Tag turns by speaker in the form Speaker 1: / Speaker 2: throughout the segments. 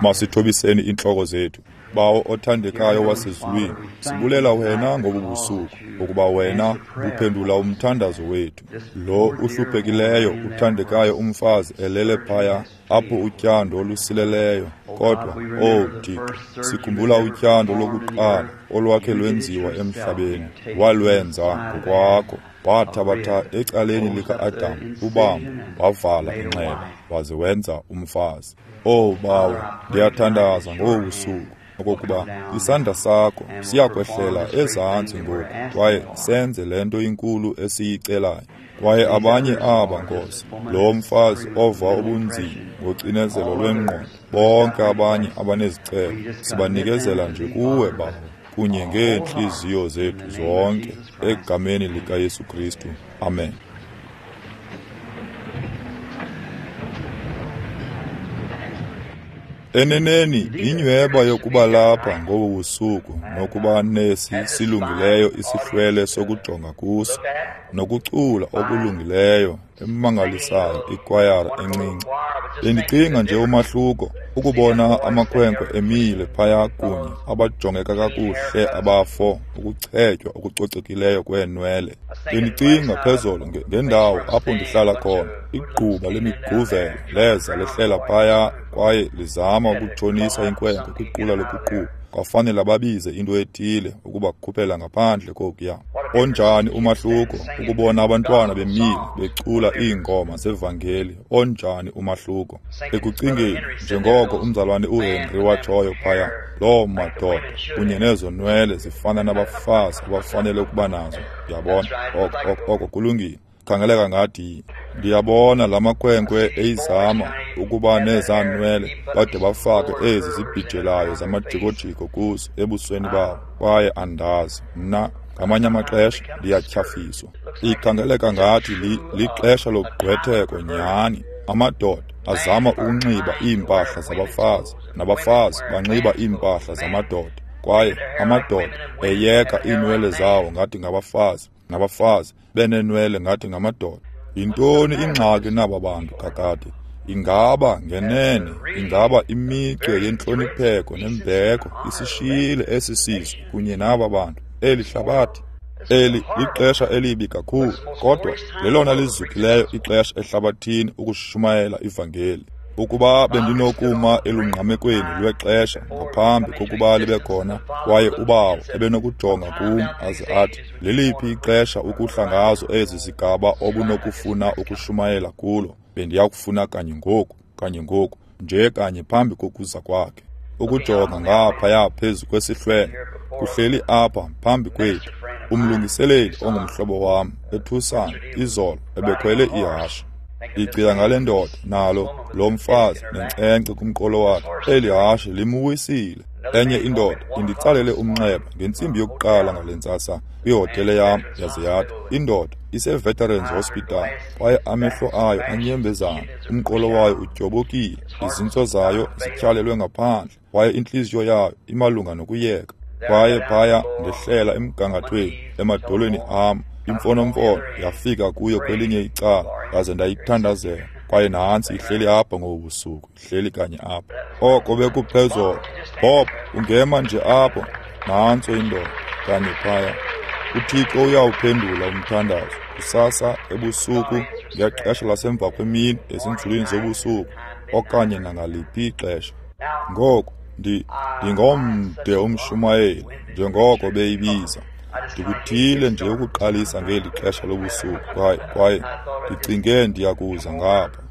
Speaker 1: Masithobiseni iintloko zethu. Bawo othandekayo wasezulwini, sibulela wena ngobu busuku, ukuba wena uphendula umthandazo wethu. Lo uhluphekileyo uthandekayo umfazi elele phaya apho utyando olusileleyo, kodwa, owu Thixo, sikhumbula utyando lokuqala olwakhe lwenziwa emhlabeni, walwenza ngokwakho. Wathabatha ecaleni lika-Adam ubambo, wavala inxeba, waze wenza umfazi. Owu Bawo, ndiyathandaza ngobu busuku okokuba isandla sakho siyakwehlela ezantsi ngoku kwaye senze le nto inkulu esiyicelayo. Kwaye abanye aba, Nkosi, lo mfazi ova ubunzima ngocinezelo lwengqondo, bonke abanye abanezicelo, sibanikezela nje kuwe, Bawo, kunye ngeentliziyo zethu zonke, egameni likaYesu Kristu. Amen. Eneneni inyweba yokuba lapha ngobu busuku nokuba nesi silungileyo isihlwele sokujonga kuso nokucula okulungileyo emangalisayo ikwayara encinci. Bendicinga nje umahluko ukubona amakhwenkwe emile phaya kunye abajongeka kakuhle abafo ukuchetywa okucocekileyo kweenwele. Bendicinga phezolo ngendawo apho ndihlala khona, igquba lemiguvelo leza lehlela phaya kwaye lizama ukutshonisa inkwenkwe kwiqula lokuqhuba. Kwafanela babize into ethile ukubakhuphela ngaphandle kokuya. Onjani umahluko ukubona abantwana bemile becula iingoma zevangeli, onjani umahluko. Ekucingeni, njengoko umzalwane uHenry watshoyo phaya, loo madoda kunye nezo nwele zifana nabafazi abafanele ukuba nazo. Ndiyabona, oko kulungile. Khangeleka ngathi ndiyabona la makhwenkwe eyizama ukuba nezaa nwele bade bafake ezi zibhijelayo zamajikojiko kuzo ebusweni babo, kwaye andazi mna ngamanye amaxesha ndiyatyhafiswa. Ikhangeleka ngathi lixesha logqwetheko nyhani. Amadoda azama ukunxiba iimpahla zabafazi, nabafazi banxiba iimpahla zamadoda, kwaye amadoda eyeka iinwele zawo ngathi ngabafazi, nabafazi beneenwele ngathi ngamadoda. Yintoni ingxaki naba bantu kakade? Ingaba ngenene, ingaba imicwe yentlonipheko nembeko isishiyile esi sizwe kunye naba bantu, eli hlabathi? Eli lixesha elibi kakhulu, kodwa lelona lizukileyo ixesha ehlabathini ukushumayela ivangeli. Ukuba bendinokuma elungqamekweni lwexesha ngaphambi kokuba libe khona, kwaye uBawo ebenokujonga kum aze athi, leliphi ixesha ukuhla ngazo ezi zigaba obunokufuna ukushumayela kulo, bendiyakufuna kanye ngoku, kanye ngoku, nje kanye phambi kokuza kwakhe. Ukujonga ngaphaya phezu kwesihlwele, kuhleli apha phambi kwethu umlungiseleli ongumhlobo wam eTucson izolo ebekhwele ihashe. Ndicinga ngale ndoda nalo lo mfazi nenkcenkce kumqolo wakhe, eli hashe limuwisile. Enye indoda inditsalele umnxeba ngentsimbi yokuqala ngale ntsasa kwihotele yam, yaze yathi indoda ise-Veterans Hospital kwaye amehlo ayo anyembezana, umqolo wayo utyobokile, izintso zayo zityhalelwe ngaphandle kwaye intliziyo yayo imalunga nokuyeka. Kwaye phaya ndehlela emgangathweni emadolweni am, imfonomfono yafika kuyo kwelinye icala, ndaze ndayithandazela. Kwaye nantsi ihleli apha ngobu busuku, ihleli kanye apha. Oko bekuphezolo. Bob, ungema nje apho. Nantso indoda kanye phaya. UThixo uyawuphendula umthandazo kusasa ebusuku ngexesha lasemva kwemini ezinzulwini zobusuku okanye nangaliphi ixesha. Ngoku ndingomde umshumayeli njengoko beyibiza. Ndikuthile nje ukuqalisa ngeli xesha lobusuku kwaye ndicinge ndiyakuza ngapha.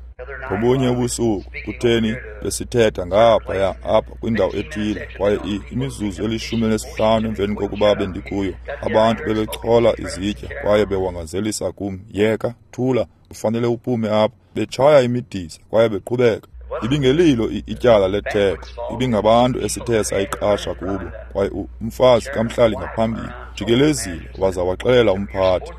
Speaker 1: Ngobunye ubusuku kutheni besithetha ngaphaya apha kwindawo ethile, kwaye imizuzu eli-15 emveni kokuba bendikuyo, abantu bebechola izitya kwaye bewangazelisa kum, yeka, thula, ufanele uphume apha, betshaya imidisa kwaye beqhubeka. Ibingelilo ityala letheko, ibingabantu esithe sayiqasha kubo, kwaye umfazi kamhlali ngaphambili jikelezile waza waxelela umphathi,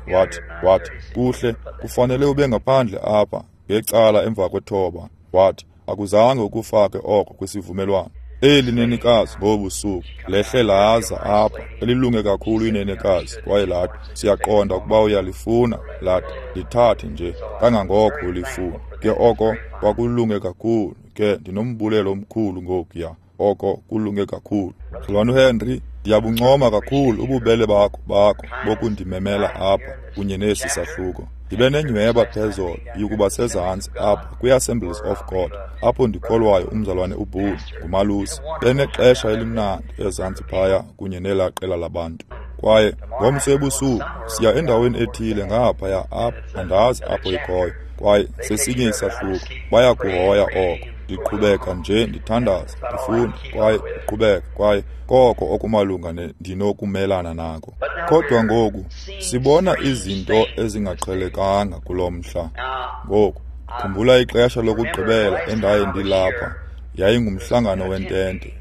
Speaker 1: wathi kuhle, kufanele ube ngaphandle apha ngecala emva kwethoba. Wathi akuzange ukufake oko kwisivumelwano. Eli nenekazi ngobusuku lehle laza apha, elilunge kakhulu inenekazi, kwaye lathi siyaqonda ukuba uyalifuna, lathi lithathe nje kangangoko ulifuna. Ke oko kwakulunge kakhulu. ke ndinombulelo omkhulu ngokuya. Oko kulunge kakhulu. Mzalwana uHenry, ndiyabuncoma kakhulu ububele bakho bokundimemela apha kunye nesi sahluko. Ndibe nenyweba phezolo yokuba sezantsi apha kwi-Assemblies of God, apho ndikholwayo umzalwane uBoone ngumalusi. Benexesha elimnandi ezantsi phaya kunye nelaa qela labantu. Kwaye ngomso ebusuku siya endaweni ethile ngaphaya apha, andazi apho ikhoyo, kwaye sesinye isahluko. Bayakuhoya oko. Ndiqhubeka nje ndithandaza, ndifunda, kwaye ndiqhubeka, kwaye koko okumalunga ndinokumelana nako. Kodwa ngoku sibona izinto ezingaqhelekanga kulo mhla. Ngoku khumbula ixesha lokugqibela endaye ndilapha, yayingumhlangano wentente.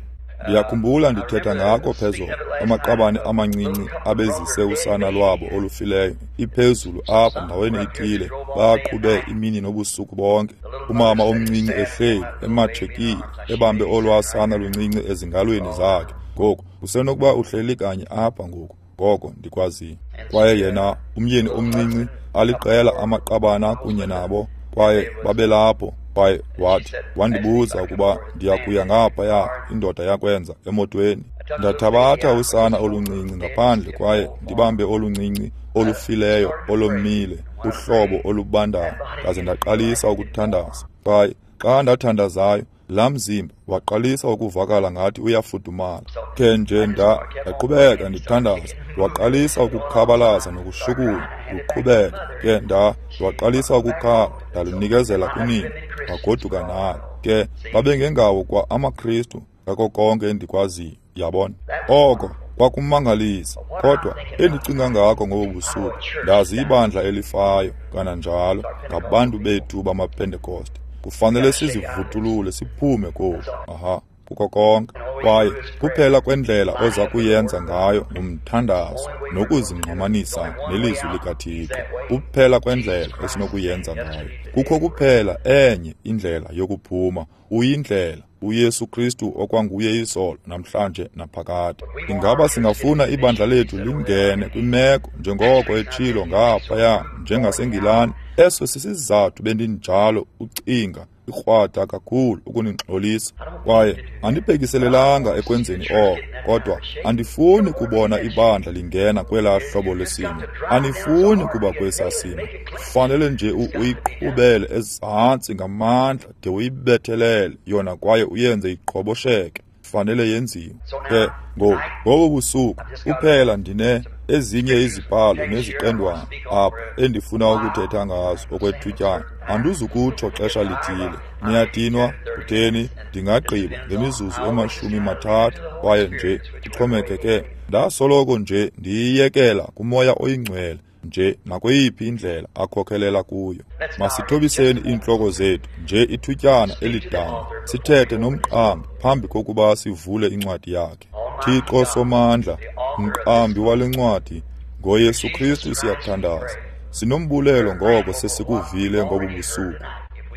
Speaker 1: Ndiyakhumbula ndithetha ngako phezolo, amaqabane amancinci abezise usana lwabo olufileyo iphezulu apha ndaweni ithile, baqhube imini nobusuku bonke. Umama omncinci ehleli ematshekile, ebambe olwasana luncinci ezingalweni zakhe. Ngoku usenokuba uhleli kanye apha ngoku, ngoko ndikwaziyo. Kwaye yena umyeni omncinci aliqela amaqabana kunye nabo, kwaye babelapho. Kwaye wathi, wandibuza ukuba ndiyakuya ngaphaya, indoda yakwenza emotweni. Ndathabatha usana oluncinci ngaphandle kwaye ndibambe oluncinci olufileyo olomile, uhlobo olubandayo, ndaze ndaqalisa ukuthandaza. Kwaye xa ndathandazayo, laa mzimba waqalisa ukuvakala ngathi uyafudumala. Ke nje ndaqhubeka ndithandaza, waqalisa ukukhabalaza nokushukuma, luqhubeka. Ke ndaqalisa ukukhala, ndalunikezela kunina, wagoduka nalo. Ke babengengawo kwa amaKristu ngako konke endikwaziyo, yabona. Oko kwakumangalisa, kodwa endicinga ngako ngobu busuku, ndazi ibandla elifayo kananjalo ngabantu bethu bamaPentekoste. Kufanele sizivutulule siphume koku. Aha, kuko konke. Kwaye kuphela kwendlela oza kuyenza ngayo ngumthandazo nokuzingqamanisa nelizwi likaThixo. Kuphela kwendlela esinokuyenza ngayo. Kukho kuphela enye indlela yokuphuma, uyindlela uYesu Kristu okwanguye izolo, namhlanje naphakade. Ingaba singafuna ibandla lethu lingene kwimeko njengoko etshilo ngaphaya njengaseNgilani? Eso sisizathu bendinjalo ucinga ikrwada kakhulu ukuningxolisa, kwaye andibhekiselelanga ekwenzeni oko, kodwa andifuni kubona ibandla lingena kwelaa hlobo lesimo. Andifuni kuba kwesaa simo. Kufanele nje uyiqhubele ezantsi ngamandla de uyibethelele yona kwaye uyenze iqhobosheke. Fanele yenziwe. Ke ngoku ngobu busuku kuphela ndine ezinye izibhalo neziqendwana apha endifuna ukuthetha ngazo okwethutyana. Andizukutsho xesha lithile. Niyadinwa? Kutheni? Ndingagqiba ngemizuzu 30 kwaye nje kuxhomekeke. Ndasoloko nje ndiyiyekela kuMoya oyiNgcwele nje nakweyiphi indlela akhokhelela kuyo. Masithobiseni iintloko zethu nje ithutyana elidama, sithethe nomqambi phambi kokuba sivule incwadi yakhe. Thixo Somandla, mqambi wale ncwadi, ngoYesu Kristu siyathandaza. Sinombulelo ngoko sesikuvile ngobu busuku.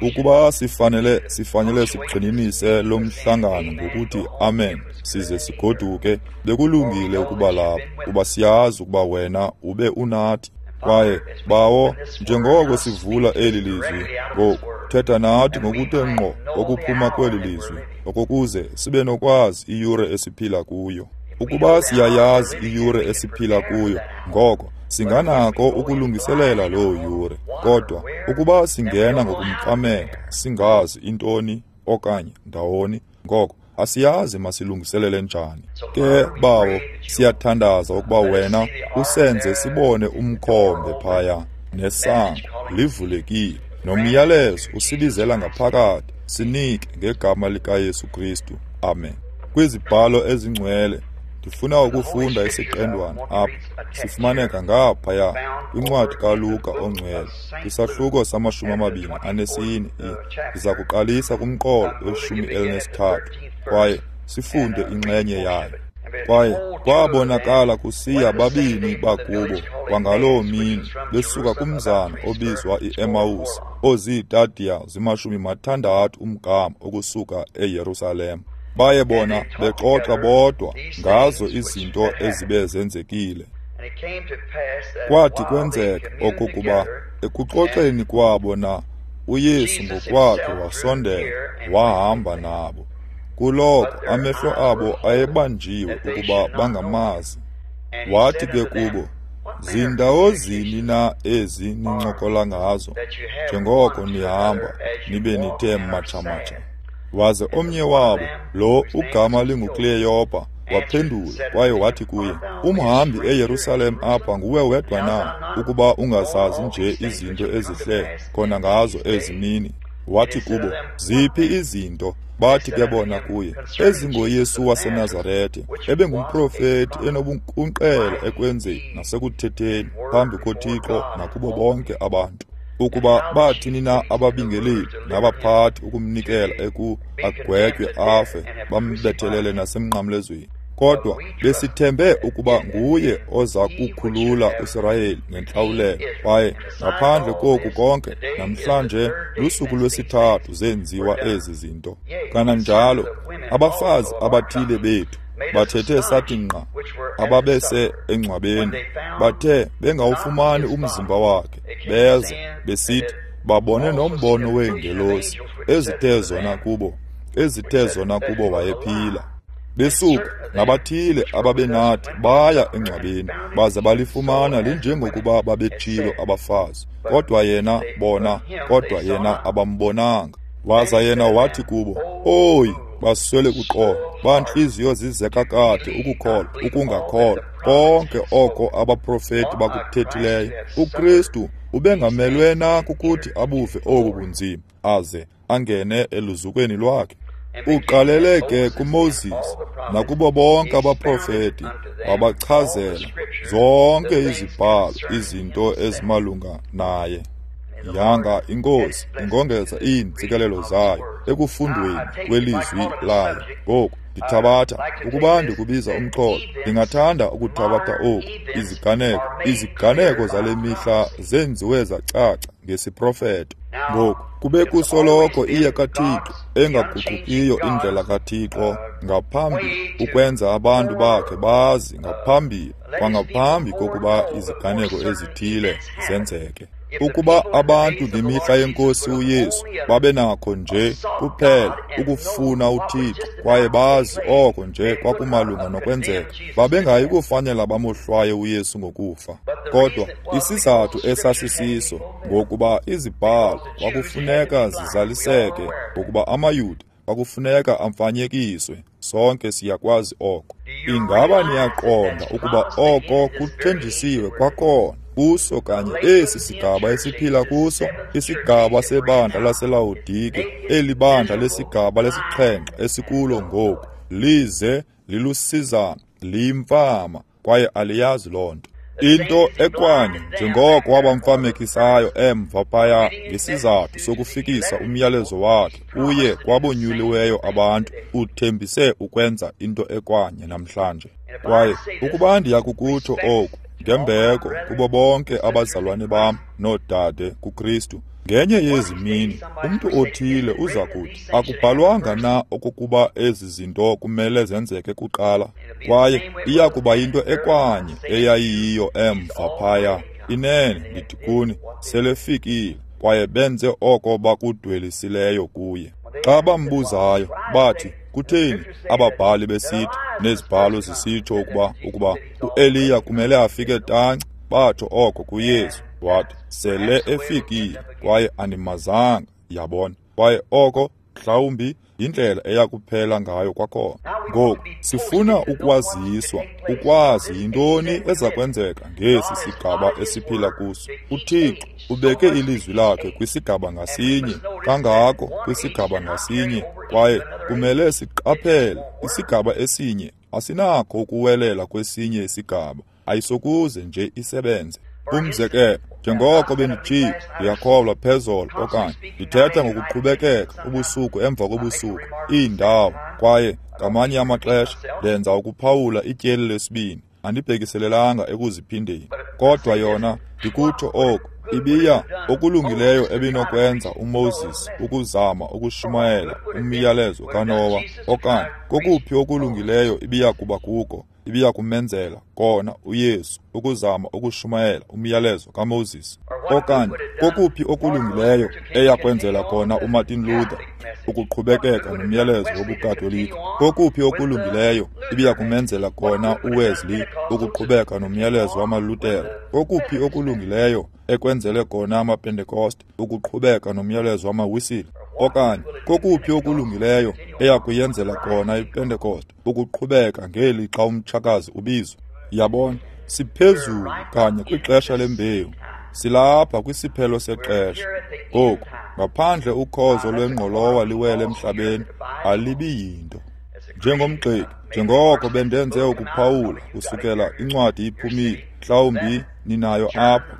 Speaker 1: Ukuba sifanele sigxininise lo mhlangano ngokuthi amen size sigoduke, bekulungile ukuba lapha, kuba siyazi ukuba wena ube unathi. Kwaye Bawo, njengoko sivula eli lizwi ngoku, thetha nathi ngokuthe ngqo okuphuma kweli lizwi, okokuze sibe nokwazi iyure esiphila kuyo. Ukuba siyayazi iyure esiphila kuyo, ngoko singanako ukulungiselela loo yure. Kodwa ukuba singena ngokumfameka, singazi intoni okanye ndawoni, ngoko asiyazi masilungiselele njani. Ke Bawo, siyathandaza ukuba wena usenze sibone umkhombe phaya nesango livulekile, nomyalezo usibizela ngaphakathi. Sinike ngegama likaYesu Kristu. Amen. Kwizibhalo ezingcwele ndifuna ukufunda isiqendwana apha, sifumaneka ngaphaya kwincwadi kaLuka ongcwele, kwisahluko sama-24. Ndiza kuqalisa kumqolo we-13 kwaye sifunde inxenye yayo. Kwaye kwabonakala kusiya babini bakubo kwangaloo mini, besuka kumzana obizwa iEmawusi, oziitadiya zima-60 umgama ukusuka eYerusalem. Baye bona bexoxa bodwa ngazo izinto ezibe zenzekile. Kwathi kwenzeka okokuba ekuxoxeni kwabo na uYesu ngokwakhe wasondela, wahamba nabo. Kuloko amehlo abo ayebanjiwe ukuba bangamazi. Wathi ke kubo, Zindawo zini na ezi nincokola ngazo, njengoko nihamba nibe nithe matsha-matsha? Waze omnye wabo, lo ugama linguKleyopa, waphendula kwaye wathi kuye, Umhambi eYerusalem apha nguwe wedwa na, ukuba ungazazi nje izinto ezihle khona ngazo ezi mini? Wathi kubo, Ziphi izinto? Bathi ke bona kuye, EzingoYesu waseNazarete, ebengumprofeti enobunkunkqela ekwenzeni nasekuthetheni phambi koThixo nakubo bonke abantu. Ukuba bathini na ababingeleli nabaphathi ukumnikela agwetywe afe, bambethelele nasemnqamlezweni. Kodwa besithembe ukuba nguye oza kukhulula uSirayeli ngentlawulelo, kwaye ngaphandle koku konke, namhlanje lusuku lwesithathu zenziwa ezi zinto. Kananjalo abafazi abathile bethu bathethe sathi nqa, ababese engcwabeni, bathe bengawufumani umzimba wakhe, beza besithi babone nombono weengelosi ezithe zona kubo wayephila. Besuka nabathile ababenathi baya engcwabeni, baze balifumana linjengokuba babetshilo abafazi, kodwa yena abambonanga. Waza yena wathi kubo, Oyi, baswele kuqonda, bantliziyo zizeka kade ukukholwa, ukungakholwa konke oko abaprofeti bakuthethileyo. UKristu ubengamelwe na kukuthi abuve obu bunzima, aze angene eluzukweni lwakhe? Uqalele ke kuMoses nakubo bonke abaprofeti, wabachazela zonke izibhalo izinto ezimalunga naye. Yanga iNkosi ingongeza iintsikelelo zayo ekufundweni kwelizwi layo. Ngoku ndithabatha, ukuba ndikubiza umxholo, ndingathanda ukuthabatha oku, iziganeko zale mihla zenziwe zacaca ngesiprofeto. Ngoku kube kusoloko iye kaThixo engaguqukiyo indlela kaThixo ngaphambi ukwenza abantu bakhe bazi ngaphambili kwangaphambi kokuba iziganeko ezithile zenzeke. Ukuba abantu ngemihla yenkosi uYesu babenakho nje kuphela ukufuna uThixo kwaye bazi oko nje kwakumalunga nokwenzeka, babengayi kufanela bamohlwaye uYesu ngokufa. Kodwa isizathu esasisiso ngokuba izibhalo kwakufuneka zizaliseke, ngokuba amaYuda kwakufuneka amfanyekiswe. Sonke siyakwazi oko. Ingaba niyaqonda ukuba oko kuthenjisiwe kwakhona kuso kanye esi sigaba esiphila kuso, isigaba sebandla laseLawodike, eli bandla lesigaba lesixhenxe esikulo ngoku, lize lilusizana, liyimfama, kwaye aliyazi loo nto. Into ekwanye njengoko wabamfamekisayo emva phaya ngesizathu sokufikisa umyalezo wakhe uye kwabonyuliweyo abantu, uthembise ukwenza into ekwanye namhlanje. Kwaye ukuba ndiyakukutsho oku ngembeko kubo bonke abazalwane bam noodade kuKristu, ngenye yezi mini umntu othile uza kuthi, akubhalwanga na okokuba ezi zinto kumele zenzeke kuqala? Kwaye iya kuba yinto ekwanye eyayiyiyo emva phaya. Inene ndithi kuni, selefikile, kwaye benze oko bakudwelisileyo kuye. Xa bambuzayo bathi, kutheni ababhali besithi nezibhalo zisitsho ukuba uEliya kumele afike tanci? Batsho oko kuYesu. Wathi, sele efikile kwaye animazanga. Yabona? Kwaye oko mhlawumbi yindlela eyakuphela ngayo kwakhona. Ngoku sifuna ukwaziswa, ukwazi yintoni eza kwenzeka ngesi sigaba esiphila kuso. UThixo ubeke ilizwi lakhe kwisigaba ngasinye, kangako kwisigaba ngasinye, kwaye kumele siqaphele isigaba esinye asinakho ukuwelela kwesinye isigaba, ayisokuze nje isebenze. Umzekelo, njengoko benditshilo, ndiyakholwa phezolo okanye ndithetha ngokuqhubekeka ubusuku emva kobusuku, iindawo, kwaye ngamanye amaxesha ndenza ukuphawula ityeli lesibini, andibhekiselelanga ekuziphindeni. Kodwa yona, ndikutsho oku, ibiya okulungileyo ebinokwenza uMoses ukuzama ukushumayela umyalezo kaNowa, okanye kokuphi okulungileyo ibiya kuba kuko, ibiyakumenzela kona uYesu ukuzama ukushumayela umyalezo kaMoses? Okanye kokuphi okulungileyo eyakwenzela kona uMartin Luther ukuqhubekeka nomyalezo wobuKatolika? Kokuphi okulungileyo ibiyakumenzela kona uWesley ukuqhubeka nomyalezo wamaLuthere? Kokuphi okulungileyo ekwenzele kona amaPentekoste ukuqhubeka nomyalezo wamaWisile? Okanye kokuphi okulungileyo eyakuyenzela kona iPentekoste ukuqhubeka ngeli xa umtshakazi ubizwa? Yabona, siphezulu kanye kwixesha lembewu. Silapha kwisiphelo sexesha. Ngoku, ngaphandle ukhozo lwengqolowa liwele emhlabeni, alibi yinto. Njengomgxeki, njengoko bendenze ukuphawula kusukela incwadi iphumile, mhlawumbi ninayo apha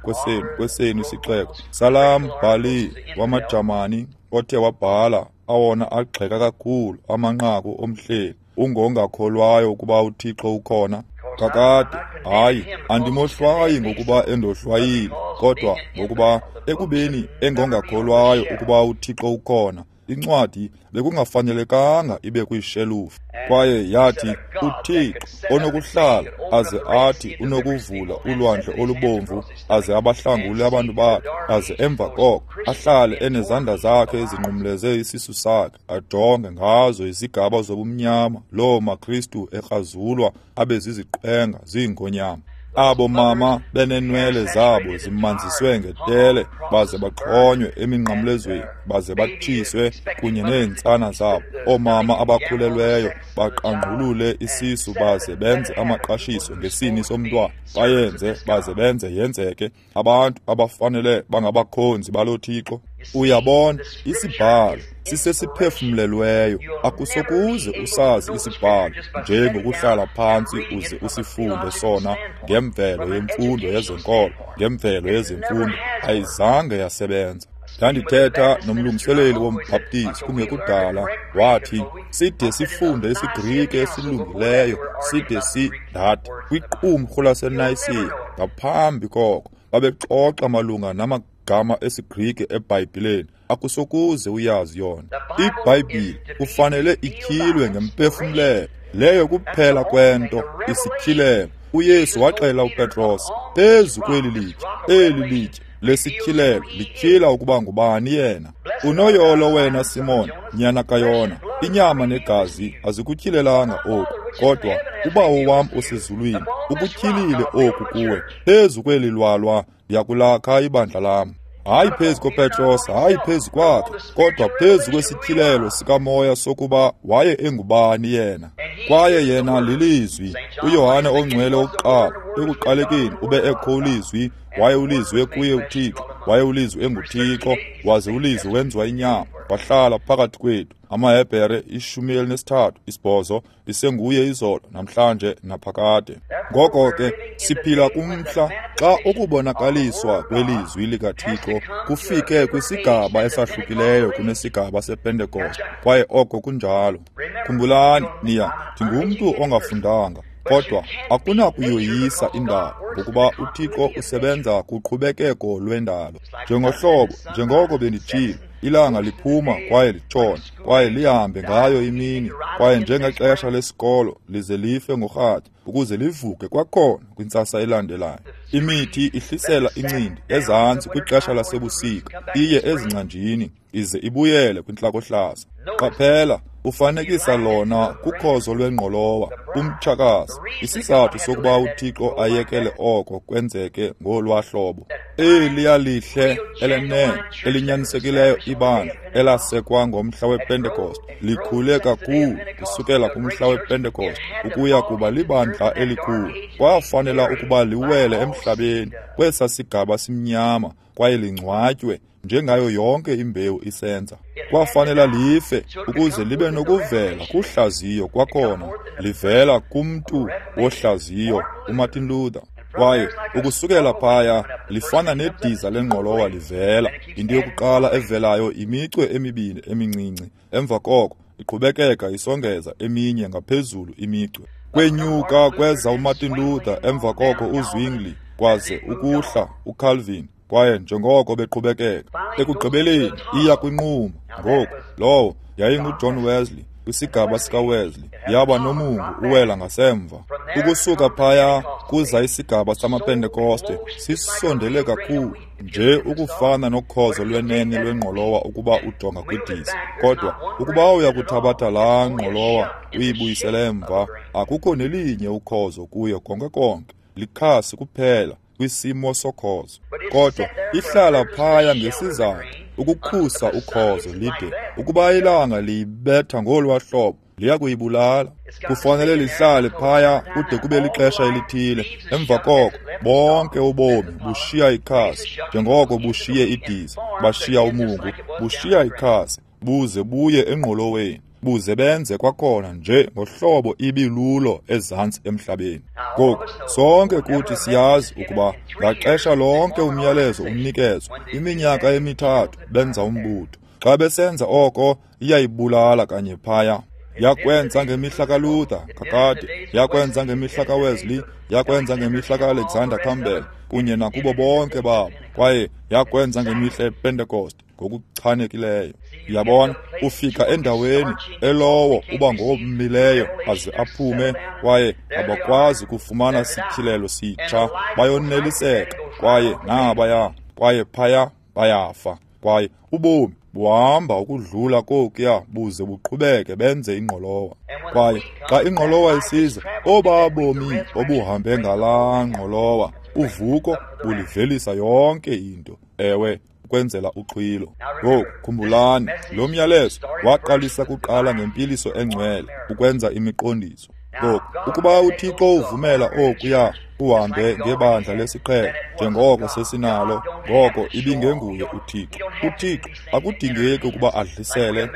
Speaker 1: kwesenu isixeko, salaa mbhali wamaJamani othe wabhala awona agxeka kakhulu amanqaku omhleli, ungongakholwayo ukuba uThixo ukhona. Kakade, hayi, andimohlwayi ngokuba endohlwayile, kodwa ngokuba ekubeni engongakholwayo ukuba uThixo ukhona, incwadi bekungafanelekanga ibe kwiishelufu. Kwaye yathi uThixo onokuhlala aze athi unokuvula ulwandle olubomvu aze abahlangule abantu bakhe, aze emva koko ahlale enezandla zakhe ezinqumleze isisu sakhe, ajonge ngazo izigaba zobumnyama loo maKristu ekrazulwa abe ziziqwenga ziingonyama. Abo mama benenwele zabo zimanziswe ngetele baze baxhonywe eminqamlezweni baze batshiswe kunye neentsana zabo. Oomama abakhulelweyo baqangqulule isisu baze benze amaqashiso ngesini somntwana, bayenze baze benze yenzeke. Abantu abafanele bangabakhonzi balo Thixo. Uyabona, isibhalo sisesiphefumlelweyo. Akusokuze usazi isibhalo njengokuhlala phantsi uze usifunde sona ngemvelo yemfundo yezenkolo, ngemvelo yezemfundo. Ayizange yasebenza. Ndandithetha nomlungiseleli wombhaptizi kungekudala, wathi side sifunde isiGrike esilungileyo, side ndathi kwiqumrhu laseNayisiya. Ngaphambi koko babexoxa malunga namagama esiGrike eBhayibhileni. Akusokuze uyazi yona. IBhayibhile kufanele ityhilwe ngempefumlelo. Leyo kuphela kwento isityhilelo. uYesu waxela uPetros, phezu kweli litye, eli litye lesityhilelo lityhila ukuba ngubani yena. Unoyolo wena Simon, nyana kaYona, inyama negazi azikutyhilelanga oku, kodwa uBawo wam osezulwini ukutyhilile oku kuwe. Phezu kweli lwalwa ndiyakulakha ibandla lam. Hayi phezu koPetros, hayi phezu kwakhe, kodwa phezu kwesityhilelo sikamoya sokuba waye engubani yena. Kwaye yena lilizwi. uYohane ongcwele wokuqala, ekuqalekeni ube ekho ulizwi, waye ulizwi ekuye uThixo, waye ulizwi enguThixo, waze ulizwi wenziwa inyama, wahlala phakathi kwethu. AmaHebhere 13 8 isenguye izolo, namhlanje, naphakade. Ngoko ke siphila kumhla xa ukubonakaliswa kwelizwi likaThixo kufike kwisigaba esahlukileyo kunesigaba sePentekoste, kwaye oko kunjalo. Khumbulani, niya, ndingumntu ongafundanga, kodwa akunakuyoyisa indalo, ngokuba uThixo usebenza kuqhubekeko lwendalo. Njengohlobo, njengoko benditshilo, ilanga liphuma kwaye litshona, kwaye lihambe ngayo imini, kwaye njengexesha lesikolo lize life ngorhatya ukuze livuke kwakhona kwintsasa elandelayo. Imithi ihlisela incindi ezantsi kwixesha lasebusika, iye ezingcanjini ize ibuyele kwintlakohlaza. Qaphela, ufanekisa lona kukhozo lwengqolowa, umtshakazi. Isizathu sokuba uThixo ayekele oko kwenzeke ngolwahlobo. Eliya lihle elenene elinyanisekileyo ibandla elasekwa ngomhla wePentekoste likhule kakhulu kusukela kumhla wePentekoste ukuya kuba libandla elikhulu. Kwafanela ukuba liwele emhlabeni kwesa sigaba simnyama kwaye lingcwatywe njengayo yonke imbewu isenza. Kwafanela life ukuze libe nokuvela kuhlaziyo kwakhona, livela kumntu wohlaziyo uMartin Luther. Kwaye ukusukela phaya lifana nediza lengqolowa livela. Into yokuqala evelayo imicwe emibini emincinci, emva koko iqhubekeka isongeza eminye ngaphezulu imicwe. Kwenyuka kweza uMartin Luther, emva koko uZwingli, kwaze ukuhla uCalvin, kwaye njengoko beqhubekeka ekugqibeleni iya kwinquma. Ngoku lowo yayinguJohn Wesley, kwisigaba sikaWesley yaba nomungu uwela ngasemva. Ukusuka phaya kuza isigaba samaPentekoste, sisondele kakhulu nje ukufana nokhozo lwenene lwengqolowa ukuba ujonga kwidisi. Kodwa ukuba uyakuthabatha laa ngqolowa uyibuyisele emva, akukho nelinye ukhozo kuyo konke konke, likhasi kuphela kwisimo sokhozo. Kodwa ihlala phaya ngesizathu ukukhusa ukhozo lide ukuba ilanga liyibetha ngolwa hlobo liya kuyibulala. Kufanele lihlale phaya kude kube lixesha elithile. Emva koko bonke ubomi bushiya ikhasi, njengoko bushiye idiza, bashiya umungu, bushiya ikhasi, buze buye engqoloweni, buze benze kwakhona nje ngohlobo ibilulo ezantsi emhlabeni. Ngoku sonke kuthi siyazi ukuba ngaxesha lonke umyalezo unikezwa, iminyaka emithathu benza umbutho. Xa besenza oko, iyayibulala kanye phaya. Yakwenza ngemihla kaLuther kakade, yakwenza ngemihla kaWesley, yakwenza ngemihla kaAlexander Campbell kunye nakubo bonke babo, kwaye yakwenza ngemihla yePentecost ngokuchanekileyo. Uyabona, ufika endaweni elowo uba ngomileyo aze aphume, kwaye abakwazi kufumana sityhilelo sitsha, bayoneliseka, kwaye nabaya, kwaye phaya bayafa, kwaye ubomi buhamba ukudlula kokuya buze buqhubeke benze ingqolowa. Kwaye xa ingqolowa isiza, oba bomi obuhambe ngalaa ngqolowa, uvuko bulivelisa yonke into, ewe, ukwenzela uxhwilo. Ngoku khumbulani, lo myalezo waqalisa kuqala ngempiliso engcwele, ukwenza imiqondiso. Ngoku ukuba uThixo uvumela okuya uhambe ngebandla lesiqhelo njengoko sesinalo, ngoko ibingenguye uThixo. uThixo akudingeki ukuba adlisele,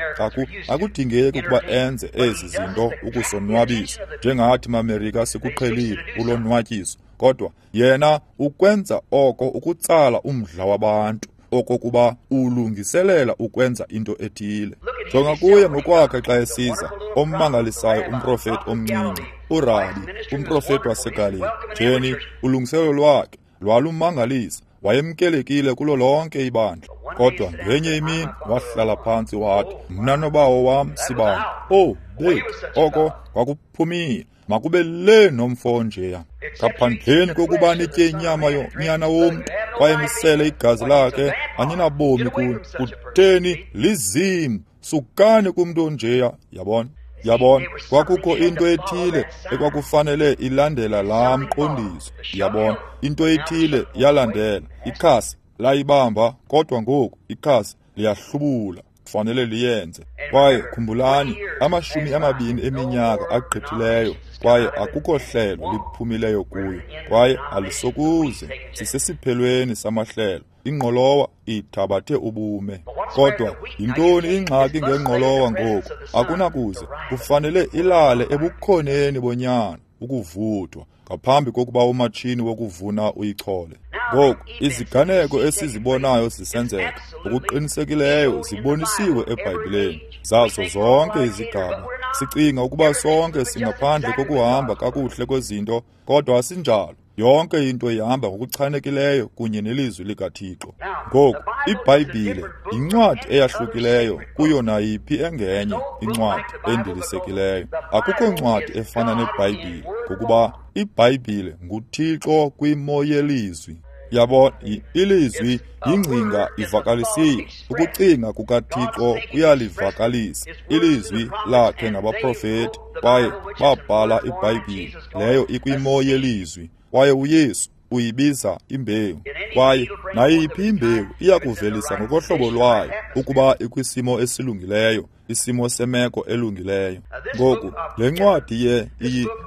Speaker 1: akudingeki ukuba enze ezi zinto ukusonwabisa njengathi maMerika sikuqhelile ulonwatyiso, kodwa yena ukwenza oko ukutsala umdla wabantu, okokuba ulungiselela ukwenza into ethile. Jonga kuye ngokwakhe xa esiza, ommangalisayo umprofeti omncinci, uRabi, umprofeti waseGalili. Jeni, ulungiselelo lwakhe lwalumangalisa, wayemkelekile kulo lonke ibandla. Kodwa ngenye imini wahlala phantsi wathi, mna nobawo wam sibani. Oh, bethu, oko kwakuphumile. Makube le nomfo njeya, ngaphandleni kokuba nitye inyama yonyana womntu kwaye nisele igazi lakhe, aninabomi kuni. Kutheni? Lizimu. Sukani kumntu onjeya. Yabona, yabona, kwakukho into ethile ekwakufanele ilandela laa mqondiso. Yabona, into ethile yalandela. Ikhasi layibamba, kodwa ngoku ikhasi liyahlubula, kufanele liyenze. Kwaye khumbulani, 20 eminyaka agqithileyo, kwaye akukho hlelo liphumileyo kuyo, kwaye alisokuze. Sisesiphelweni samahlelo. Ingqolowa ithabathe ubume. Kodwa yintoni ingxaki ngengqolowa ngoku? Akunakuze, kufanele ilale ebukhoneni bonyana ukuvuthwa ngaphambi kokuba umatshini wokuvuna uyichole. Ngoku iziganeko esizibonayo zisenzeka ngokuqinisekileyo zibonisiwe eBhayibhileni zazo zonke izigaba. Sicinga ukuba sonke singaphandle kokuhamba kakuhle kwezinto, kodwa asinjalo. Yonke into ihamba ngokuchanekileyo kunye nelizwi likaThixo. Ngoku iBhayibhile yincwadi eyahlukileyo kuyo nayiphi engenye incwadi endilisekileyo. Akukho ncwadi efana neBhayibhile, ngokuba iBhayibhile nguThixo kwimo yelizwi. Yabona, ilizwi yingcinga ivakalisiwe. Ukucinga kukaThixo kuyalivakalisa ilizwi lakhe ngabaprofeti, kwaye babhala iBhayibhile leyo ikwimo yelizwi. Kwaye uYesu uyibiza imbewu, kwaye nayiphi imbewu iyakuvelisa ngokohlobo lwayo ukuba ikwisimo esilungileyo, isimo semeko elungileyo. Ngoku le ncwadi le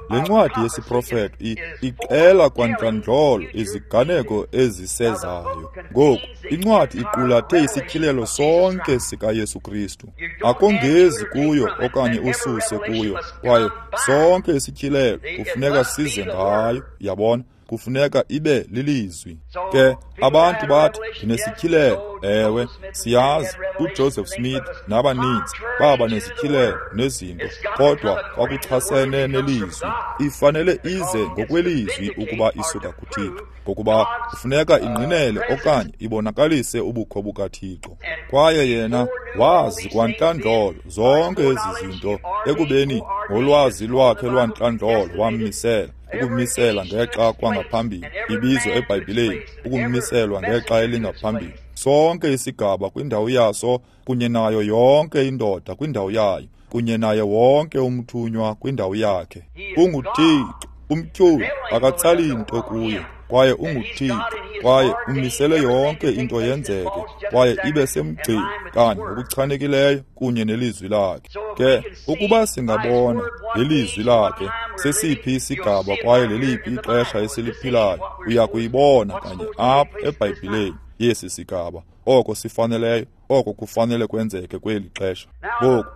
Speaker 1: ncwadi yesiprofeto ixela kwantlandlolo iziganeko ezisezayo. Ngoku incwadi iqulathe isityhilelo sonke sikaYesu Kristu. Akongezi kuyo okanye ususe kuyo, kwaye sonke isityhilelo kufuneka size ngayo. Yabona, kufuneka ibe lilizwi. Ke abantu bathi ndinesityhilelo. Ewe, siyazi uJoseph Smith nabaninzi baba nezityhilelo nezinto, kodwa kwakuchasene nelizwi. Ifanele ize ngokwelizwi ukuba isuka kuThixo, ngokuba kufuneka ingqinele okanye ibonakalise ubukho bukaThixo. Kwaye yena wazi kwantlandlolo zonke ezi zinto, ekubeni ngolwazi lwakhe lwantlandlolo wammisela. Ukumisela ngexa kwangaphambili, ibizwa eBhayibhileni, ukumiselwa ngexa elingaphambili. Sonke isigaba kwindawo yaso, kunye nayo yonke indoda kwindawo yayo, kunye naye wonke umthunywa kwindawo yakhe. UnguThixo, umtyholi akatsali nto kuye, kwaye unguThixo, kwaye umisele yonke into yenzeke, kwaye ibe semgcini kanye ngokuchanekileyo kunye nelizwi lakhe. Ke ukuba singabona ngelizwi lakhe sesiphi isigaba kwaye leliphi ixesha esiliphilayo, uya kuyibona kanye apha eBhayibhileni yesi sigaba, oko sifaneleyo, oko kufanele kwenzeke kweli xesha. Ngoku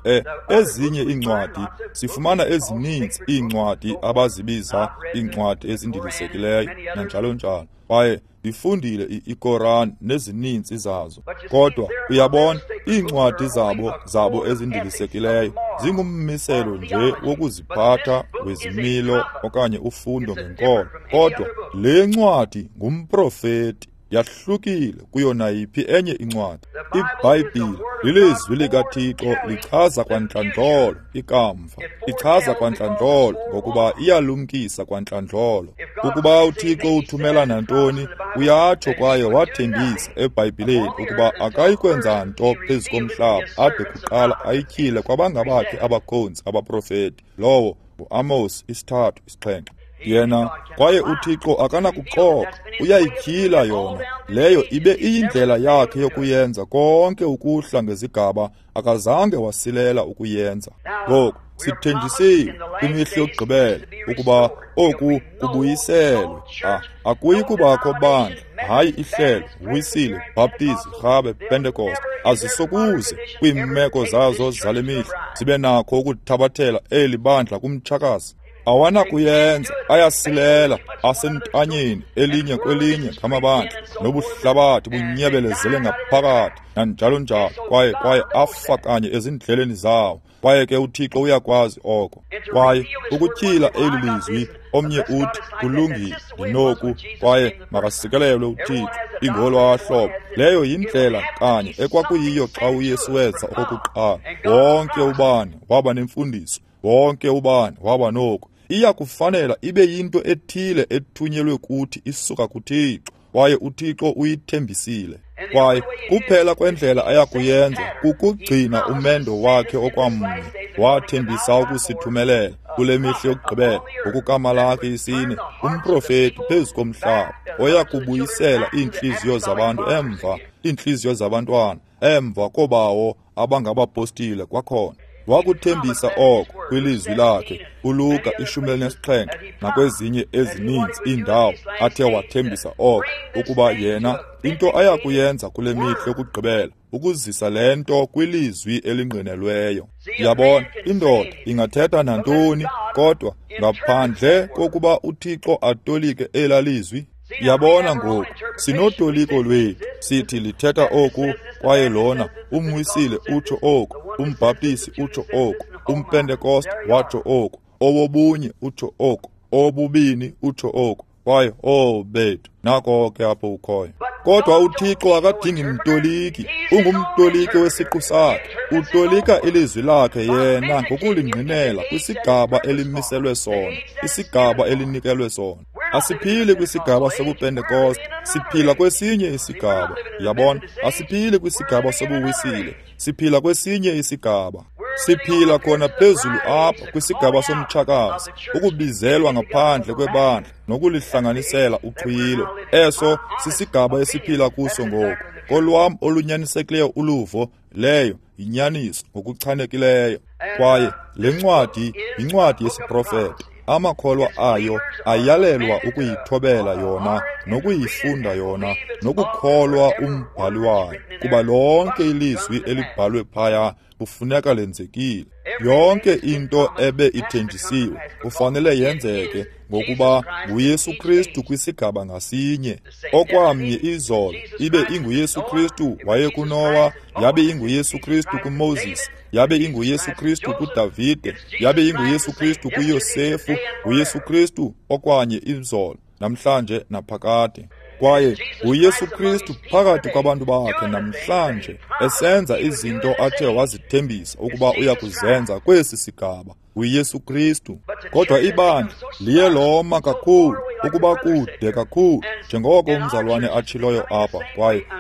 Speaker 1: ezinye iincwadi, sifumana ezininzi iincwadi abazibiza iincwadi ezindilisekileyo nanjalo njalo, kwaye ndifundile iKoran nezininzi zazo. Kodwa uyabona, iincwadi zabo ezindilisekileyo zingummiselo nje wokuziphatha wezimilo okanye ufundo ngenkolo. Kodwa le ncwadi ngumprofeti, yahlukile kuyo nayiphi enye incwadi. IBhayibhile lilizwi likaThixo, lichaza kwantlandlolo ikamva, ichaza kwantlandlolo ngokuba iyalumkisa kwantlandlolo. Ukuba uThixo uthumela nantoni, uyatsho kwaye wathembisa eBhayibhileni ukuba akayi kwenza nto phezu komhlaba ade kuqala ayityhile kwabangabakhe abakhonzi abaprofeti. Lowo nguAmos 3:7. Yena kwaye uThixo akanakuxoka, uyayityhila yona. Leyo ibe iyindlela yakhe yokuyenza konke ukuhla ngezigaba, akazange wasilela ukuyenza. Ngoku sithenjisiwe kwimihla yokugqibela ukuba oku kubuyiselwe. Akuyi kubakho bandla, hayi ihlelo, Wisile, Baptist, Rhabe, Pentecost, azisokuze kwiimeko zazo zale mihla zibe nakho ukuthabathela eli bandla kumtshakazi. Awanakuyenza, ayasilela, asentanyeni elinye kwelinye ngamabandla, nobuhlabathi bunyebelezele ngaphakathi nanjalo njalo, kwaye afa kanye ezindleleni zawo. Kwaye ke uThixo uyakwazi oko. Kwaye ukutyhila eli lizwi, omnye uthi kulungile, ndinoku, kwaye makasikelelwe uThixo, ingolwa hlobo. Leyo yindlela kanye ekwakuyiyo xa uYesu weza okokuqala. Wonke ubani waba nemfundiso, wonke ubani waba noku. Iya kufanela ibe yinto ethile ethunyelwe kuthi isuka kuThixo, kwaye uThixo uyithembisile. Kwaye kuphela kwendlela ayakuyenza kukugcina umendo wakhe okwamnye. Wathembisa ukusithumelela kule mihla yokugqibela ngokukaMalaki 4, umprofeti phezu komhlaba oya kubuyisela iintliziyo zabantu emva, iintliziyo zabantwana emva kobawo abangabapostile kwakhona. Wakuthembisa oko kwilizwi lakhe uLuka 17 nakwezinye ezininzi iindawo athe wathembisa oko, ukuba yena into ayakuyenza kule mihla yokugqibela ukuzisa le nto kwilizwi elingqinelweyo. Yabona, indoda ingathetha nantoni, kodwa ngaphandle kokuba uThixo atolike elaa lizwi. Yabona ngoku, sinotoliko lwethu, sithi lithetha oku, kwaye lona umwisile utsho oku, umbhaptisi utsho oku, umpentekoste watsho oku, owobunye utsho oku, owobubini utsho oku, kwaye bethu, nako ke apho ukhoyo. Kodwa uThixo akadingi mtoliki, ungumtoliki wesiqu sakhe. Utolika ilizwi lakhe yena ngokulingqinela kwisigaba elimiselwe sona, isigaba elinikelwe sona. Asiphili kwisigaba sobuPentekoste, siphila kwesinye isigaba. Yabona, asiphili kwisigaba sobuwisile, siphila kwesinye isigaba. Siphila khona phezulu apha kwisigaba somtshakazi, ukubizelwa ngaphandle kwebandla nokulihlanganisela uxhwilo. Eso sisigaba esiphila kuso ngoku. Kolwam olunyanisekileyo uluvo, leyo yinyaniso ngokuchanekileyo. Kwaye le ncwadi yincwadi yesiprofeto. Amakholwa ayo ayalelwa ukuyithobela yona nokuyifunda yona nokukholwa umbhali wayo, kuba lonke ilizwi elibhalwe phaya kufuneka lenzekile. Yonke into ebe ithenjisiwe kufanele yenzeke, ngokuba nguYesu Kristu kwisigaba ngasinye. Okwamnye izolo ibe inguYesu Kristu wayekuNowa, yabe inguYesu Kristu kuMoses, yabe inguYesu Kristu kuDavide, yabe inguYesu Kristu kuYosefu, nguYesu Kristu okwanye izolo, namhlanje naphakade. Kwaye uYesu Kristu phakathi kwabantu bakhe namhlanje esenza izinto athe wazithembisa ukuba uya kuzenza kwesi sigaba, uYesu Kristu. Kodwa ibandla liye loma kakhulu, ukuba kude kakhulu, njengoko umzalwane atshiloyo apha,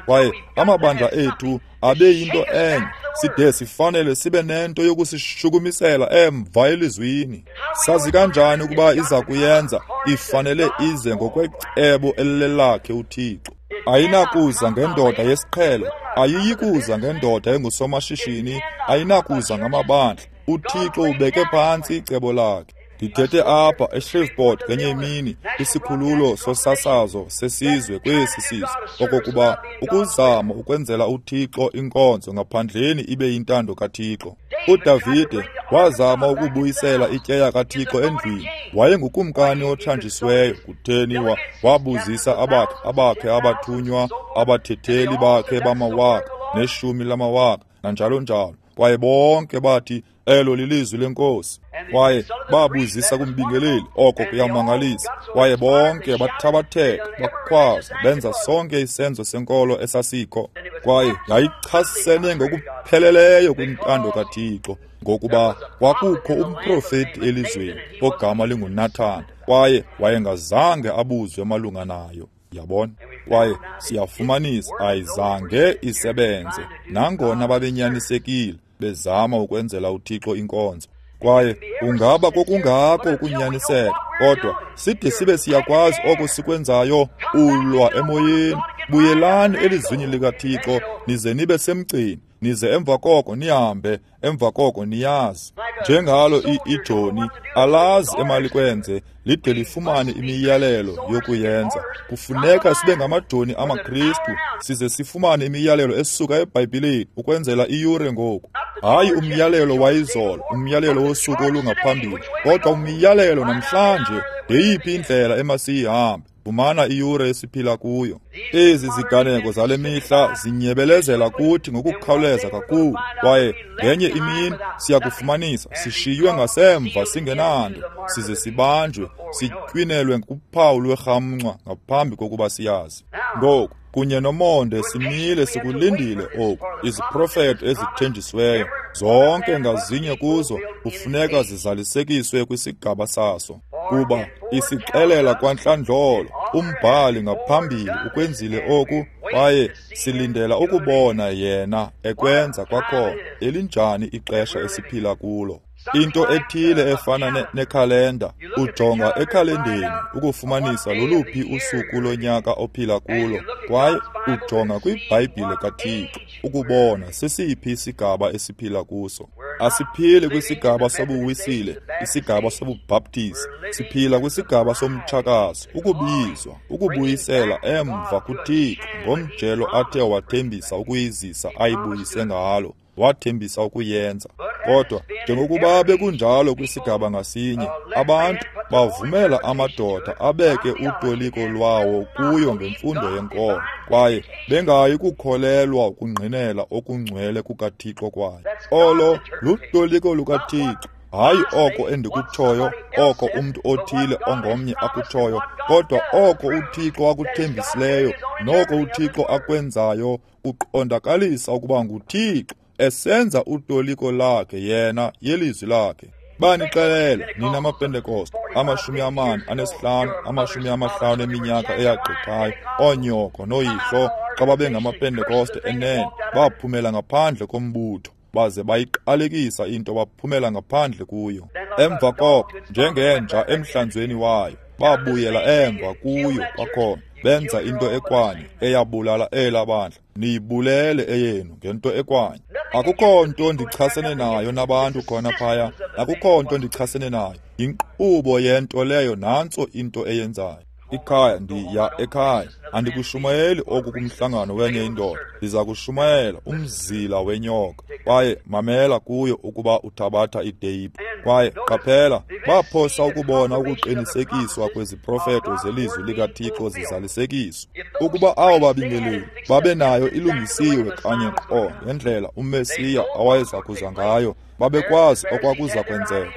Speaker 1: kwaye amabandla ethu abe yinto enye, side sifanele sibe nento yokusishukumisela emva elizwini. Sazi kanjani ukuba iza kuyenza? Ifanele ize ngokwecebo elilelakhe uThixo. Ayinakuza ngendoda yesiqhelo, ayiyikuza ngendoda engusomashishini, ayinakuza ngamabandla. UThixo ubeke phantsi icebo lakhe. Ndithethe apha eShreveport ngenye imini kwisikhululo sosasazo sesizwe kwesi sizwe, okokuba ukuzama ukwenzela uThixo inkonzo ngaphandleni ibe yintando kaThixo. UDavide wazama ukubuyisela ityeya kaThixo endlwini. Wayengukumkani othanjisiweyo. Kutheni wabuzisa abakhe abathunywa, abathetheli bakhe bamawaka neshumi lamawaka nanjalo njalo. Kwaye bonke bathi elo lilizwi lenkosi. Kwaye babuzisa kumbingeleli, oko kuyamangalisa. Kwaye bonke bathabatheka, bakhwaza, benza sonke isenzo senkolo esasikho. Kwaye yayichasene ngokupheleleyo kwintando kaThixo, ngokuba kwakukho umprofeti elizweni ogama linguNathan, kwaye wayengazange abuzwe malunga nayo. Yabona? Kwaye siyafumanisa ayizange isebenze, nangona babenyanisekile bezama ukwenzela uThixo inkonzo. Kwaye ungaba kokungako ukunyaniseka, kodwa side sibe siyakwazi oko sikwenzayo, ulwa emoyeni. Buyelani elizwini likaThixo, nize nibe semgcini, nize emva koko nihambe, emva koko niyazi. Njengalo ijoni alazi emalikwenze, lide lifumane imiyalelo yokuyenza. Kufuneka sibe ngamajoni amaKristu, size sifumane imiyalelo esuka eBhayibhileni ukwenzela iyure ngoku. Hayi umyalelo wayizolo, umyalelo wosuku olungaphambili, kodwa umyalelo namhlanje. Yeyiphi indlela emasiyihambe? Fumana iyure esiphila kuyo. Ezi ziganeko zale mihla zinyebelezela kuthi ngokukhawuleza kakhulu, kwaye ngenye imini siyakufumanisa sishiywe ngasemva singenanto, size sibanjwe, sitywinelwe kuphawu lwerhamncwa ngaphambi kokuba siyazi. Ngoku kunye nomonde simile sikulindile oku. Iziprofeto ezithenjisiweyo zonke ngazinye kuzo kufuneka zizalisekiswe kwisigaba saso, kuba isixelela kwantlandlolo umbhali ngaphambili ukwenzile oku, kwaye silindela ukubona yena ekwenza kwakhona. Elinjani ixesha esiphila kulo! Into ethile efana nekhalenda, ujonga ekhalendeni ukufumanisa loluphi usuku lonyaka ophila kulo, kwaye ujonga kwiBhayibhile kaThixo ukubona sesiphi isigaba esiphila kuso. Asiphili kwisigaba sobuwisile, isigaba sobubhaptizi, siphila kwisigaba somtshakazo, ukubizwa, ukubuyisela emva kuThixo ngomjelo athe wathembisa ukuyizisa ayibuyise ngalo. Wathembisa ukuyenza. Kodwa njengokuba bekunjalo kwisigaba ngasinye, abantu bavumela amadoda abeke utoliko lwawo kuyo ngemfundo yenkolo, kwaye bengayi kukholelwa ukungqinela okungcwele kukaThixo kwayo. Olo lutoliko lukaThixo, hayi oko endikutshoyo, oko umntu othile ongomnye akutshoyo, kodwa oko uThixo akuthembisileyo noko uThixo akwenzayo kuqondakalisa ukuba nguThixo esenza utoliko lakhe yena yelizwi lakhe. Banixelele nina maPentekoste, 45, 50 eminyaka eyagqithayo, oonyoko nooyihlo xa babengamaPentekoste enene, baphumela ngaphandle kombutho, baze bayiqalekisa into baphumela ngaphandle kuyo. Emva koko, njengenja emhlanzweni wayo, babuyela emva kuyo kwakhona, benza into ekwanye eyabulala elaa bandla. Niyibulele eyenu ngento ekwanye. Akukho nto ndichasene nayo nabantu khona phaya, akukho nto ndichasene nayo. Yinkqubo yento leyo, nantso into eyenzayo. Ikhaya, ndiya ekhaya. Andikushumayeli oku kumhlangano wenye indoda, ndiza kushumayela umzila wenyoka. Kwaye mamela kuyo ukuba uthabatha iteyiphu. Kwaye qaphela, baphosa ukubona ukuqinisekiswa kweziprofeto zelizwi likaThixo zizalisekiswa. Ukuba abo babingeleli babenayo ilungisiwe kanye qo ngendlela uMesiya awayeza kuza ngayo, babekwazi okwakuza kwenzeka.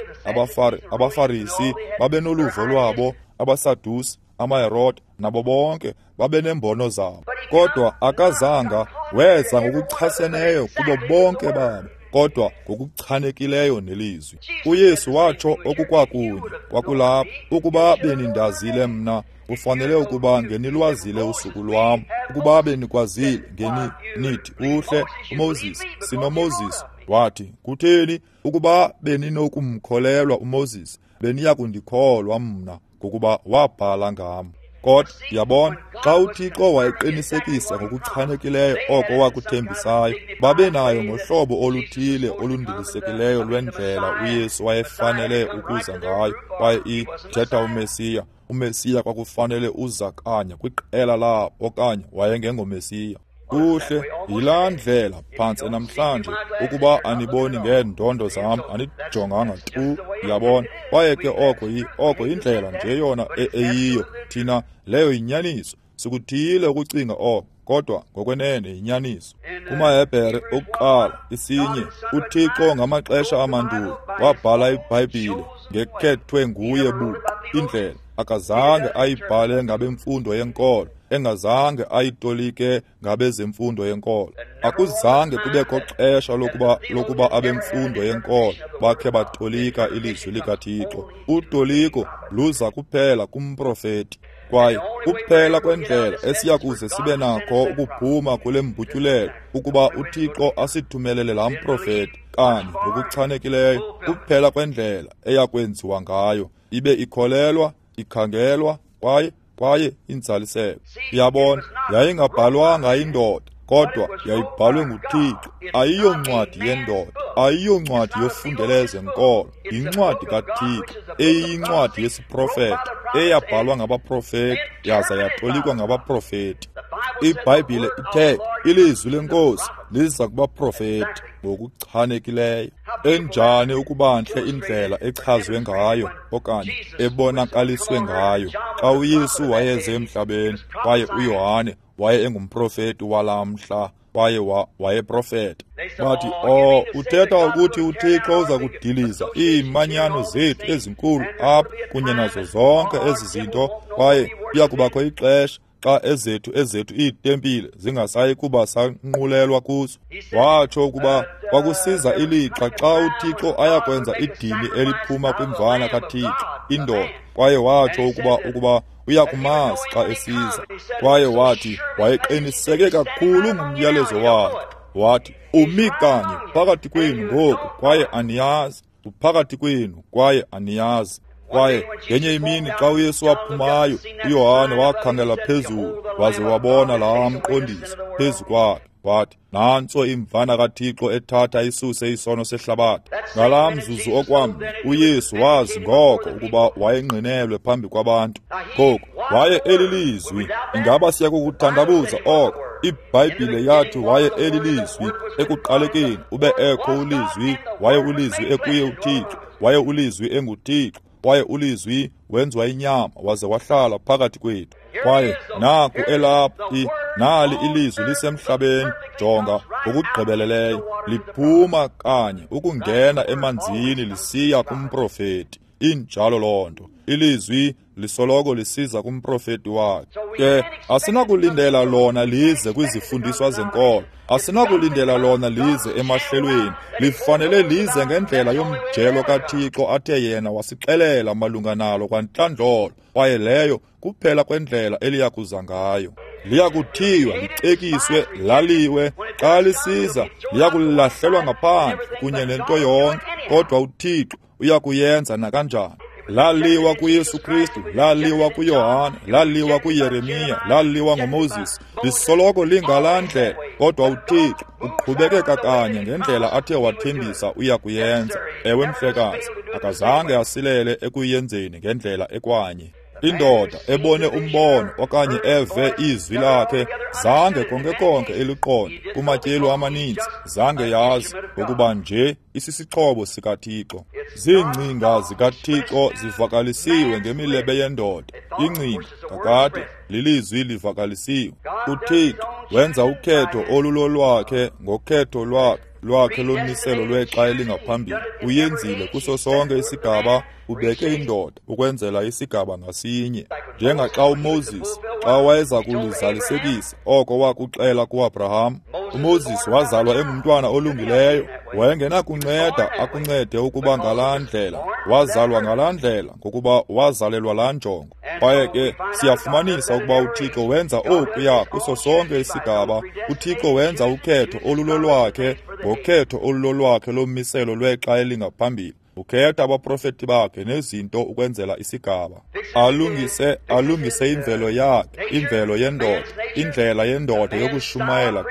Speaker 1: AbaFarisi babenoluvo lwabo, abaSadusi amaHerode, nabo bonke babenembono zabo. Kodwa akazanga weza ngokuchaseneyo kubo bonke babo, kodwa ngokuchanekileyo nelizwi. UYesu watsho okukwakunye kwakulapho, ukuba benindazile mna, ufanele ukuba ngenilwazile usuku lwam. Ukuba benikwazile, ngeni nithi uhle uMoses, sinoMoses. Wathi, kutheni ukuba beninokumkholelwa uMoses, beniya kundikholwa mna, ngokuba wabhala ngam. Kodwa yabona, xa uThixo wayeqinisekisa ngokuchanekileyo oko wakuthembisayo, babenayo ngohlobo oluthile olundilisekileyo lwendlela uYesu wayefanele ukuza ngayo. Kwaye ithetha uMesiya, uMesiya kwakufanele uza kanye kwiqela labo, okanye wayengengoMesiya. Kuhle, yilaa ndlela phantse namhlanje, ukuba aniboni ngeendondo zam, anijonganga tu, yabona. Kwaye ke oko yindlela nje yona eyiyo. Thina, leyo yinyaniso. Sikuthiyile ukucinga oko, kodwa ngokwenene yinyaniso. KumaHebhere okuqala 1, uThixo ngamaxesha amandulo wabhala iBhayibhile ngekhethwe nguye buqu indlela. Akazange ayibhale ngabemfundo yenkolo, engazange ayitolike ngabezemfundo yenkolo. Akuzange kubekho xesha lokuba abemfundo yenkolo bakhe batolika ilizwi likaThixo. Utoliko luza kuphela kumprofeti. Kwaye kuphela kwendlela esiya kuze sibe nakho ukuphuma kule mbutyulelo, ukuba uThixo asithumelele laa mprofeti kanye ngokuchanekileyo, kuphela kwendlela eya kwenziwa ngayo, ibe ikholelwa, ikhangelwa, kwaye inzaliseko. Uyabona, yayingabhalwanga indoda, kodwa yayibhalwe nguThixo. Ayiyoncwadi yendoda, ayiyoncwadi yofundeleze nkolo, yincwadi kaThixo, eyincwadi yesiprofeto, eyabhalwa ngabaprofeti, yaza yatolikwa ngabaprofeti. IBhayibhile ithe ilizwi leNkosi liza kubaprofeti ngokuchanekileyo. Enjani ukuba ntle indlela echazwe ngayo okanye ebonakaliswe ngayo xa uYesu wayeze emhlabeni, kwaye uYohane waye engumprofeti walamhla, kwaye wayeprofeta. Bathi, oh, uthetha ukuthi uThixo uza kudiliza iimanyano zethu ezinkulu apha kunye nazo zonke ezi zinto, kwaye kuya kubakho ixesha xa ezethu iitempile zingasayi kuba sanqulelwa kuzo. Watsho ukuba kwakusiza ilixa xa uThixo ayakwenza idini eliphuma kwimvana kaThixo, indoda. Kwaye watsho ukuba uyakumazi xa esiza. Kwaye wathi wayeqiniseke kakhulu ngumyalezo wakhe. Wathi, umi kanye phakathi kwenu ngoku, kwaye aniyazi. Uphakathi kwenu, kwaye aniyazi. Kwaye ngenye imini xa uYesu waphumayo, uYohane wakhangela phezulu waze wabona laa mqondiso phezu kwakhe. Wathi, nantso imvana kaThixo ethatha isuse isono sehlabathi. Ngalaa mzuzu okwamnye, uYesu wazi ngoko ukuba wayengqinelwe phambi kwabantu. Ngoku waye elilizwi. Ingaba siya kukuthandabuza oko? iBhayibhile yathi waye elilizwi. Ekuqalekeni ube ekho ulizwi, waye ulizwi ekuye uThixo, waye ulizwi enguThixo, waye ulizwi wenziwa inyama waze wahlala phakathi kwethu. Kwaye naku elapha, nali ilizwi lisemhlabeni, jonga ngokugqibeleleyo, liphuma kanye ukungena emanzini lisiya kumprofeti. Injalo loo nto. Ilizwi lisoloko lisiza kumprofeti wakhe. Ke asinakulindela lona lize kwizifundiswa zenkolo, asinakulindela lona lize emahlelweni. Lifanele lize ngendlela yomjelo kaThixo athe yena wasixelela malunga nalo kwantlandlolo, kwaye leyo kuphela kwendlela eliya kuza ngayo. Liyakuthiywa, licekiswe, laliwe. Xa lisiza liyakulahlelwa ngaphandle kunye nento yonke, kodwa uThixo uyakuyenza nakanjani. Laliwa kuYesu Kristu, laliwa kuYohane, laliwa kuYeremiya, laliwa ngoMoses. Lisoloko lingalaa ndlela, kodwa uThixo uqhubekeka kanye ngendlela athe wathembisa uyakuyenza. Ewe mhlekazi, akazange asilele ekuyenzeni ngendlela ekwanye. Indoda ebone umbono okanye eve izwi lakhe zange konke konke eliqonde kumatyelo amaninzi, zange yazi ngokuba nje isisixhobo sikaThixo. Ziingcinga zikaThixo zivakalisiwe ngemilebe yendoda. Ingcinga kakade lilizwi livakalisiwe. uThixo wenza ukhetho olulolwakhe ngokhetho lwakhe. lwakhe lomiselo lwexa elingaphambili. Uyenzile kuso sonke isigaba, ubeke indoda ukwenzela isigaba ngasinye. Njengaxa uMoses, xa wayeza kulizalisekisa oko wakuxela kuAbraham, uMoses wazalwa engumntwana olungileyo, wayengenakunceda akuncede ukuba ngalaa ndlela. Wazalwa ngalaa ndlela ngokuba wazalelwa laa njongo. Kwaye ke siyafumanisa ukuba uThixo wenza okuya kuso sonke isigaba. UThixo wenza ukhetho olulolwakhe ngokhetho olulolwakhe lomiselo lwexa elingaphambili. Ukhetha abaprofeti bakhe nezinto ukwenzela isigaba. Alungise imvelo yakhe, imvelo yendoda, indlela yendoda yokushumayela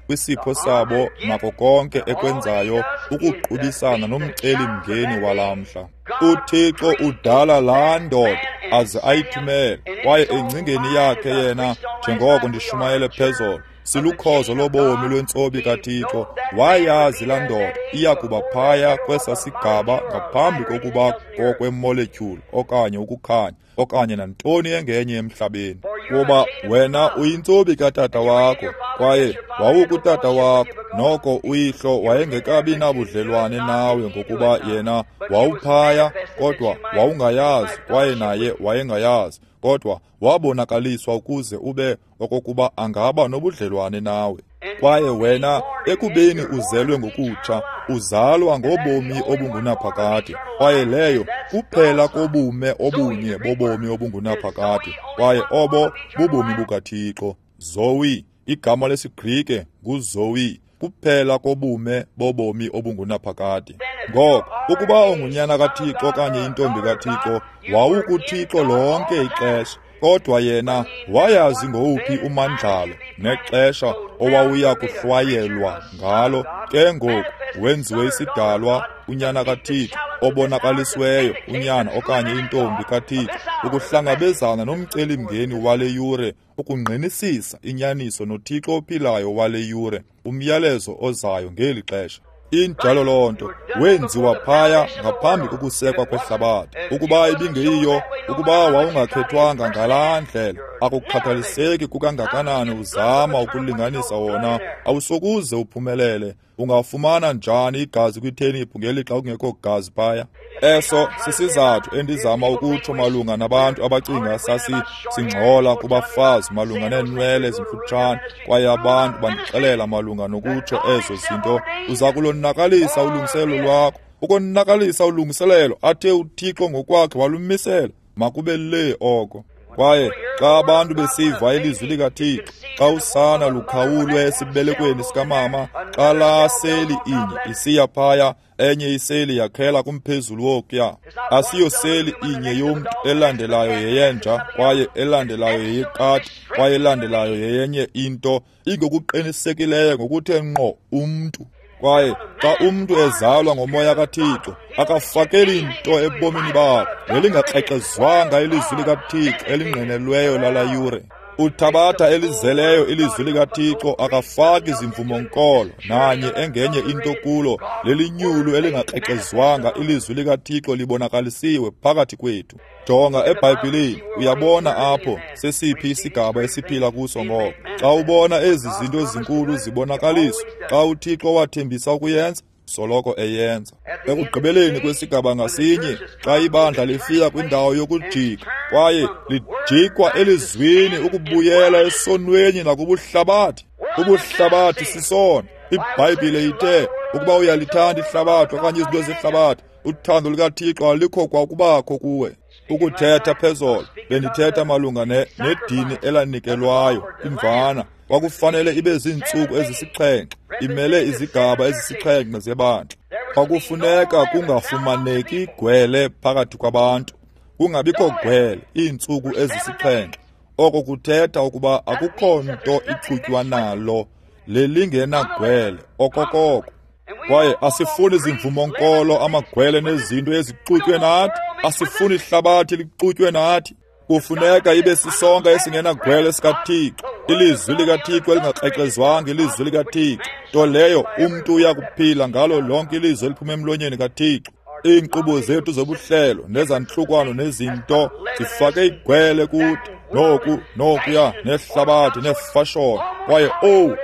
Speaker 1: kwisipho sabo nako konke ekwenzayo ukuqubisana nomcelimngeni walamhla. UThixo udala laa ndoda aze ayithumele, kwaye engcingeni yakhe yena, njengoko ndishumayele phezolo, silukhozo lobomi lwentsobi kaThixo. Wayazi laa ndoda iya kuba phaya kwesa sigaba ngaphambi kokuba kokwemoletyhuli okanye ukukhanya okanye nantoni engenye emhlabeni. Kuba wena uyintsobi katata wakho, kwaye wawukutata wakho, noko uyihlo wayengekabi nabudlelwane nawe ngokuba yena wawuphaya, kodwa wawungayazi, kwaye naye wayengayazi, kodwa wabonakaliswa ukuze ube okokuba angaba nobudlelwane nawe. Kwaye wena ekubeni uzelwe ngokutsha, uzalwa ngobomi obungunaphakade, kwaye leyo kuphela kobume obunye bobomi obungunaphakade, kwaye obo bubomi bukaThixo. Zoe, igama lesiGrike nguZoe, kuphela kobume bobomi obungunaphakade. Ngoko ukuba ungunyana kaThixo okanye intombi kaThixo, wawukuThixo lonke ixesha, kodwa yena wayazi ngowuphi umandlalo nexesha owawuya kuhlwayelwa ngalo. Ke ngoku wenziwe isidalwa, unyana kaThixo obonakalisiweyo, unyana okanye intombi kaThixo, ukuhlangabezana nomcelimngeni wale yure, ukungqinisisa inyaniso noThixo ophilayo wale yure, umyalezo ozayo ngeli xesha. Injalo loo nto, wenziwa phaya ngaphambi kokusekwa kwehlabathi. Ukuba ibingeyiyo, ukuba wawungakhethwanga ngalaa ndlela, akukhathaliseki kukangakanani uzama ukulinganisa wona, awusokuze uphumelele. Ungafumana njani igazi kwitheniphu ngelixa kungekho gazi phaya? Eso sisizathu endizama ukutsho malunga nabantu abacinga singxola kubafazi malunga neenwele ezimfutshane, kwaye abantu bandixelela malunga nokutsho ezo zinto. Uza kulonakalisa ulungiselelo lwakho, ukonakalisa ulungiselelo athe uThixo ngokwakhe walumisela. Makube le oko. Kwaye xa abantu besiva ilizwi likaThixo, xa usana lukhawulwe esibelekweni sikamama, xa laa seli inye isiya phaya, enye iseli yakhela kumphezulu wokuya. Asiyoseli inye yomntu, elandelayo yeyenja, kwaye elandelayo yeyekati, kwaye elandelayo yeyenye into, ingokuqinisekileyo ngokuthe ngqo umntu. Kwaye xa umntu ezalwa ngomoya kaThixo, akafakeli nto ebomini bakhe ngelingakrexezwanga ilizwi likaThixo elingqinelweyo lala yure. Uthabatha elizeleyo ilizwi likaThixo, akafaki zimvumo-nkolo nanye engenye into kulo. Lelinyulu elingakrexezwanga ilizwi likaThixo libonakalisiwe phakathi kwethu. Jonga eBhayibhileni, uyabona apho sesiphi isigaba esiphila kuso ngoko. Xa ubona ezi zinto zinkulu zibonakaliswa, xa uThixo wathembisa ukuyenza, soloko eyenza. Ekugqibeleni kwesigaba ngasinye, xa ibandla lifika kwindawo yokujika, kwaye lijikwa elizwini ukubuyela esonweni nakubuhlabathi. Ubuhlabathi sisono. IBhayibhile ithe ukuba uyalithanda ihlabathi okanye izinto zehlabathi, uthando lukaThixo alikho kwakubakho kuwe. Ukuthetha phezolo, bendithetha malunga nedini elanikelwayo imvana. Kwakufanele ibe ziintsuku ezisixhenxe, imele izigaba ezisixhenxe zebandla. Kwakufuneka kungafumaneki gwele phakathi kwabantu, kungabikho gwele iintsuku ezisixhenxe. Oko kuthetha ukuba akukho nto ichutywa nalo lelingenagwele okokoko. Kwaye asifuni zimvumo-nkolo, amagwele nezinto ezixutywe nathi. Asifuni ihlabathi lixutywe nathi. Kufuneka ibe sisonka esingenagwele sikaThixo, ilizwi likaThixo elingakrexezwanga, ilizwi likaThixo, nto leyo umntu uya kuphila ngalo lonke ilizwi eliphuma emlonyeni kaThixo. Iinkqubo zethu zobuhlelo nezantlukwano nezinto zifake igwele kuthi. Noku, nokuya, nehlabathi, nefashoni. Kwaye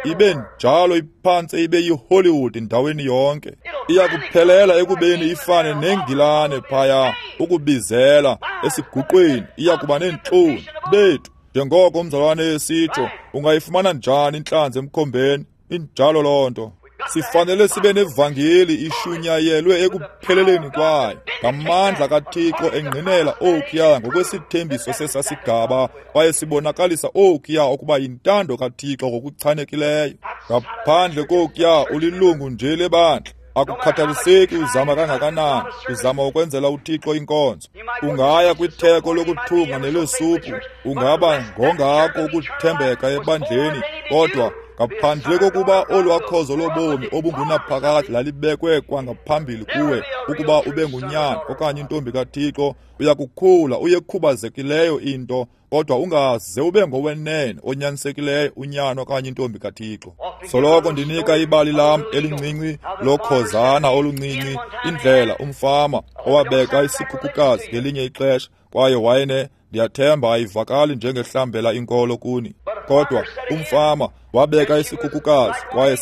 Speaker 1: ibe njalo iphantse ibe yiHollywood endaweni yonke. Iyakuphelela ekubeni ifane neNgilane phaya, ukubizela esiguqweni. Iyakuba neentloni bethu. Njengoko umzalwane esitsho, ungayifumana njani intlanzi emkhombeni? Injalo loo nto. Sifanele sibe nevangeli ishunyayelwe ekupheleleni kwayo ngamandla kaThixo engqinela okuya ngokwesithembiso sesasigaba, kwaye sibonakalisa okuya ukuba yintando kaThixo ngokuchanekileyo. Ngaphandle kokuya ulilungu nje lebandla. Akukhathaliseki uzama kangakanani, uzama ukwenzela uThixo inkonzo. Ungaya kwitheko lokuthunga nelesuphu, ungaba ngongako ukuthembeka ebandleni, kodwa ngaphandle kokuba olwakhozo lobomi obungunaphakade lalibekwe kwangaphambili kuwe ukuba ube ngunyana okanye intombi kaThixo, uyakukhula uyekhubazekileyo into, kodwa ungaze ube ngowenene onyanisekileyo unyana okanye intombi kaThixo. Soloko ndinika ibali lam elincinci lokhozana oluncinci, indlela umfama owabeka isikhukukazi ngelinye ixesha, kwaye wayene, ndiyathemba ayivakali njengehlambela inkolo kuni, kodwa umfama wabeka isikhukukazi kwaye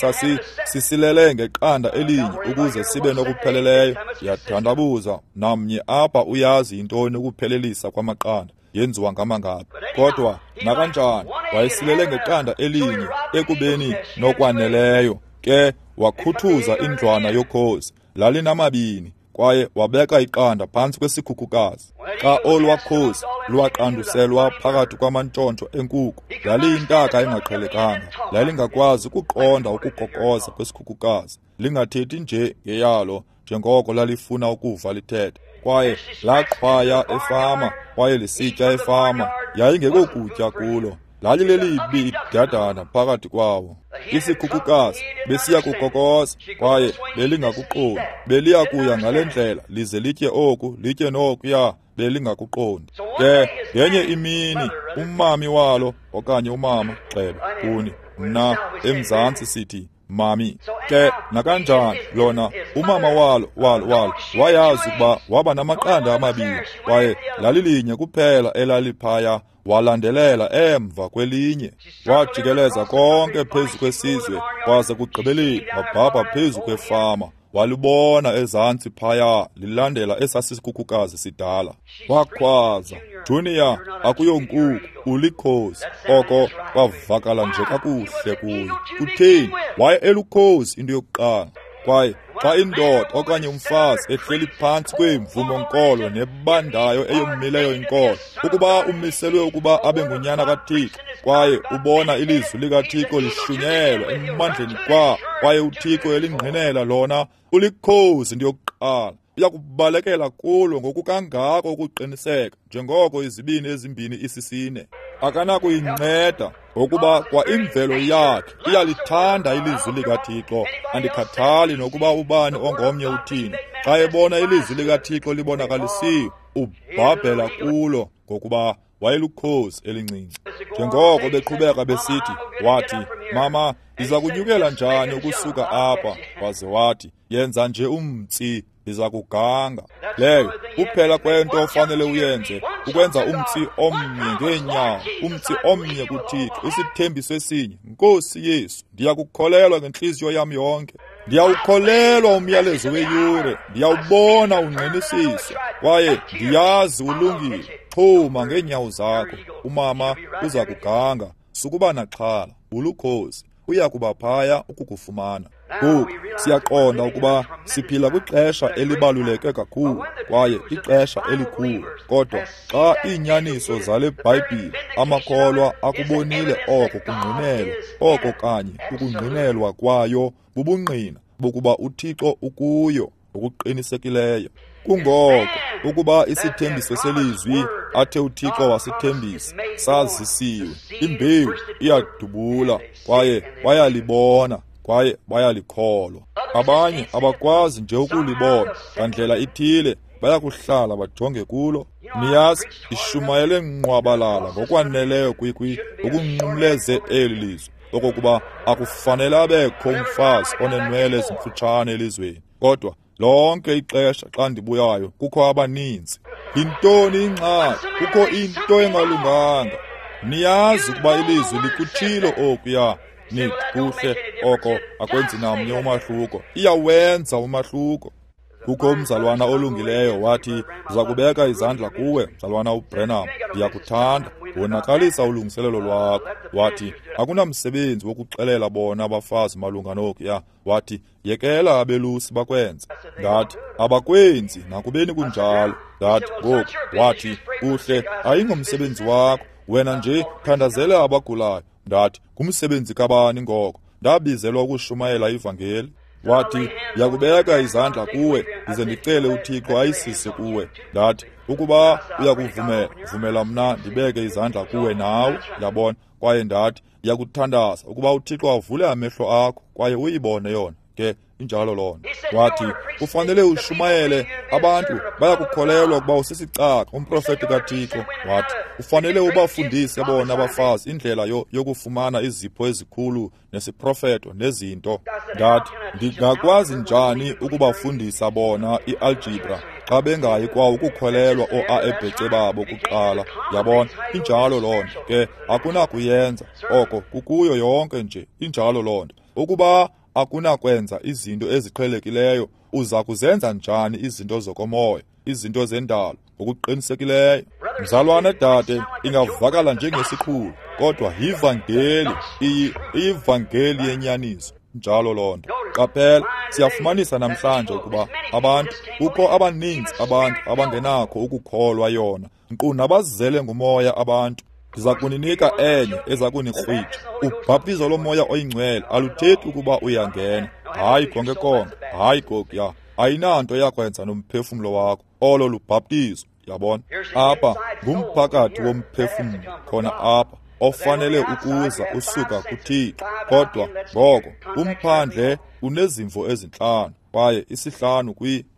Speaker 1: sisilele ngeqanda elinye ukuze sibe nokupheleleyo. Ndiyathandabuza namnye apha uyazi yintoni ukuphelelisa kwamaqanda yenziwa ngamangaphi, kodwa nakanjani wayesilele ngeqanda elinye ekubeni nokwaneleyo. Ke wakhuthuza indlwana yokhozi, lalinamabini, kwaye wabeka iqanda phantsi kwesikhukukazi. Xa olwakhozi lwaqanduselwa phakathi kwamantshontsho enkuku, laliyintaka engaqhelekanga, lalingakwazi ukuqonda ukukokoza kwesikhukukazi, lingathethi nje ngeyalo njengoko lalifuna ukuva lithetha. Kwaye laqhwaya efama, kwaye lisitya efama, yayingekokutya kulo, lalilelibi idadana phakathi kwawo. Isikhukukazi besiya kukokoza, kwaye belingakuqondi. Beliya kuya ngale ndlela, lize litye oku, litye nokuya, belingakuqondi. Ke ngenye imini umami walo okanye umama, gxebe kuni, mna eMzantsi sithi mami. Ke nakanjani lona umama walo wayazi ukuba waba namaqanda amabini, kwaye lalilinye kuphela elaliphaya. Walandelela emva kwelinye, wajikeleza konke phezu kwesizwe, kwaze kugqibeleni wabhabha phezu kwefama, walibona ezantsi phaya lilandela esasisikhukukazi sidala. Wakhwaza, "Junior, akuyonkuku, ulikhozi." Oko kwavakala nje kakuhle kuyo. Kutheni? Waye elukhozi into yokuqala. Kwaye xa indoda okanye umfazi ehleli phantsi kweemvumo-nkolo nebandayo eyomileyo inkolo, ukuba umiselwe ukuba abe ngunyana kaThixo, kwaye ubona ilizwi likaThixo lishunyelwa emandleni kwaye uThixo elingqinela lona, ulikhozi into yokuqala. Uyakubalekela kulo ngokukangako ukuqiniseka njengoko izibini ezimbini isisine. Akanakuyinceda ngokuba kwa imvelo yakhe iyalithanda ilizwi likaThixo. Andikhathali nokuba ubani ongomnye uthini, xa ebona ilizwi likaThixo libonakalisiwe, ubhabhela kulo ngokuba wayelukhozi elincinci. Njengoko beqhubeka besithi, wathi, "Mama, ndiza kunyukela njani ukusuka apha?" Waze wathi, "Yenza nje umtsi, ndiza kuganga." Leyo kuphela kwento ofanele uyenze, ukwenza umtsi omnye ngeenyawo, umtsi omnye kuThixo, isithembiso esinye. Nkosi Yesu, ndiyakukholelwa ngentliziyo yam yonke. Ndiyawukholelwa umyalezo weyure, ndiyawubona ungqinisiswa, kwaye ndiyazi ulungile. Xhuma ngeenyawo zakho, umama uza kuganga. Sukuba naxhala, ulukhozi, uya kuba phaya ukukufumana. Ngoku siyaqonda ukuba siphila kwixesha elibaluleke kakhulu kwaye ixesha elikhulu, kodwa xa iinyaniso zale Bhayibhile amakholwa akubonile oko kungqinelwa, oko kanye ukungqinelwa kwayo bubungqina bokuba uThixo ukuyo ngokuqinisekileyo. Kungoko ukuba isithembiso selizwi athe uThixo wasithembisa sazisiwe, imbewu iyadubula, kwaye bayalibona kwaye bayalikholwa. Abanye abakwazi nje ukulibona, ngandlela ithile bayakuhlala bajonge kulo. Niyazi, ishumayele nqwabalala ngokwaneleyo ukunqumleze eli lizwi okokuba akufanele abekho umfazi onenwele ezimfutshane elizweni. Kodwa lonke ixesha xa ndibuyayo kukho abaninzi. Yintoni ingxaki? Kukho into engalunganga. Niyazi ukuba ilizwi likutshilo okuya. Nithi kuhle oko akwenzi namnye umahluko. Iyawenza umahluko. Kukho umzalwana olungileyo wathi, "Ndiza kubeka izandla kuwe, mzalwana uBranham, ndiyakuthanda. Wonakalisa ulungiselelo lwakho." Wathi, "Akunamsebenzi wokuxelela bona abafazi malunga nokuya." Wathi, "Yekela abelusi bakwenze." Ndathi, "Abakwenzi nakubeni kunjalo." Ndathi, "Ngoku." Wathi, "Kuhle, ayingomsebenzi wakho. Wena nje thandazela abagulayo." Ndathi, "Ngumsebenzi kabani ngoko? Ndabizelwa ukushumayela ivangeli." Wathi, "Ndiyakubeka izandla kuwe, ndize ndicele uThixo ayisise kuwe." Ndathi, "Ukuba uyakuvumela, vumela mna ndibeke izandla kuwe nawe." Yabona? Kwaye ndathi, "Ndiyakuthandaza ukuba uThixo avule amehlo akho kwaye uyibone yona." Ke injalo loo nto. Wathi, "Kufanele ushumayele, abantu bayakukholelwa ukuba usisicaka, umprofeti kaThixo." Wathi, "Ufanele ubafundise bona abafazi indlela yokufumana izipho ezikhulu nesiprofeto nezinto." Ndathi, "Ndingakwazi njani ukubafundisa bona i-algebra xa bengayi kwa ukukholelwa oo-A-ebhece babo kuqala?" Yabona, injalo loo nto. Ke akunakuyenza oko, kukuyo yonke nje, injalo loo nto. Ukuba akunakwenza izinto eziqhelekileyo, uza kuzenza njani izinto zokomoya, izinto zendalo? Ngokuqinisekileyo. Mzalwane dade, ingavakala njengesiqhulo, kodwa yivangeli, iyivangeli yenyaniso. Njalo loo nto. Qaphela, siyafumanisa namhlanje ukuba abantu, kukho abaninzi abantu abangenakho ukukholwa yona, nkqu nabazele ngumoya abantu. Ndiza kuninika enye eza kunikrwitsha. Ubhaptizo lomoya oyingcwele aluthethi ukuba uyangena. Hayi konke konke, hayi kokuya. Ayinanto yakwenza nomphefumlo wakho. Olo lubhaptizo, yabona. Apha ngumphakathi womphefumlo khona apha ofanele ukuza usuka kuThixo. Kodwa ngoko umphandle unezimvo ezintlanu kwaye isihlanu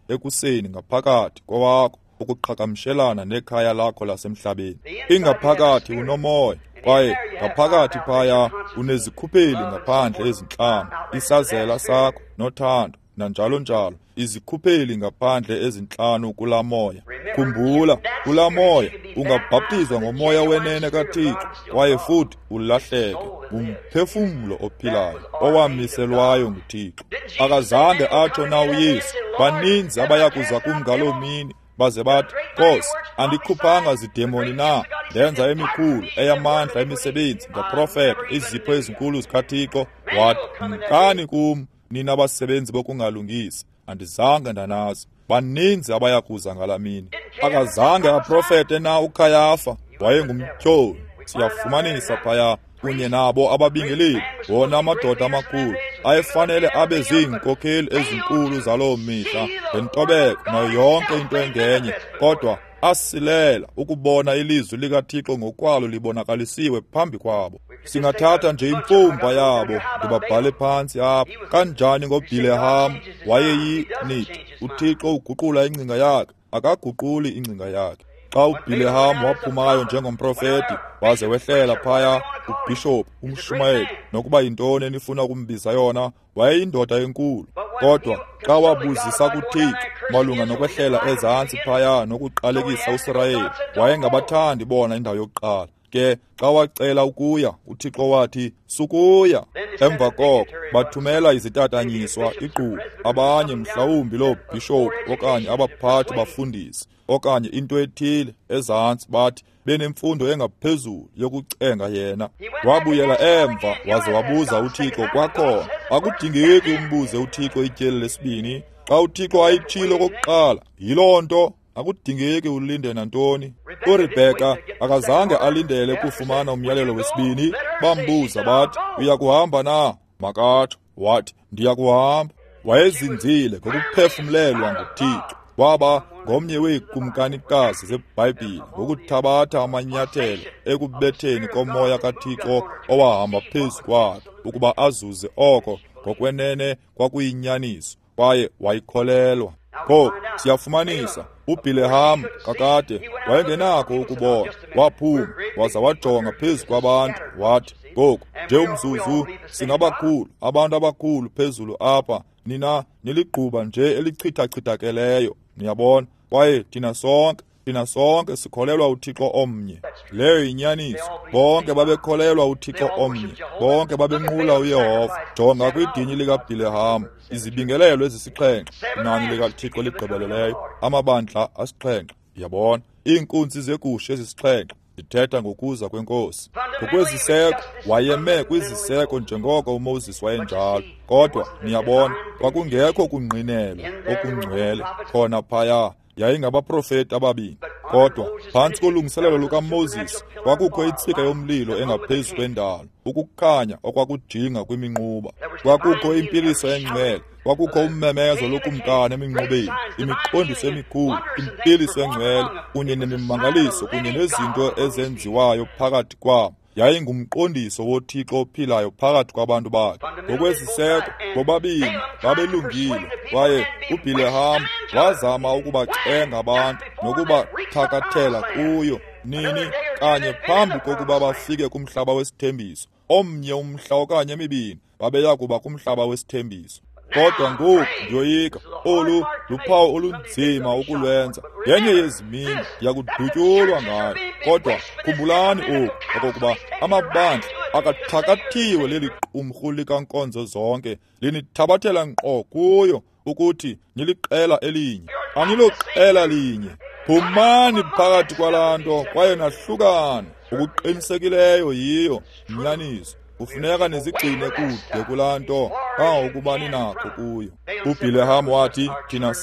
Speaker 1: ekuseni ngaphakathi kowakho ukuqhagamshelana nekhaya lakho lasemhlabeni. Ingaphakathi unomoya, kwaye ngaphakathi phaya unezikhupheli ngaphandle ezintlanu, isazela sakho nothando nanjalo njalo, izikhupheli ngaphandle ezintlanu kulaa moya. Khumbula, kulaa moya ungabhaptizwa ngomoya wenene kaThixo kwaye futhi ulahleke. Ngumphefumlo ophilayo owamiselwayo nguThixo. Akazange atsho na uYesu, "Baninzi abayakuza kum ngaloo mini baze bathi, Nkosi, andikhuphanga zidemoni na? Ndenza emikhulu eyamandla emisebenzi, ndaprofeta izipho ezinkulu zikaThixo." Wathi, "Mkani kum, nina basebenzi bokungalungisi, andizange ndanazi." Baninzi abayakuza ngalaa mini. Akazange aprofete na uKhayafa? Wayengumtyholi. Siyafumanisa phaya kunye nabo ababingeleli, wona amadoda amakhulu ayefanele abe ziinkokheli ezinkulu zaloo mihla ngentobeko nayo yonke into engenye, kodwa asilela ukubona ilizwi likaThixo ngokwalo libonakalisiwe phambi kwabo. Singathatha nje imfumba yabo, ndibabhale phantsi apha. Kanjani ngoBhileham? Wayeyinithi uThixo uguqula ingcinga yakhe, akaguquli ingcinga yakhe. Xa uBhileham waphumayo njengomprofeti waze wehlela phaya, ubhishophu, umshumayeli, nokuba yintoni enifuna ukumbiza yona, wayeyindoda enkulu. Kodwa xa wabuzisa kuThixo malunga nokwehlela ezantsi phaya nokuqalekisa uSirayeli, wayengabathandi bona indawo yokuqala. Ke xa wacela ukuya, uThixo wathi, "Sukuya." Emva koko bathumela izitatanyiswa iqubu, abanye mhlawumbi loo bhishophu okanye abaphathi bafundisi okanye into ethile ezantsi, bathi benemfundo engaphezulu yokucenga yena. Wabuyela emva waze wabuza uThixo kwakhona. Akudingeki umbuze uThixo ityeli lesibini. Xa uThixo ayitshilo okokuqala, yiloo nto. Akudingeki ulinde nantoni. URebheka akazange alindele ukufumana umyalelo wesibini. Bambuza bathi, "Uyakuhamba na?" Makatsho. Wathi, "Ndiyakuhamba." Wayezinzile ngokuphefumlelwa nguThixo. Waba ngomnye weekumkanikazi zeBhayibhile ngokuthabatha amanyathelo ekubetheni komoya kaThixo owahamba phezu kwakhe ukuba azuze oko ngokwenene kwakuyinyaniso, kwaye wayikholelwa. Ngoku siyafumanisa uBhileham kakade wayengenakho ukubona. Waphuma waza wajonga phezu kwabantu wathi, "Ngoku nje umzuzu, singabakhulu, abantu abakhulu phezulu apha, nina niligquba nje elichithachithakeleyo." Niyabona, kwaye thina sonke Thina sonke sikholelwa uThixo omnye. Leyo yinyaniso. Bonke babekholelwa uThixo omnye. Bonke babenqula uYehova. Jonga kwidini likaBhileham, izibingelelo ezisixhenxe, inani likaThixo ligqibeleleyo, amabandla asixhenxe. Yabona, iinkunzi zegusha ezisixhenxe zithetha ngokuza kweNkosi. Ngokweziseko, wayeme kwiziseko njengoko uMoses wayenjalo. Kodwa niyabona, kwakungekho kungqinelwa okungcwele khona phaya. Yayingabaprofeti ababini. Kodwa phantsi kolungiselelo lukaMoses kwakukho intsika yomlilo engaphezu kwendalo, ukukhanya okwakujinga kwiminquba. Kwakukho impiliso engcwele, kwakukho ummemezo lokumkani eminqubeni, imiqondiso emikhulu, impiliso engcwele kunye nemimangaliso kunye nezinto ezenziwayo phakathi kwabo. Yayingumqondiso woThixo ophilayo phakathi kwabantu bakhe. Ngokweziseko, bobabini babelungile, kwaye uBhileham wazama ukubacenga abantu nokubathakathela kuyo nini kanye phambi kokuba bafike kumhlaba wesithembiso. Omnye umhla okanye emibini babeya kuba kumhlaba wesithembiso. Kodwa ngoku ndiyoyika, olu luphawu olunzima ukulwenza. Yenye yezimini ndiyakudutyulwa ngayo. Kodwa khumbulani oku, okokuba amabandla akathakathiwe leli qumrhu likankonzo zonke, linithabathela nkqo kuyo ukuthi niliqela elinye. Aniloqela linye. Phumani phakathi kwalaa nto kwaye nahlukane. Ukuqinisekileyo yiyo inyaniso. Kufuneka nizigcine kude kulaa nto kangangokuba ninakho kuyo. UBhileham wathi, thina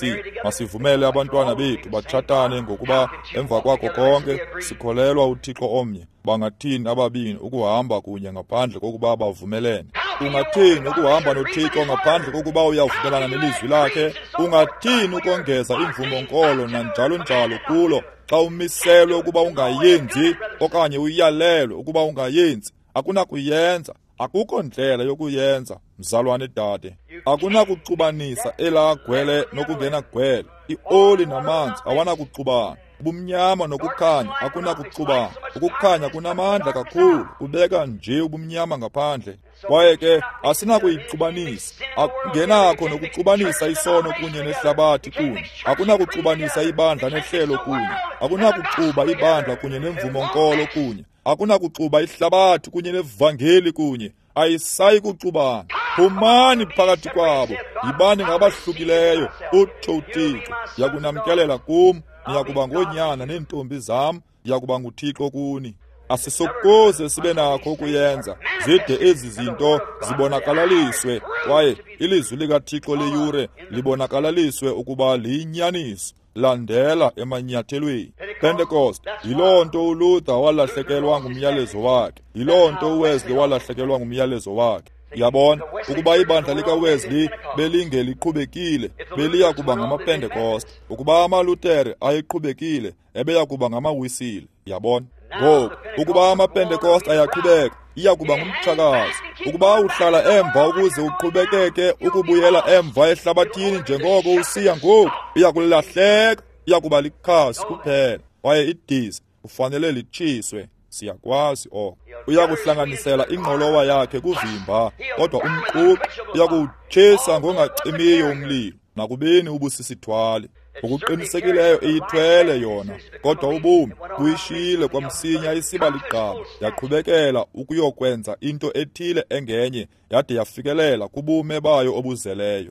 Speaker 1: masivumele abantwana bethu batshatane, ngokuba emva kwakho konke sikholelwa uThixo omnye. Bangathini ababini ukuhamba kunye ngaphandle kokuba bavumelene? Ungathini ukuhamba noThixo ngaphandle kokuba uyavumelana nelizwi lakhe? Ungathini ukongeza imvumo-nkolo nanjalo njalo kulo xa umiselwe ukuba ungayenzi okanye uyalelwe ukuba ungayenzi? Akunakuyenza. Akukho ndlela yokuyenza, mzalwane dade. Akunakuxubanisa elaa gwele nokungena gwele. Ioli namanzi awanakuxubana. Ubumnyama nokukhanya akunakuxubana. Ukukhanya kunamandla kakhulu, kubeka nje ubumnyama ngaphandle. Kwaye ke asinakuyixubanisa. Akungenakho nokuxubanisa isono kunye nehlabathi kunye. Akunakuxubanisa ibandla nehlelo kunye. Akunakuxuba ibandla kunye nemvumo-nkolo kunye. Akunakuxuba ihlabathi kunye nevangeli kunye. Ayisayi kuxubana. Phumani phakathi kwabo, yibani ngabahlukileyo, utsho uThixo. Ndiyakunamkelela kum, niyakuba ngoonyana neentombi zam, ndiyakuba nguThixo kuni. Asisokuze sibe nakho ukuyenza zide ezi zinto zibonakalaliswe, kwaye ilizwi likaThixo leyure libonakalaliswe ukuba liyinyaniso. Landela emanyathelweni. Pentecost, yiloo nto uLuther walahlekelwa ngumyalezo wakhe. Yiloo nto uWesley walahlekelwa ngumyalezo wakhe. Yabona, ukuba ibandla likaWesley belingeliqhubekile, beliya kuba ngamaPentecost. Ukuba amaLuthere ayeqhubekile, ebeya kuba ngamaWisile. Yabona? Ngoku, ukuba amaPentecost ayaqhubeka, iya kuba ngumtshakazi. Ukuba uhlala emva ukuze uqhubekeke ukubuyela emva ehlabathini njengoko usiya ngoku, iya kulahleka, iya kuba likhasi kuphela. Kwaye idiza kufanele litshiswe. Siyakwazi oko. Uya kuhlanganisela ingqolowa yakhe kuvimba, kodwa umququ uya kuwutshisa ngongacimiyo umlilo, nakubeni ubusisithwali. Ngokuqinisekileyo iyithwele yona, kodwa ubomi buyishiyile kwamsinya isiba ligqaba, yaqhubekela ukuyokwenza into ethile engenye, yade yafikelela kubume bayo obuzeleyo.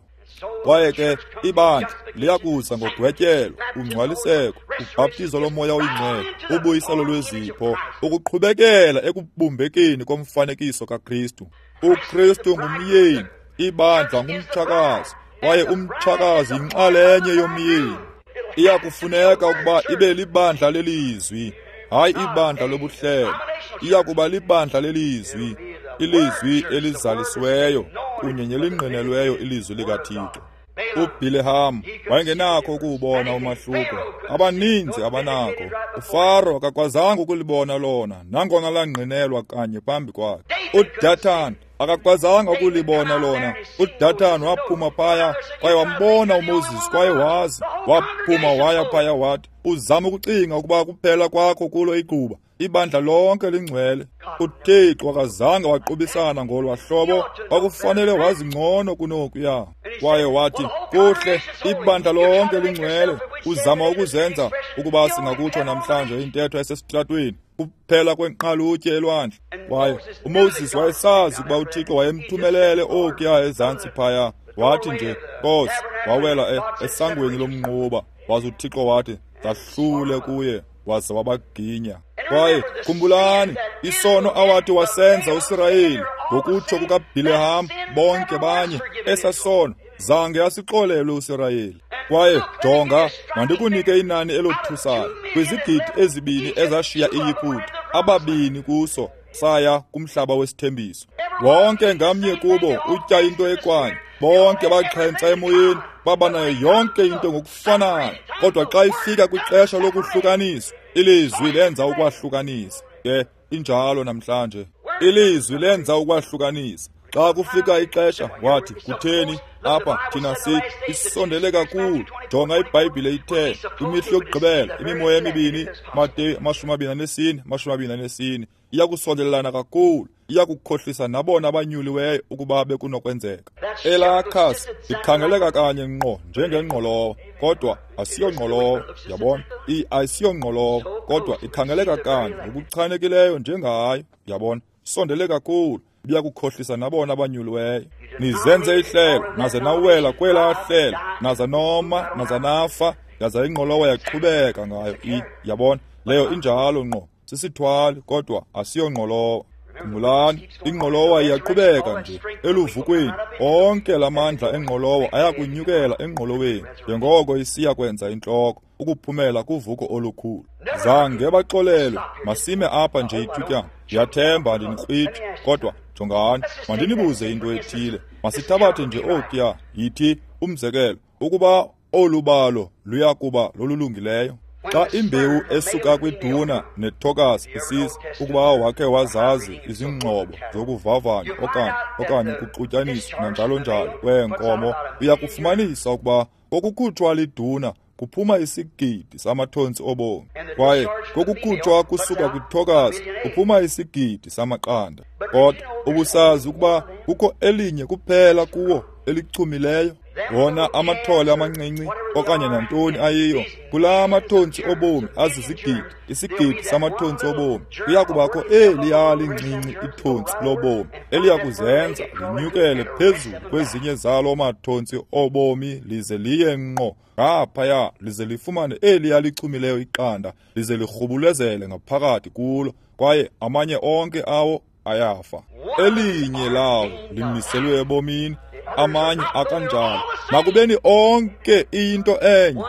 Speaker 1: Kwaye ke ibandla liyakuza ngogwetyelo, ungcwaliseko, ubhaptizo lomoya oyingcwele, ubuyiselo lwezipho, ukuqhubekela ekubumbekeni komfanekiso kaKristu. UKristu ngumyeni, ibandla ngumtshakazi, kwaye umtshakazi yinxalenye yomyeni. Iyakufuneka ukuba ibe libandla lelizwi, hayi ibandla lobuhlelo. Iyakuba libandla lelizwi, ilizwi elizalisiweyo kunye nelingqinelweyo ilizwi likaThixo. UBhileham wayengenakho ukuwubona umahluko. Abaninzi abanakho. UFaro akakwazanga ukulibona lona, nangona langqinelwa kanye phambi kwakhe. UDatan akakwazanga ukulibona lona. UDatan waphuma phaya kwaye wambona uMoses, kwaye wazi. Waphuma waya phaya wathi, uzama ukucinga ukuba kuphela kwakho kulo iquba. Ibandla lonke lingcwele. uThixo akazange waqubisana ngolwa hlobo, kwakufanele wazi ngcono kunokuya. Kwaye wathi, kuhle, ibandla lonke lingcwele. Uzama ukuzenza ukuba singakutsho namhlanje intetho esesitratweni, kuphela kwenqalutye elwandle. Kwaye uMoses wayesazi ukuba uThixo wayemthumelele okuya ezantsi phaya. Wathi nje, Nkosi, wawela esangweni lomnquba, waze uThixo wathi, zahlule kuye, waze wabaginya. Kwaye khumbulani isono awathi wasenza uSirayeli ngokutsho kukaBhileham, bonke banye, esa sono zange asixolelwe uSirayeli. Kwaye jonga, mandikunike inani elothusayo. Kwizigidi 2 ezashiya iYiputa, 2 kuso saya kumhlaba wesithembiso. Wonke ngamnye kubo utya into ekwanye, bonke baxhentsa emoyeni, baba nayo yonke into ngokufanayo. Kodwa xa ifika kwixesha lokuhlukaniswa, ilizwi lenza ukwahlukanisa. Ke injalo namhlanje, ilizwi lenza ukwahlukanisa. Xa kufika ixesha, wathi, kutheni apha thina isondele kakhulu. Jonga iBhayibhile ithe kwimihla yokugqibela imimoya emibini, Mateyu 24 24, iyakusondelelana kakhulu, iyakukhohlisa nabona abanyuliweyo ukuba bekunokwenzeka. Elaa khasi likhangeleka kanye ngqo njengengqolowa, kodwa asiyongqolowa. Yabona, ayisiyongqolowa, kodwa ikhangeleka kanye ngokuchanekileyo njengayo. Yabona, sondele kakhulu, biyakukhohlisa nabona abanyuliweyo. Nizenze ihlelo, naze nawela kwelaa hlelo, naza noma, naza nafa, yaza ingqolowa yaqhubeka ngayo. Yabona, leyo injalo ngqo, sisithwali, kodwa asiyongqolowa. Khumbulani, ingqolowa iyaqhubeka nje eluvukweni. Onke lamandla engqolowa ayakunyukela engqoloweni njengoko isiya kwenza intloko, ukuphumela kuvuko olukhulu. Zange baxolelwe. Masime apha nje ithutyana. Ndiyathemba andinikrwitshe, kodwa jongani, mandinibuze into ethile. Masithabathe nje okuya, yithi umzekelo, ukuba olu balo luya kuba lolulungileyo. Xa imbewu esuka kwiduna nethokazi isiza, ukuba wakhe wazazi izingxobo zokuvavanya okanye ukuxutyaniswa nanjalo njalo kweenkomo, uyakufumanisa ukuba kokukhutshwa liduna kuphuma isigidi samathontsi obomi, kwaye kokukhutshwa kusuka kwithokazi kuphuma isigidi samaqanda. Kodwa ubusazi ukuba kukho elinye kuphela kuwo elichumileyo, wona amathole amancinci okanye nantoni ayiyo, kulaa mathontsi obomi azizigidi, isigidi samathontsi obomi, kuya kubakho eliya lincinci ithontsi lobomi eliya kuzenza linyukele phezulu kwezinye zalo mathontsi obomi, lize liye ngqo ngaphaya, lize lifumane eliya lichumileyo iqanda, lize lirhubulezele ngaphakathi kulo, kwaye amanye onke awo ayafa. Elinye lawo limiselwe ebomini, amanye akanjalo. Nakubeni onke iyinto enye,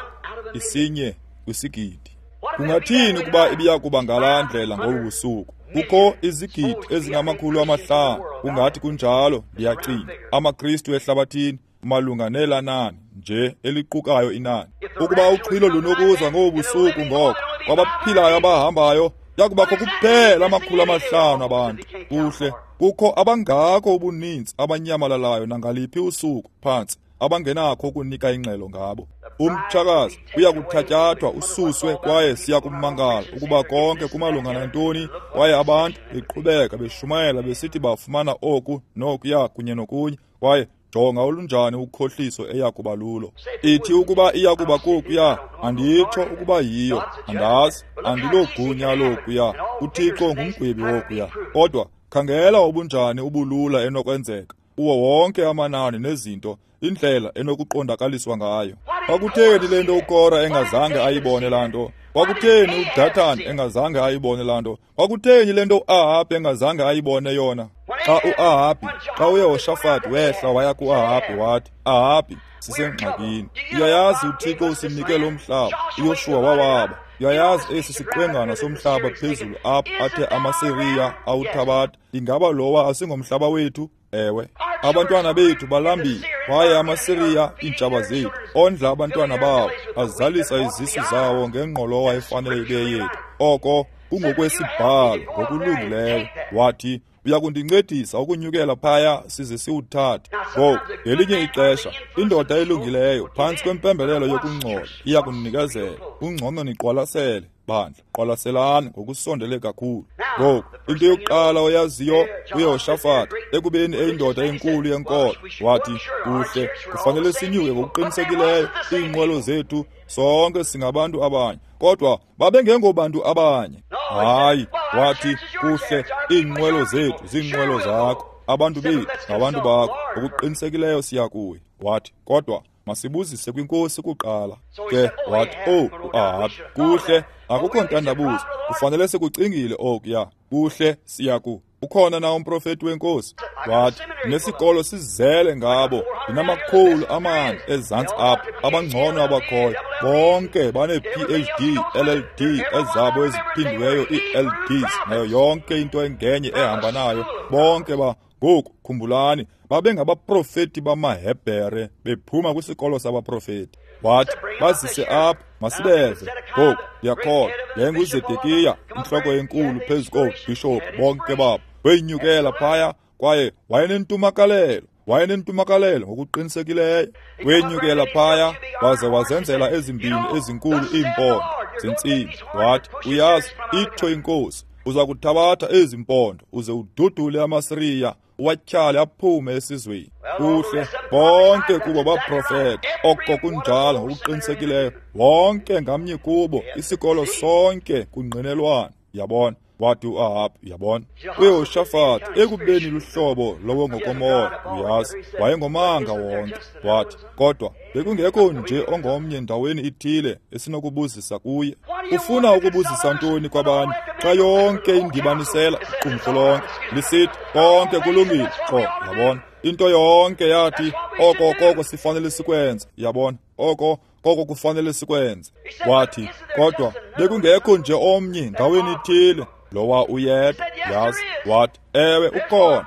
Speaker 1: isinye kwisigidi. Kungathini ukuba ibiya kuba ngalaa ndlela ngobu busuku? Kukho izigidi ezingama-500, kungathi kunjalo, ndiyacinga, amaKristu ehlabathini, malunga nelanani nje eliqukayo inani. Ukuba uxhilo lunokuza ngobu busuku, ngoko kwabaphilayo abahambayo yakubakho kuphela 500 abantu. Kuhle, kukho abangako ubuninzi abanyamalalayo nangaliphi usuku phantsi, abangenakho ukunika ingxelo ngabo. Umtshakazi uya kuthatyathwa ususwe, kwaye siya kumangala ukuba konke kumalunga nantoni, kwaye abantu beqhubeka beshumayela besithi bafumana oku nokuya kunye nokunye, kwaye jonga olunjani ukhohliso eya kuba lulo. Ithi ukuba iya kuba kokuya, anditsho ukuba yiyo, andazi, andilogunya lokuya. UThixo ngumgwebi wokuya. Kodwa khangela obunjani ubulula enokwenzeka kuwo wonke amanani nezinto, indlela enokuqondakaliswa ngayo. Kwakutheni le nto uKora engazange ayibone laa nto? Kwakutheni uDatan engazange ayibone laa nto? Kwakutheni le nto uAhabhi engazange ayibone yona? Xa uAhabhi, xa uYehoshafati wehla waya kuAhabhi wathi, Ahabhi, sisengxakini. Uyayazi uThixo usinike lo mhlaba. uYoshuwa wawaba. Uyayazi esi siqwengana somhlaba phezulu apha athe amaSiriya awuthabatha. Ingaba lowa asingomhlaba wethu? Ewe. Abantwana bethu balambile, kwaye amaSiriya, iintshaba zethu, ondla abantwana bawo, azalisa izisu zawo ngengqolowa efanele ibe yethu. Oko kungokwesibhalo ngokulungileyo. Wathi, uya kundincedisa ukunyukela phaya size siwuthathe. Ngoku, ngelinye ixesha, indoda elungileyo phantsi kwempembelelo yokungcola iya kunikezela. Kungcono niqwalasele. bandla, qwalaselani ngokusondele kakhulu. Ngoku into yokuqala oyaziyo, uYehoshafati, ekubeni eyindoda enkulu yenkolo, wathi, kuhle, kufanele sinyuke ngokuqinisekileyo, iinqwelo zethu, sonke singabantu abanye. Kodwa babengengobantu abanye. Hayi, wathi, kuhle, iinqwelo zethu ziinqwelo zakho, abantu bethu ngabantu bakho, ngokuqinisekileyo siya kuye. Wathi, kodwa masibuzise kwinkosi kuqala. Ke wathi, oh, uAhabi, kuhle, akukho ntandabuzo, kufanele sikucingile okuya. Kuhle, siya ku. Ukhona na umprofeti wenkosi? Wathi, nesikolo sizele ngabo, ndinamakhulu amane ezantsi apha, abangcono abakhoyo, bonke bane-PhD, LLD, ezabo eziphindiweyo ii-LDs, nayo yonke into engenye ehamba nayo, bonke ba. Ngoku khumbulani, babengabaprofeti bamaHebhere bephuma kwisikolo sabaprofeti. Wathi, bazise apha, masibeze. Ngoku ndiyakholwa yayinguZedekiya, intloko enkulu phezu koobhishophu bonke babo. Wenyukela phaya kwaye wayenentumakalelo ngokuqinisekileyo. Wenyukela phaya waze wazenzela ezimbini ezinkulu iimpondo zentsimbi. Wathi, uyazi, itsho inkosi, uza kuthabatha ezi mpondo uze ududule amaSiriya, uwatyhale aphume esizweni. Kuhle, bonke kubo baprofeta, oko kunjalo ngokuqinisekileyo, wonke ngamnye kubo, isikolo sonke kungqinelwana. Yabona? Wathi uAhabi, yabona, uYehoshafati ekubeni luhlobo lowo ngokomoya, uyazi, wayengomanga wonke. Wathi, kodwa bekungekho nje ongomnye ndaweni ithile esinokubuzisa kuye. Ufuna ukubuzisa ntoni kwabanye xa yonke indibanisela iqumrhu lonke lisithi konke kulungile? Qho, yabona, into yonke yathi oko koko sifanele sikwenze. Yabona, oko koko kufanele sikwenze. Wathi, kodwa bekungekho nje omnye ndaweni ithile lowa uyedwa. Yazi, wathi, ewe, ukhona,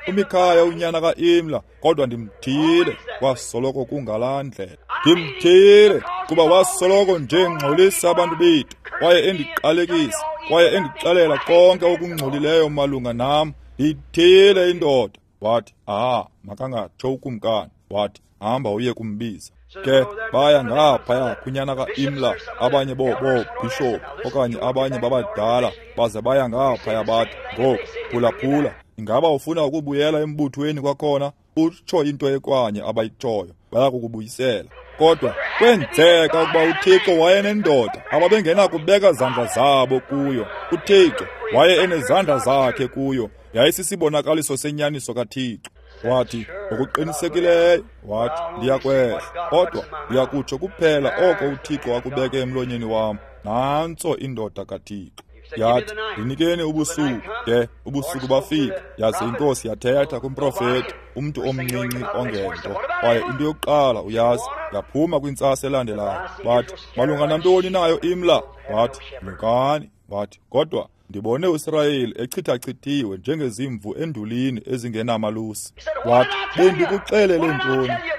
Speaker 1: uMikhaya unyana kaImla, kodwa ndimthile, wasoloko kungalaa ndlela. Ndimthile kuba wasoloko nje ngxolisa abantu bethu, kwaye endiqalekisa, kwaye endixelela konke okungcolileyo malunga nam. Ndiyithile indoda. Wathi, aha, makangatsho ukumkani. Wathi, hamba uye kumbiza. Ke baya ngaphaya kunyana kaImla, abanye boobhishophu okanye abanye babadala, baze baya ngaphaya bathi, ngoku phulaphula, ingaba ufuna ukubuyela embuthweni kwakhona? Utsho into ekwanye abayitshoyo, baya kukubuyisela. Kodwa kwenzeka ukuba uThixo wayenendoda ababengenakubeka zandla zabo kuyo. uThixo waye enezandla zakhe kuyo, yayisisibonakaliso senyaniso kaThixo. Wathi, ngokuqinisekileyo, wathi, ndiyakwehla, kodwa ndiyakutsho kuphela oko uThixo akubeke emlonyeni wam. Nantso indoda kaThixo. Yathi, ndinikeni ubusuku. Ke ubusuku bafika, yaze inkosi yathetha kumprofeti, umntu omncinci ongento. Kwaye into yokuqala uyazi, yaphuma kwintsasa elandelayo. Wathi, malunga nantoni nayo Imla? Wathi, nyukani. Wathi, kodwa ndibone uSirayeli echithachithiwe njengezimvu endulini ezingenamalusi. Wathi,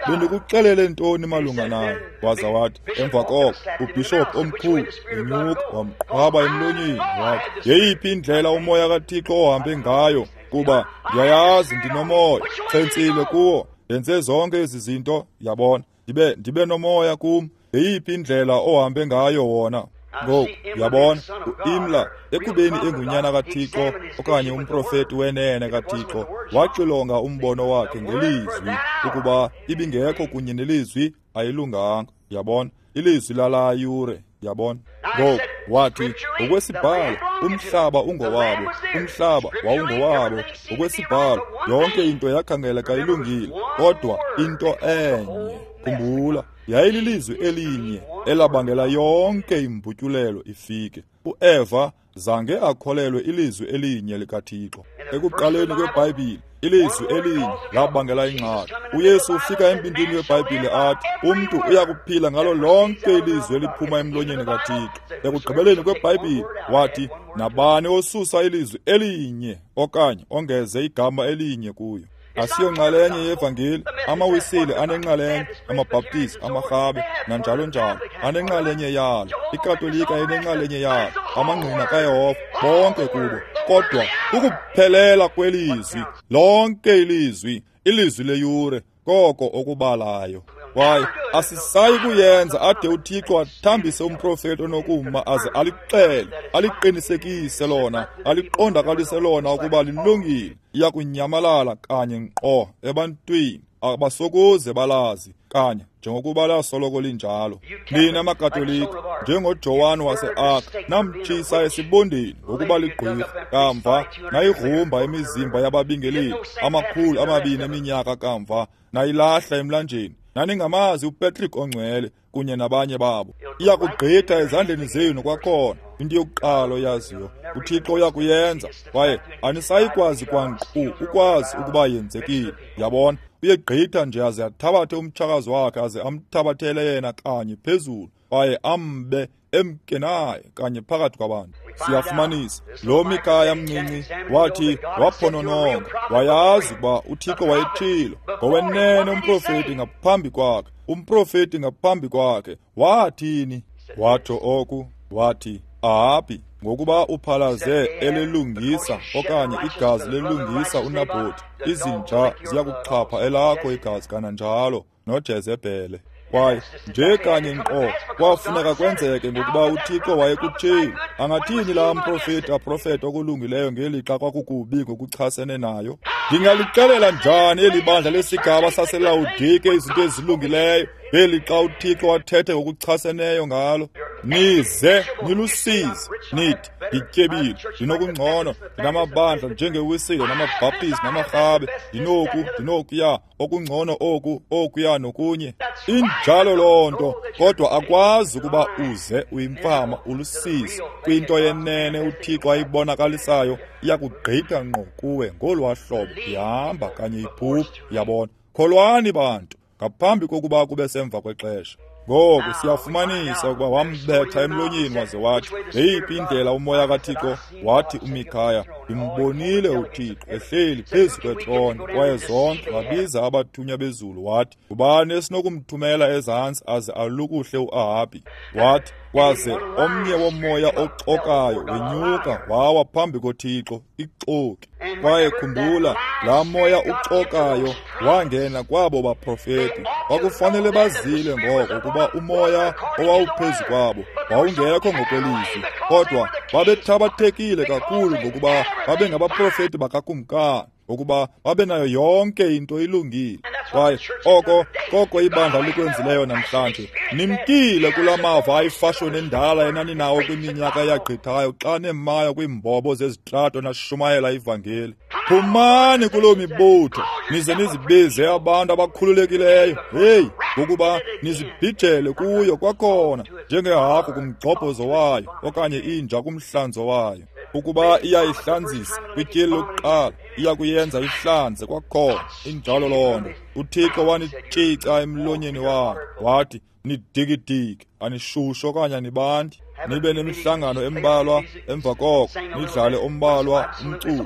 Speaker 1: bendikuxelele ntoni malunga nayo? Waza wathi, emva koko ubhishophu omkhulu enyuka wamqhwaba emlonyeni. Wathi, yeyiphi indlela umoya kaThixo ohambe ngayo? Kuba ndiyayazi ndinomoya, chentsile kuwo, ndenze zonke ezi zinto. Yabona, ndibe nomoya kum. Yeyiphi indlela ohambe ngayo wona? Ngoku yabona, uImla ekubeni engunyana kaThixo okanye umprofeti wenene kaThixo, waxilonga umbono wakhe ngelizwi. Ukuba ibingekho kunye nelizwi, ayilunganga. Yabona, ilizwi lalaa yure. Yabona, ngoku wathi, ngokwesibhalo umhlaba ungowabo, umhlaba wawungowabo. Ngokwesibhalo yonke into yakhangeleka ilungile, kodwa into enye, khumbula, yayililizwi elinye elabangela yonke imbutyulelo ifike. uEva zange akholelwe ilizwi elinye likaThixo. Ekuqaleni kweBhayibhile, ilizwi elinye labangela ingxaki. uYesu ufika embindini weBhayibhile athi, umntu uyakuphila ngalo lonke ilizwi eliphuma emlonyeni kaThixo. Ekugqibeleni kweBhayibhile wathi, nabani osusa ilizwi elinye okanye ongeze igama elinye kuyo. Asiyonxalenye yevangeli. Amawisile anenxalenye, amaBhaptizi, amaRhabe, nanjalo njalo anenxalenye yalo. IKatolika inenxalenye yalo, amaNgqina kaYehova, bonke kubo. Kodwa ukuphelela kwelizwi, lonke ilizwi, ilizwi leyure, koko okubalayo. Kwaye asisayi kuyenza ade uThixo athambise umprofeti onokuma aze alixele, aliqinisekise lona, aliqondakalise lona ukuba lilungile. Iyakunyamalala kanye nkqo ebantwini, abasokuze balazi kanye njengokuba lasoloko linjalo. Nina maKatolika, njengoJohane wase-Arc, namtshisa esibondeni ngokuba ligqwirha. Kamva nayigrumba imizimba yababingeleli 200 eminyaka kamva, nayilahla emlanjeni. Naningamazi uPatrick ongcwele kunye nabanye babo. Iyakugqitha ezandleni zenu kwakhona. Into yokuqala oyaziyo, uThixo uyakuyenza, kwaye anisayikwazi kwankqu ukwazi ukuba yenzekile. Yabona, uyegqitha nje aze athabathe umtshakazi wakhe aze amthabathele yena kanye phezulu, kwaye ambe emke naye kanye phakathi kwabantu. Siyafumanisa lo Mikaya mncinci wathi waphonononga, wayazi ukuba uThixo wayetshilo ngowenene umprofeti ngaphambi kwakhe, umprofeti ngaphambi kwakhe. Wathini? Watsho oku, wathi, Ahabi, ngokuba uphalaze elelungisa okanye igazi lelungisa uNabhoti, izinja ziyakuxhapha elakho igazi kananjalo noJezebhele. Kwaye nje kanye nkqo kwafuneka kwenzeke ngokuba uThixo wayekutshilo. Angathini laa mprofeti aprofete okulungileyo ngelixa kwakukubi ngokuchasene nayo? Ndingalixelela njani eli bandla lesigaba saseLawodike izinto ezilungileyo ngelixa uThixo wathethe ngokuchaseneyo ngalo? Nize nilusizi, nithi, ndityebile, ndinokungcono, ndinamabandla njengeWisile namaBhaptizi namarhabe, ndinoku, ndinokuya, okungcono oku, okuya nokunye. Injalo loo nto, kodwa akwazi ukuba uze uyimfama ulusizi kwinto yenene uThixo ayibonakalisayo. Iyakugqitha ngqo kuwe ngolwaa hlobo, ihamba kanye iphupha. Yabona? Kholwani bantu, ngaphambi kokuba kube semva kwexesha. Ngoku siyafumanisa ukuba wambetha emlonyeni waze wathi, yeyiphi indlela umoya kaThixo? Wathi uMikhaya, ndimbonile uThixo ehleli phezu kwetrone, kwaye zonke wabiza abathunywa bezulu. Wathi, ngubani esinokumthumela ezantsi aze alukuhle uAhabi? Wathi, kwaze omnye womoya oxokayo wenyuka wawa phambi koThixo, ixoki. Kwaye khumbula, laa moya uxokayo wangena kwabo baprofeti. Kwakufanele bazile ngoko ukuba umoya owawuphezu kwabo wawungekho ngokwelizwi, kodwa babethabathekile kakhulu ngokuba babengabaprofeti bakakumkani, ukuba babe nayo yonke into ilungile. Kwaye oko koko ibandla likwenzileyo namhlanje. Nimkile kula mava ayifashoni endala enaninawo kwiminyaka eyagqithayo xa nemayo kwiimbobo zezitrato nashumayela ivangeli. Phumani kuloo mibutho, nize nizibize abantu abakhululekileyo. Heyi, ngokuba nizibhijele kuyo kwakhona njengehagu kumgxobhozo wayo okanye inja kumhlanzo wayo. Ukuba iyayihlanzisa kwityeli lokuqala, iyakuyenza ihlanze kwakhona. Injalo loo nto. uThixo wanitshica emlonyeni wakhe, wathi, nidikidiki, anishushu okanye anibandi. Nibe nemihlangano embalwa, emva koko nidlale ombalwa umculo,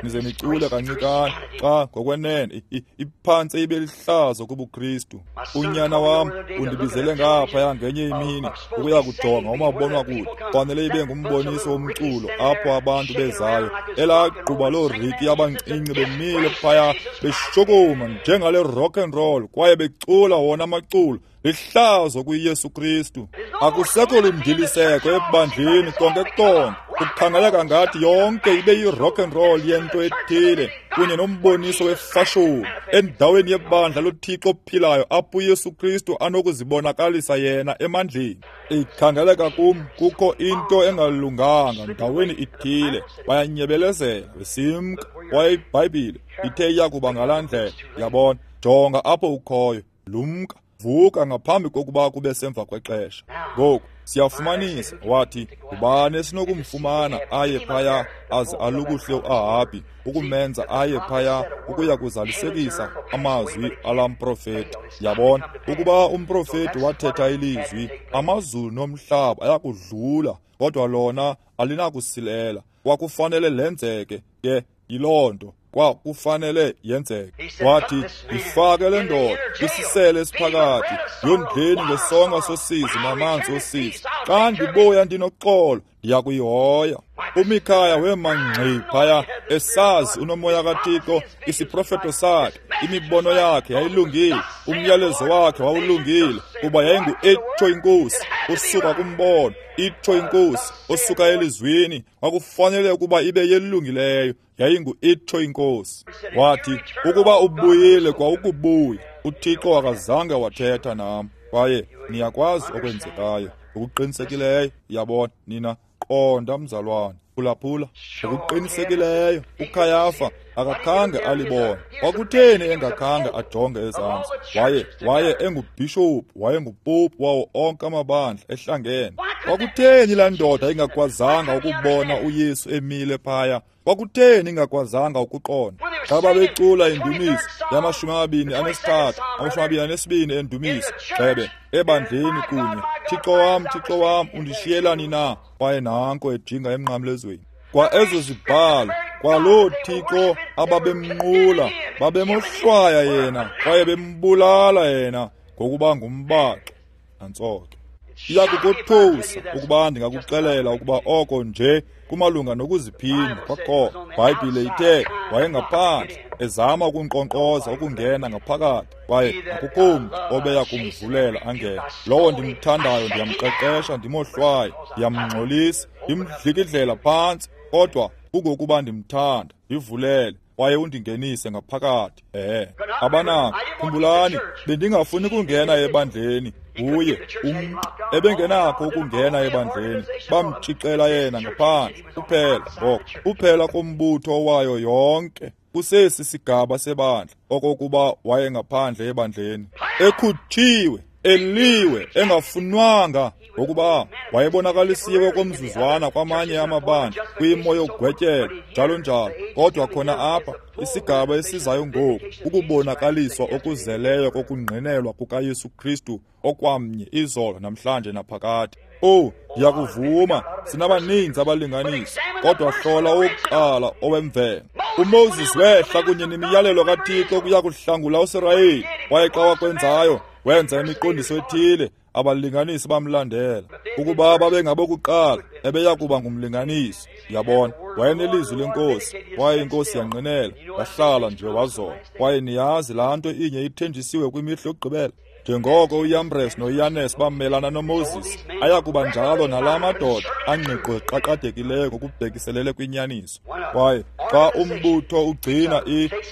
Speaker 1: nize nicule kancikane. Xa ngokwenene iphantse ibe lihlazo kubuKristu. Unyana wam undibizele ngaphaya ngenye imini ukuya kujonga umabonwakude. Fanele ibe ngumboniso womculo apho abantu bezayo. Elaa gquba looriki abancinci bemile phaya beshukuma njengale rock and roll kwaye becula wona amaculo. Lihlazo kuYesu Kristu. Akusekho lundiliseko ebandleni konke konke. Kukhangeleka ngathi yonke ibe yi-rock and roll yento ethile kunye nomboniso wefashoni endaweni yebandla loThixo ophilayo apho uYesu Kristu anokuzibonakalisa yena emandleni. Ikhangeleka kum kukho into engalunganga ndaweni ithile. Bayanyebelezela besimka, kwaye iBhayibhile ithe iyakuba ngalaa ndlela. Yabona, jonga apho ukhoyo, lumka, vuka ngaphambi kokuba kube semva kwexesha. Ngoku siyafumanisa, wathi, ngubani esinokumfumana aye phaya aze alukuhle uAhabi, ukumenza aye phaya ukuya kuzalisekisa amazwi alamprofeti. Yabona, ukuba umprofeti wathetha ilizwi, amazulu nomhlaba ayakudlula, kodwa lona alinakusilela. Kwakufanele lenzeke ke, yiloo nto kwakufanele yenzeke. Wathi, ifake le ndoda kwisisele esiphakathi, yondleni ngesonka sosizi namanzi osizi. Xa ndibuya ndinoxolo, Ndiyakuyihoya. UMikhaya wema ngxi phaya, esazi unomoya kaThixo, isiprofeto sakhe, imibono yakhe yayilungile, umyalezo wakhe wawulungile, kuba yayingu-itsho inkosi, usuka kumbono, itsho inkosi, osuka elizwini, kwakufanele ukuba ibe yelungileyo, yayingu-itsho inkosi. Wathi, ukuba ubuyile kwa ukubuya, uThixo akazange wathetha nam. Kwaye niyakwazi okwenzekayo, ngokuqinisekileyo, yabona, nina, qonda mzalwane, phulaphula. Ngokuqinisekileyo uKhayafa akakhange alibone. Kwakutheni engakhange ajonge ezantsi? Waye engubhishophu, wayengupopu wawo onke amabandla ehlangene. Kwakutheni laa ndoda ingakwazanga ukubona uYesu emile phaya? Kwakutheni ingakwazanga ukuqonda? Xa babecula indumiso yama-23, 22 endumiso, gxebe ebandleni kunye, Thixo wam, Thixo wam, undishiyelani na? Kwaye nanko ejinga emnqamlezweni. Kwa ezo zibhalo, kwaloo Thixo ababemnqula, babemohlwaya yena kwaye bembulala yena ngokuba ngumbaxo. Nantso ke. Iyakukothusa ukuba ndingakuxelela ukuba oko nje kumalunga nokuziphinda kwakhona. Ibhayibhile ithe wayengaphandle ezama ukunkqonkqoza ukungena ngaphakathi, kwaye akukho mntu obeya kumvulela angene. Lowo ndimthandayo ndiyamqeqesha, ndimohlwaye, ndiyamngxolisa, ndimdlikidlela phantsi, kodwa kungokuba ndimthanda, ndivulele kwaye undingenise ngaphakathi. Abanako, khumbulani, bendingafuni kungena ebandleni. Nguye umntu ebengenakho ukungena ebandleni, bamtshixela yena ngaphandle. Kuphela ngoko, kuphela kombutho wayo yonke kusesi sigaba sebandla, okokuba wayengaphandle ebandleni, ekhutshiwe, eliwe, engafunwanga, ngokuba wayebonakalisiwe komzuzwana kwamanye amabandla kwimo yokugwetyela, njalo njalo. Kodwa khona apha, isigaba esizayo ngoku, ukubonakaliswa okuzeleyo kokungqinelwa kukaYesu Kristu okwamnye izolo, namhlanje naphakade. Oh, ndiyakuvuma, sinabaninzi abalinganisi, kodwa hlola owokuqala owemvelo. uMoses wehla kunye nemiyalelo kaThixo kuya kuhlangula uSirayeli, kwaye xa wakwenzayo, wenza imiqondiso ethile, abalinganisi bamlandela. Ukuba babengabokuqala, ebeya kuba ngumlinganisi. Yabona, wayenelizwi lenkosi, kwaye inkosi yangqinela, wahlala nje wazola. Kwaye niyazi laa nto inye ithenjisiwe kwimihla yokugqibela. Njengoko uYambres noYanes bamelana noMoses, ayakuba njalo nalaa madoda angqiqo eqaqadekileyo ngokubhekiselele kwinyaniso. Kwaye xa umbutho ugcina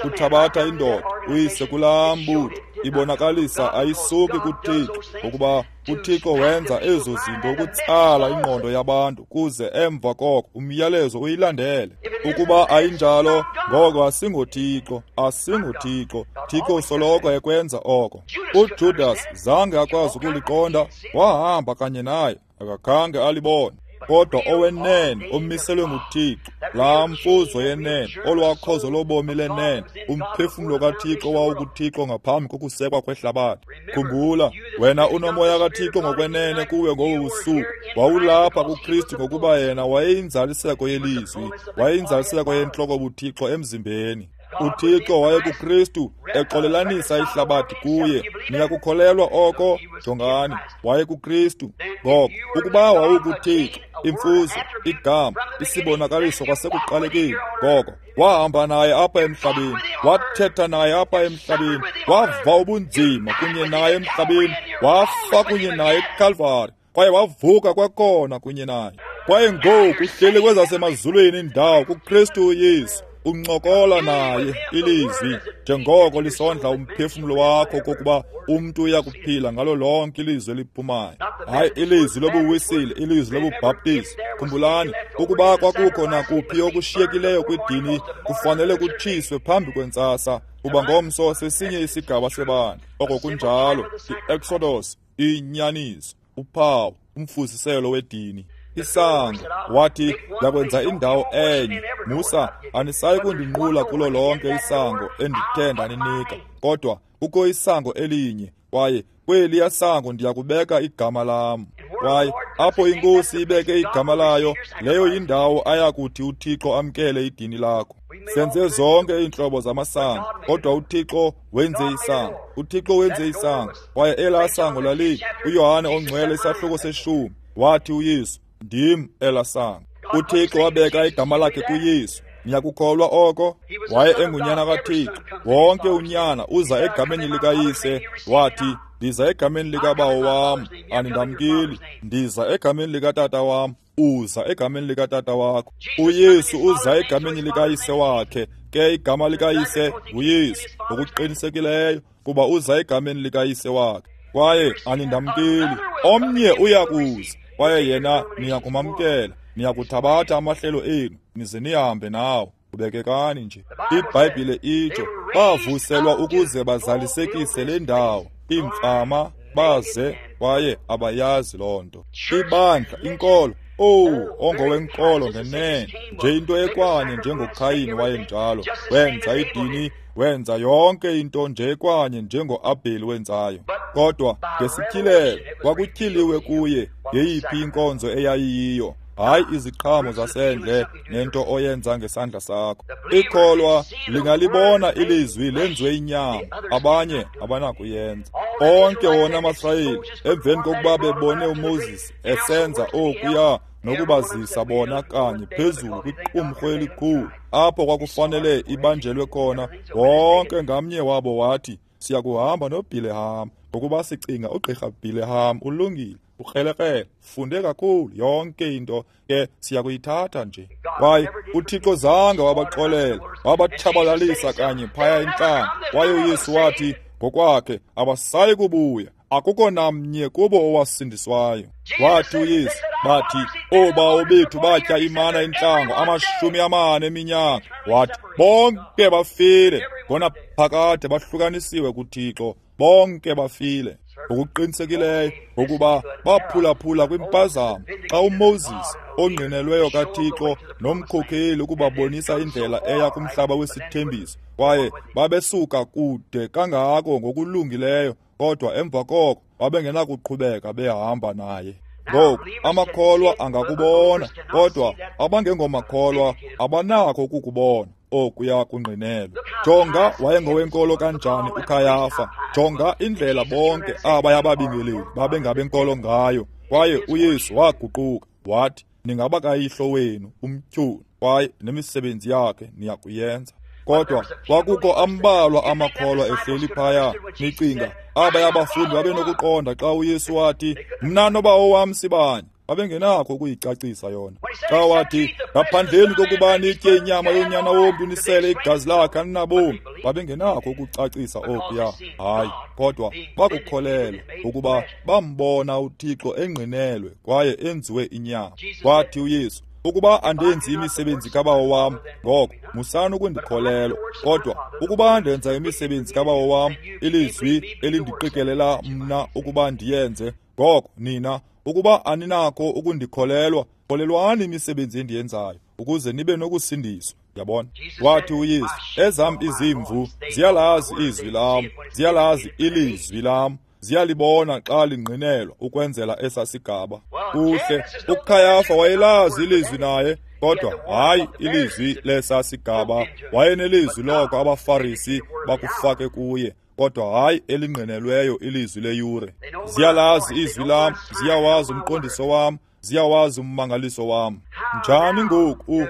Speaker 1: uthabatha indoda uyise kulaa mbutho, ibonakalisa ayisuki kuThixo, ngokuba uThixo wenza ezo zinto ukutsala ingqondo yabantu kuze emva koko umyalezo uyilandele. Ukuba ayinjalo, ngoko asingoThixo, asingoThixo. Thixo usoloko ekwenza oko. UJudas zange akwazi ukuliqonda, wahamba kanye naye, akakhange alibone. Kodwa owenene omiselwe nguThixo, laa mfuzo yenene, olwakhozo lobomi lenene, umphefumlo kaThixo wawukuThixo ngaphambi kokusekwa kwehlabathi. Khumbula, wena unomoya kaThixo ngokwenene kuwe ngobu busuku. Wawulapha kuKristu ngokuba yena wayeyinzaliseko yelizwi, wayeyinzaliseko yentloko buThixo emzimbeni. uThixo wayekuKristu exolelanisa ihlabathi kuye. Niyakukholelwa oko? Jongani, wayekuKristu. Ngoko ukuba wawukuThixo, imfuzo, igama, isibonakaliso kwasekuqalekeni, ngoko wahamba naye apha emhlabeni, wathetha naye apha emhlabeni, wava ubunzima kunye naye emhlabeni, wafa kunye naye eKalvari, kwaye wavuka kwakhona kunye naye. Kwaye ngoku uhleli kwezasemazulwini indawo kuKristu uYesu, uncokola naye ilizwi njengoko lisondla umphefumlo wakho kokuba umntu uyakuphila ngalo lonke ilizwi eliphumayo. Hayi ilizwi lobuwisile, ilizwi lobubhaptizi. Khumbulani, ukuba kwakukho nakuphi okushiyekileyo kwidini, kufanele kutshiswe phambi kwentsasa, kuba ngomso sesinye isigaba sebandla. Oko kunjalo, i-Exodus, inyaniso, uphawu, umfuziselo wedini. Isango, wathi, ndakwenza indawo enye. Musa, anisayi kundinqula kulo lonke isango endithe ndaninika, kodwa kukho isango elinye, kwaye kweliya sango ndiyakubeka igama lam. Kwaye apho inkosi ibeke igama layo, leyo yindawo ayakuthi uThixo amkele idini lakho. Senze zonke iintlobo zamasango, kodwa uThixo wenze isango. uThixo wenze isango, kwaye elaa sango lali uYohane ongcwele isahluko seshumi. Wathi uYesu, Ndim elasango. UThixo wabeka igama lakhe kuYesu. Niyakukholwa oko? Waye engunyana kaThixo. Wonke unyana uza egameni likayise. Wathi, ndiza egameni likabawo wam, anindamkeli. Ndiza egameni likatata wam, uza egameni likatata wakho. UYesu uza egameni likayise wakhe. Ke igama likayise nguYesu, ngokuqinisekileyo, kuba uza egameni likayise wakhe. Kwaye anindamkeli. Omnye uyakuza, kwaye yena niyakumamkela. Niyakuthabatha amahlelo enu, nize nihambe nawo. Ubekekani nje. IBhayibhile itsho, bavuselwa ukuze bazalisekise le ndawo. Iimfama baze, kwaye abayazi loo nto. Ibandla, inkolo, owu, ongowenkolo ngenene, nje into ekwanye njengoKhayini wayenjalo. Wenza idini, wenza yonke into nje ekwanye njengoAbheli wenzayo. Kodwa ngesityhilelo kwakutyhiliwe kuye yeyiphi inkonzo eyayiyiyo. Hayi iziqhamo zasendle nento oyenza ngesandla sakho. Ikholwa lingalibona ilizwi lenziwe inyama, abanye abanakuyenza. Onke wona amaSirayeli, emveni kokuba bebone uMoses esenza okuya nokubazisa bona kanye phezulu kwiqumrhu elikhulu, apho kwakufanele ibanjelwe khona, wonke ngamnye wabo wathi, siyakuhamba noBhileham, ngokuba sicinga ugqirha Bhileham ulungile, ukrelekrele, funde kakhulu, yonke into ke siyakuyithatha nje. Kwaye uThixo zange wabaxolela, wabatshabalalisa kanye phaya entlango. Kwaye uYesu wathi ngokwakhe, abasayi kubuya, akukho namnye kubo owasindiswayo. Wathi uYesu, bathi, oobawo bethu batya imana entlango 40 eminyaka. Wathi, bonke bafile, ngona phakade bahlukanisiwe kuThixo, bonke bafile. Ngokuqinisekileyo ngokuba baphulaphula kwimpazamo xa uMoses ongqinelweyo kaThixo nomkhokheli ukubabonisa indlela eya kumhlaba wesithembiso, kwaye babesuka kude kangako ngokulungileyo, kodwa emva koko babengenakuqhubeka behamba naye. Ngoku amakholwa angakubona, kodwa abangengomakholwa abanakho ukukubona okuya kungqinelwa. Jonga wayengowenkolo kanjani uKhayafa. Jonga indlela bonke abaya babingeleli babengabenkolo ngayo. Kwaye uYesu waguquka wathi, ningaba kayihlo wenu umtyholi, kwaye nemisebenzi yakhe niyakuyenza. Kodwa kwakukho ambalwa amakholwa ehleli phaya. Nicinga abaya bafundi babenokuqonda xa uYesu wathi, mna nobawo wam sibanye? Babengenakho ukuyicacisa yona. Xa wathi, ngaphandleni kokuba nitye inyama yonyana womntu nisele igazi lakhe aninabomi, babengenakho ukucacisa okuya. Hayi, kodwa bakukholelwa ukuba bambona uThixo engqinelwe kwaye enziwe inyama. Wathi uYesu, ukuba andenzi imisebenzi kabawo wam, ngoko musani ukundikholelwa. Kodwa ukuba ndenza imisebenzi kabawo wam, ilizwi elindiqikelela mna ukuba ndiyenze, ngoko nina, ukuba aninakho ukundikholelwa, kholelwani imisebenzi endiyenzayo, ukuze nibe nokusindiswa. Yabona? Wathi uYesu, ezam izimvu ziyalazi izwi lam, ziyalazi ilizwi lam, ziyalibona xa lingqinelwa ukwenzela esasigaba. Kuhle, uKhayafa wayelazi ilizwi naye, kodwa hayi ilizwi lesasigaba. Wayenelizwi loko abaFarisi bakufake kuye, kodwa hayi elingqinelweyo ilizwi leyure. Ziyalazi izwi lam, ziyawazi umqondiso wam, ziyawazi ummangaliso wam. Njani ngoku?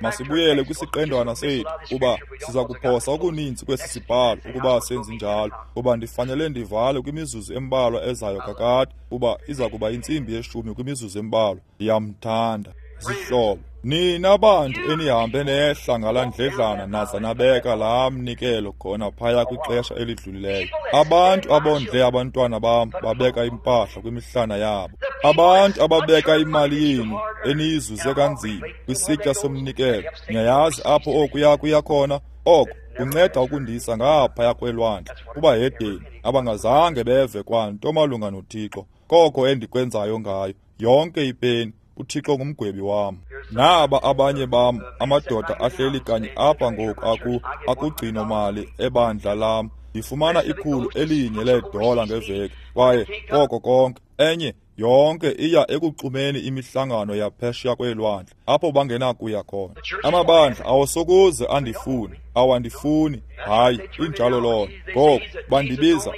Speaker 1: Masibuyele kwisiqendwana sethu, kuba siza kuphosa okuninzi kwesi sibhalo ukuba senzi njalo, kuba ndifanele ndivale kwimizuzu embalwa ezayo kakade, kuba iza kuba 10:15 kwimizuzu embalwa. Ndiyamthanda. Zihlobo, nina bantu enihambe nehla ngala ndledlana naza nabeka laa mnikelo khona phaya kwixesha elidlulileyo. Abantu abondle abantwana bam babeka impahla kwimihlana yabo. Abantu ababeka imali yenu eniyizuze kanzima kwisitya somnikelo. Niyayazi apho okuya kuya khona? Oko kunceda ukundisa ngaphaya kwelwandle kubahedeni abangazange beve kwanto malunga noThixo. Koko endikwenzayo ngayo yonke ipeni, uThixo ngumgwebi wam. Naba abanye bam amadoda ahleli kanye apha ngoku akugcino mali ebandla lam. Ndifumana $100 ngeveki, kwaye koko konke. Enye yonke iya ekuxumeni imihlangano yaphesheya kweelwandle apho bangenakuya khona. Amabandla awasokuze andifune, awandifuni. Hayi, injalo loo nto. Ngoko bandibiza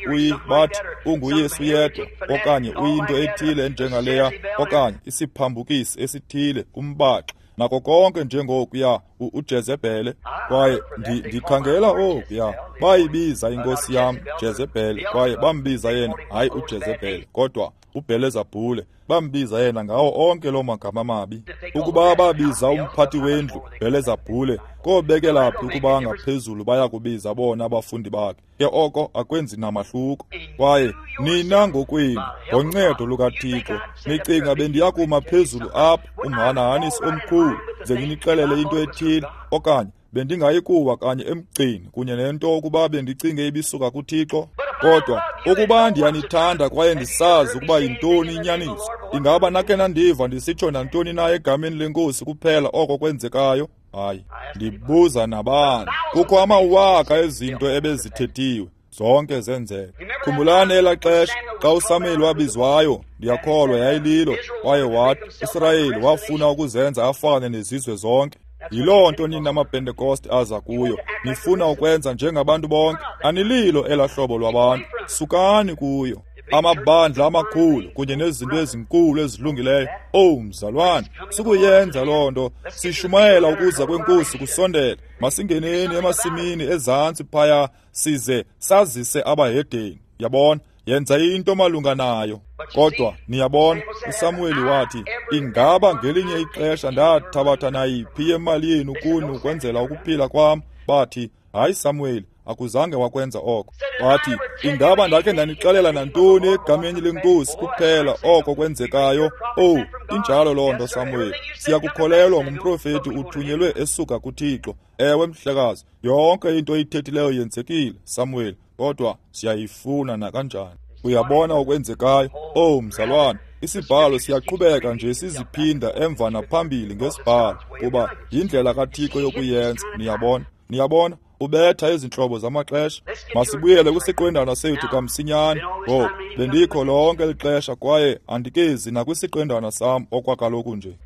Speaker 1: bathi unguYesu yedwa, okanye uyinto ethile enjengaleya, okanye isiphambukisi esithile, umbaxa, nako konke njengokuya uJezebhele. Kwaye ndikhangela okuya, bayibiza inkosi yam Jezebhele, kwaye bambiza yena hayi uJezebhele kodwa uBhelezabhule, bambiza yena ngawo onke loo magama mabi. Ukuba babiza umphathi wendlu Bhelezabhule, kobekela phi ukuba ngaphezulu baya kubiza bona abafundi bakhe? Ke oko akwenzi namahluko. Kwaye nina ngokwenu, ngoncedo lukaThixo, nicinga bendiyakuma phezulu apha umhanahanisi omkhulu ze ndinixelele into ethile, okanye bendingayikuwa kanye emgcini kunye nento ukuba bendicinge ibisuka kuThixo? Kodwa ukuba ndiyanithanda kwaye ndisazi ukuba yintoni inyaniso, ingaba nakhe nandiva ndisitsho nantoni na egameni leNkosi kuphela oko kwenzekayo? Hayi, ndibuza nabani. Kukho amawaka ezinto ebezithethiwe, zonke zenzeka. Khumbulani elaa xesha xa uSamuel wabizwayo, ndiyakholwa yayililo, kwaye wathi uSirayeli wafuna ukuzenza afane nezizwe zonke. Yiloo nto nina amaPentekoste aza kuyo, nifuna ukwenza njengabantu bonke. Anililo elaa hlobo lwabantu, sukani kuyo. Amabandla amakhulu kunye nezinto ezinkulu ezilungileyo. Owu mzalwane, sukuyenza loo nto. Sishumayela ukuza kweNkosi kusondele. Masingeneni emasimini ezantsi phaya size sazise abahedeni. Yabona, yenza into malunga nayo. Kodwa niyabona, uSamuweli wathi, ingaba ngelinye ixesha ndathabatha nayiphi yemali yenu kuni ukwenzela ukuphila kwam? Bathi, hayi Samuweli, akuzange wakwenza oko. Wathi, ingaba ndakhe ndanixelela nantoni egameni leNkosi kuphela oko kwenzekayo? Owu, injalo loo nto Samuweli. Siyakukholelwa ngumprofeti uthunyelwe esuka kuThixo. Ewe mhlekazi, yonke into oyithethileyo yenzekile, Samuweli, kodwa siyayifuna nakanjani. Uyabona okwenzekayo? Owu mzalwane, isibhalo siyaqhubeka nje siziphinda emva naphambili ngesibhalo, kuba yindlela kaThixo yokuyenza. Niyabona? Niyabona? Ubetha izintlobo zamaxesha. Masibuyele kwisiqendwana sethu kamsinyane. Ngoku bendikho lonke eli xesha kwaye andikezi nakwisiqendwana sam okwakaloku nje.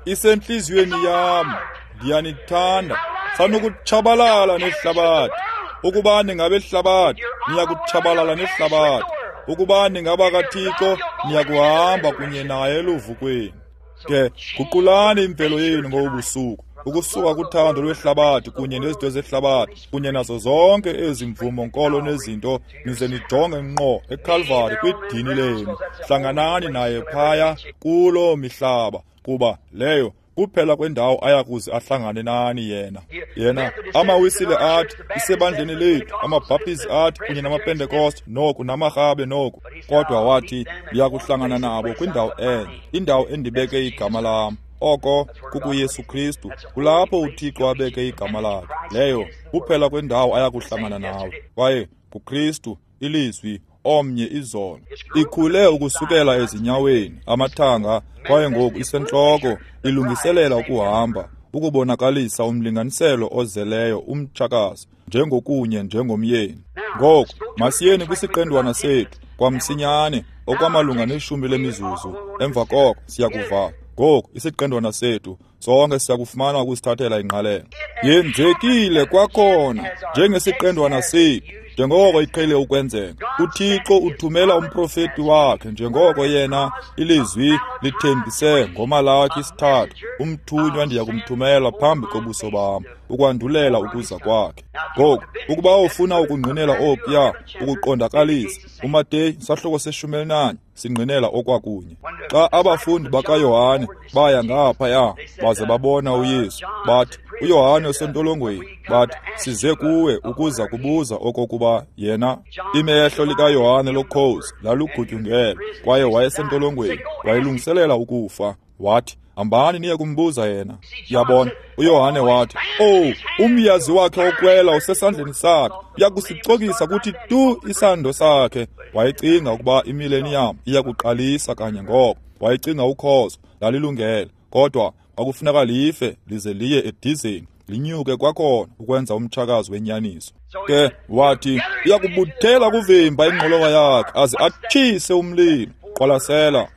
Speaker 1: Isentliziyweni yam, ndiyanithanda. Sanukutshabalala nehlabathi. Ukuba ningabehlabathi, niyakutshabalala nehlabathi. Ukuba ningabakaThixo, niyakuhamba kunye naye eluvukweni. Ke guqulani imvelo yenu ngobu busuku, ukusuka kuthando lwehlabathi kunye nezinto zehlabathi kunye nazo zonke ezi mvumo nkolo nezinto, nize nijonge ngqo eKalvari kwidini lenu. Hlanganani naye phaya kuloo mihlaba, kuba leyo kuphela kwendawo ayakuze ahlangane nani yena. Yena amaWisile athi isebandleni lethu, amaBhaptizi athi kunye namaPentekoste noku namaRhabe noku, kodwa wathi ndiyakuhlangana nabo kwindawo enye, indawo endibeke igama lam. Oko kukuYesu Kristu, kulapho uThixo abeke igama lakhe. Leyo kuphela kwendawo ayakuhlangana nawe, kwaye kuKristu, ilizwi omnye izolo. Ikhule ukusukela ezinyaweni, amathanga, kwaye ngoku isentloko, ilungiselela ukuhamba, ukubonakalisa umlinganiselo ozeleyo umtshakazi, njengokunye njengomyeni. Ngoku masiyeni kwisiqendwana sethu kwamsinyane, okwamalunga neshumi lemizuzu. Emva koko siyakuvala. Ngoku isiqendwana sethu sonke siyakufumana ukusithathela ingqalelo. Yenzekile kwakhona njengesiqendwana sethu, njengoko iqhele ukwenzeka. uThixo uthumela umprofeti wakhe njengoko yena ilizwi lithembise ngoMalaki 3, umthunywa ndiyakumthumela phambi kobuso bam ukwandulela ukuza kwakhe. Ngoku ukuba ufuna ukungqinela okuya, ukuqondakalisa, uMateyu sahluko se-14 singqinela okwakunye. Xa abafundi bakaYohane baya ngaphaya baze babona uYesu, bathi uYohane usentolongweni, bathi size kuwe ukuza kubuza okokuba yena. Imehlo likaYohane lokhozi lalugutyungele kwaye wayesentolongweni, wayelungiselela ukufa. Wathi, hambani niye kumbuza yena. Yabona, uYohane wathi, owu, umyazi wakhe okwela usesandleni sakhe, uyakusicokisa kuthi tu isando sakhe. Wayecinga ukuba imileniyam iyakuqalisa kanye ngoko. Wayecinga ukhozo lalilungele, kodwa kwakufuneka life lize liye edizeni. linyuke kwakhona ukwenza umtshakazi wenyaniso. Ke wathi uyakubuthela kuvimba ingqolowa yakhe aze atshise umlilo. Qwalasela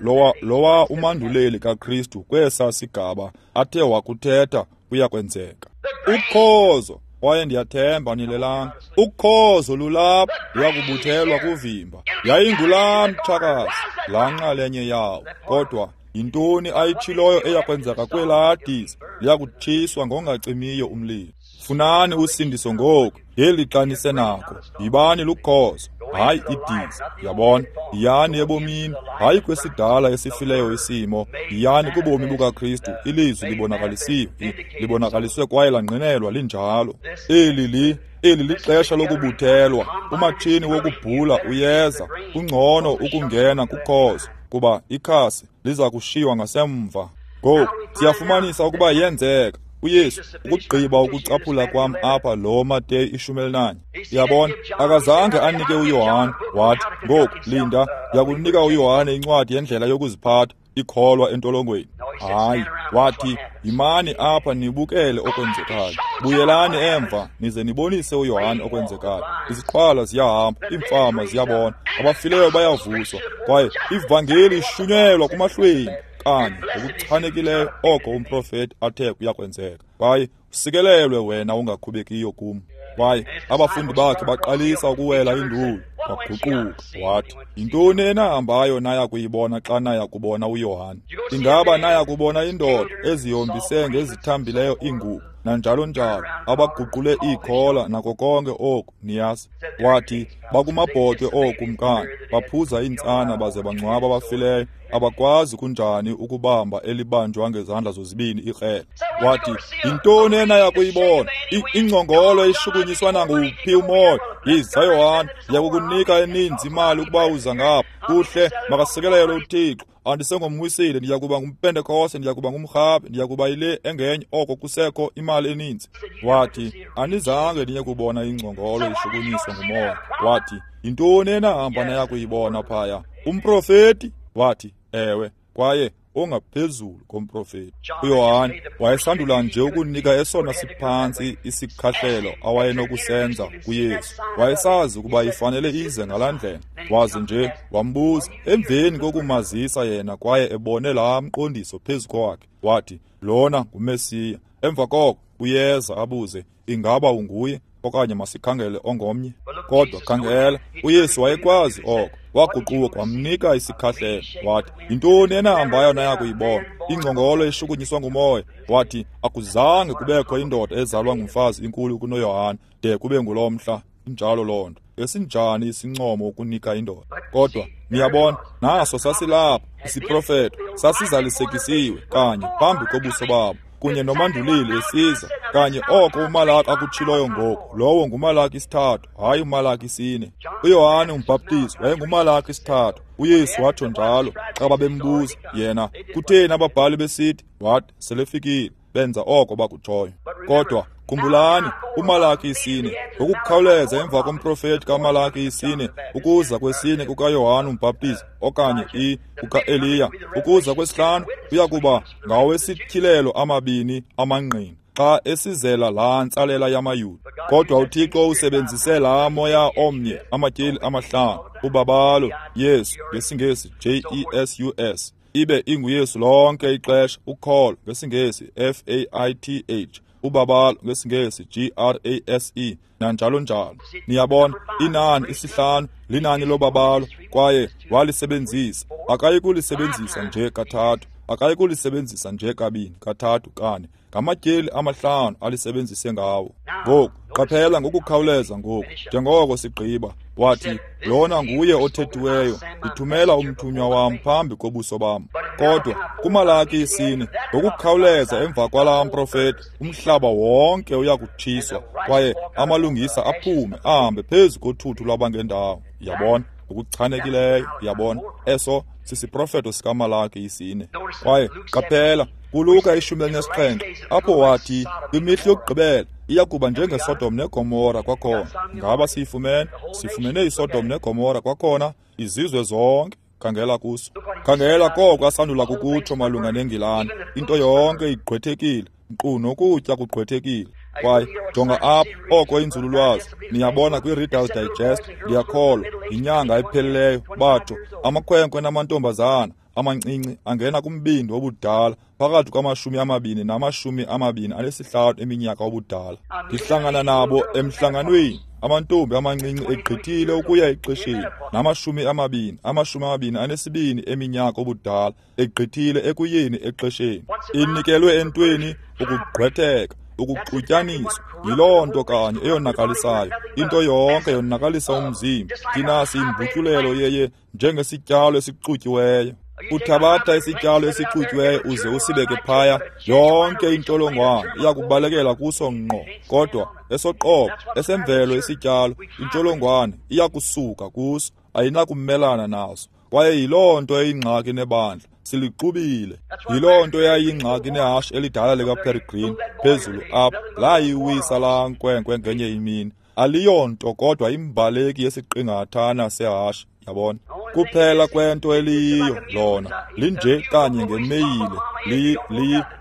Speaker 1: lowa umanduleli kaKristu kwesa sigaba athe wakuthetha kuyakwenzeka. Ukhozo, kwaye ndiyathemba nilelanga, ukhozo lulapha, luyakubuthelwa kuvimba. Yayingulaa mtshakazi, laa nxalenye yawo. Kodwa yintoni ayitshiloyo eyakwenzeka kwelaa diza? Liyakutshiswa ngongacimiyo umlilo. Funani usindiso ngoku, ngelixa nisenako. Yibani lukhozo, hayi idiza. Yabona, yiyani ebomini, hayi kwesidala esifileyo isimo. Yiyani kubomi bukaKristu, ilizwi libonakalisiwe, libonakaliswe kwaye langqinelwa linjalo. Eli lixesha lokubuthelwa. Umatshini wokubhula uyeza. Kungcono ukungena kukhozo, kuba ikhasi liza kushiywa ngasemva. Ngoku siyafumanisa ukuba yenzeka. uYesu, ukugqiba ukucaphula kwam apha lo Mateyu 14. Uyabona, akazange anike uYohane, wathi, ngoku linda, ndiyakunika uYohane incwadi yendlela yokuziphatha, ikholwa entolongweni. Hayi, wathi, yimani apha nibukele okwenzekayo. Buyelani emva nize nibonise uYohane okwenzekayo. Iziqhwala ziyahamba, iimfama ziyabona, abafileyo bayavuswa, kwaye ivangeli ishunyelwa kumahlwempu. Kanye ngokuchanekileyo oko umprofeti athe kuyakwenzeka. Kwaye usikelelwe wena ungakhubekiyo kum. Kwaye abafundi bakhe baqalisa ukuwela induli, waguquka wathi, yintoni enahambayo naya kuyibona xa naya kubona uYohane? Ingaba naya kubona indoda ezihombise ngezithambileyo iingubo nanjalo njalo, abaguqule iikhola nako konke oku, niyazi? Wathi, bakumabhotwe ookumkani, baphuza iintsana baze bangcwaba abafileyo, abakwazi kunjani ukubamba elibanjwa ngezandla zozibini ikrele. Wathi, yintoni enaya kuyibona? Ingcongolo ishukunyiswa nanguphi umoya? Yiza Yohane, ndiyakukunika eninzi imali ukuba uza ngapha. Kuhle, makasikelelwe uThixo. Andisengomwisile, ndiyakuba ngumPentekoste, ndiyakuba ngumrhabe, ndiyakuba yile engenye, oko kusekho imali eninzi. Wathi, anizange niye kubona ingcongolo ishukunyiswa ngumoya. Wathi, yintoni enahamba naya kuyibona phaya? Umprofeti? Wathi, ewe, kwaye ongaphezulu komprofeti. uYohane wayesandula nje ukunika esona siphantsi isikhahlelo awayenokusenza kuYesu. Wayesazi ukuba ifanele ize ngalaa ndlela. Waze nje wambuza emveni kokumazisa yena kwaye ebone laa mqondiso phezu kwakhe. Wathi, lona nguMesiya. Emva koko uyeza abuze, ingaba unguye okanye masikhangele ongomnye? Kodwa khangela, uYesu wayekwazi oko. Waguquka wamnika isikhahlelo. Wathi, yintoni enahambayo naya kuyibona? Ingcongolo eshukunyiswa ngumoya. Wathi, akuzange kubekho indoda ezalwa ngumfazi inkulu kunoYohane de kube ngulo mhla. Injalo loo nto. Esinjani isincomo ukunika indoda? Kodwa niyabona, naso sasilapha isiprofeto, sasizalisekisiwe kanye phambi kobuso babo, kunye nomanduleli esiza kanye oko uMalaki akutshiloyo ngoku. Lowo nguMalaki 3, hayi uMalaki 4. uYohane umbhaptizi wayenguMalaki 3. uYesu watsho njalo xa babembuza yena, kutheni ababhali besithi? Wathi, selefikile, benza oko bakutshoyo. Kodwa khumbulani, uMalaki 4, ngokukhawuleza emva komprofeti kaMalaki 4, ukuza kwesine kukaYohane umbhaptizi okanye kukaEliya, ukuza kwesihlanu uyakuba ngawesityhilelo amabini amangqina xa esizela laa ntsalela yamaYuda. Kodwa uThixo usebenzise laa moya omnye amatyeli 5, ubabalo Yesu ngesiNgesi Jesus, ibe inguYesu lonke ixesha, ukholo ngesiNgesi FAITH, ubabalo ngesiNgesi GRASE, nanjalo njalo. Niyabona, inani 5 linani lobabalo, kwaye walisebenzisa. Akayi kulisebenzisa nje kathathu, akayi kulisebenzisa nje kabini, kathathu, kane. Ngamatyeli 5 alisebenzise ngawo. Ngoku qaphela ngokukhawuleza ngoku, njengoko sigqiba. Wathi, lona nguye othethiweyo, ndithumela umthunywa wam phambi kobuso bam. Kodwa kuMalaki 4, ngokukhawuleza emva kwalaa mprofeti, umhlaba wonke uyakutshiswa, kwaye amalungisa aphume ahambe phezu kothuthu lwabangendawo. Yabona, ngokuchanekileyo. Yabona, eso sisiprofeto sikaMalaki 4. Kwaye qaphela kuLuka 17, apho wathi kwimihla yokugqibela iyakuba njengeSodom neGomora kwakhona. Ngaba siyifumene? Sifumene iSodom neGomora kwakhona, izizwe zonke. Khangela kuso. Khangela koko asandula kukutsho malunga neNgilani. Into yonke igqwethekile, nkqu nokutya kugqwethekile. Kwaye jonga apha oko inzululwazi, niyabona kwi-Reader's Digest, ndiyakholwa, yinyanga epheleleyo, batsho amakhwenkwe namantombazana amancinci angena kumbindi wobudala phakathi kwama-20 na-25 eminyaka obudala. Ndihlangana nabo emhlanganweni, amantombi amancinci egqithile ukuya exesheni, nama-20, 22 eminyaka obudala egqithile ekuyeni exesheni. Inikelwe entweni ukugqwetheka, ukuxutyaniswa. Yiloo nto kanye eyonakalisayo. Into yonke yonakalisa umzimba. Thina siyimbutyulelo yeye njengesityalo esixutyiweyo. Uthabatha isityalo esixutyiweyo uze usibeke phaya, yonke intsholongwane iyakubalekela kuso ngqo, kodwa esoqobo esemvelo isityalo, intsholongwane iyakusuka kuso, ayinakumelana naso. Kwaye yiloo nto eyingxaki nebandla, silixubile. Yiloo nto eyayingxaki nehashe elidala likaPeregrine phezulu apha, layiwisa laa nkwenkwe ngenye imini. Aliyonto kodwa imbaleki yesiqingathana sehashe, yabona. Kuphela kwento eliyiyo lona linje kanye ngemeyile.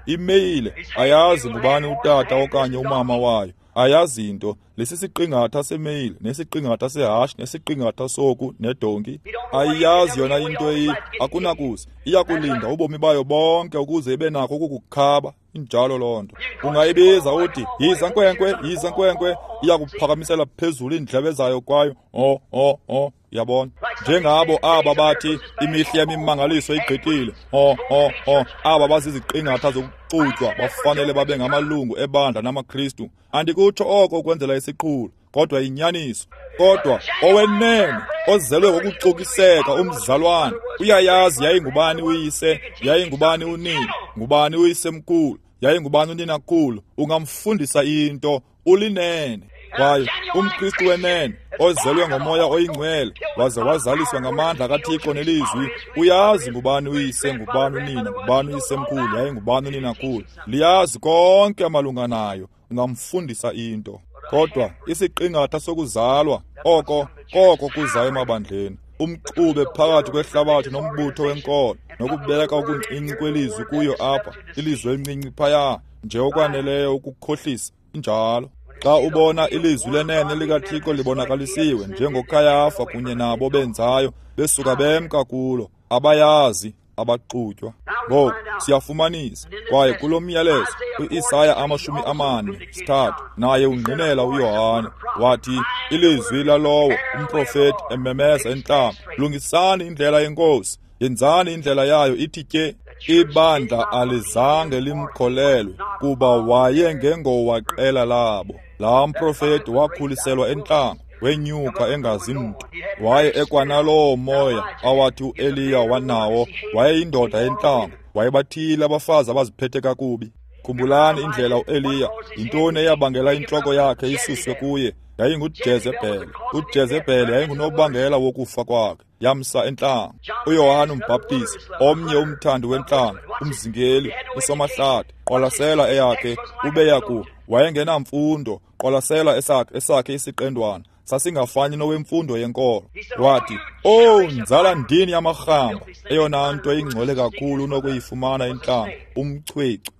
Speaker 1: Imeyile ayazi ngubani utata okanye umama wayo, ayazi nto. Lesisiqingatha semeyile nesiqingatha sehashe nesiqingatha soku nedonki, ayiyazi yona into eyi. Akunakuze, iyakulinda ubomi bayo bonke ukuze ibe nako ukukukhaba. Injalo loo nto. Ungayibiza uthi yiza nkwenkwe, yiza nkwenkwe, iyakuphakamisela phezulu iindlebe zayo kwayo o o o, yabona. Njengabo aba bathi imihla yemimangaliso igqithile, o o o, aba baziziqingatha zokuxutywa bafanele babe ngamalungu ebandla namaKristu. Andikutsho oko ukwenzela isiqhulo, kodwa inyaniso. Kodwa owenene ozelwe ngokucokiseka umzalwane uyayazi yayingubani uyise, yayingubani unina, ngubani uyisemkhulu, yayingubani uninakhulu. Ungamfundisa into, ulinene. Kwaye umKristu wenene ozelwe ngomoya oyingcwele waze wazaliswa ngamandla kaThixo nelizwi, uyazi ngubani uyise, ngubani unina, ngubani uyisemkhulu, yayingubani uninakhulu. Liyazi konke malunga nayo. Ungamfundisa into. Kodwa isiqingatha sokuzalwa oko koko kuza emabandleni, umxube phakathi kwehlabathi nombutho wenkolo, nokubeka okuncinci kwelizwi kuyo apha, ilizwi elincinci phaya, nje okwaneleyo ukukhohlisa. Injalo. Xa ubona ilizwi lenene likaThixo libonakalisiwe njengoKayafa kunye nabo benzayo, besuka bemka kulo, abayazi, abaxutywa. Ngoku siyafumanisa, kwaye kulo myalezo uIsaya 43 naye ungqinela uYohane, wathi ilizwi lalowo umprofeti ememeza entlango, lungisani indlela yeNkosi, yenzani indlela yayo ithi tye. Ibandla alizange limkholelwe kuba wayengengowaqela labo. Laa mprofeti wakhuliselwa entlango, wenyuka engazi mntu. Waye ekwanaloo moya awathi uEliya wanawo, wayeyindoda entlango, wayebathile abafazi abaziphethe kakubi. Khumbulani indlela uEliya, yintoni eyabangela intloko yakhe isuswe kuye? YayinguJezebhele. UJezebhele yayingunobangela wokufa kwakhe, yamsa entlango. uYohane umbhaptizi, omnye umthandi wentlango, umzingeli, usomahlathi, qwalasela eyakhe, ubeya ku wayengenamfundo, qwalasela esakhe isiqendwana sasingafani nowemfundo yenkolo. Wathi, "Oh, nzala ndini yamarhamba, eyona nto ingcwele kakhulu unokuyifumana entlango, umchwechwe,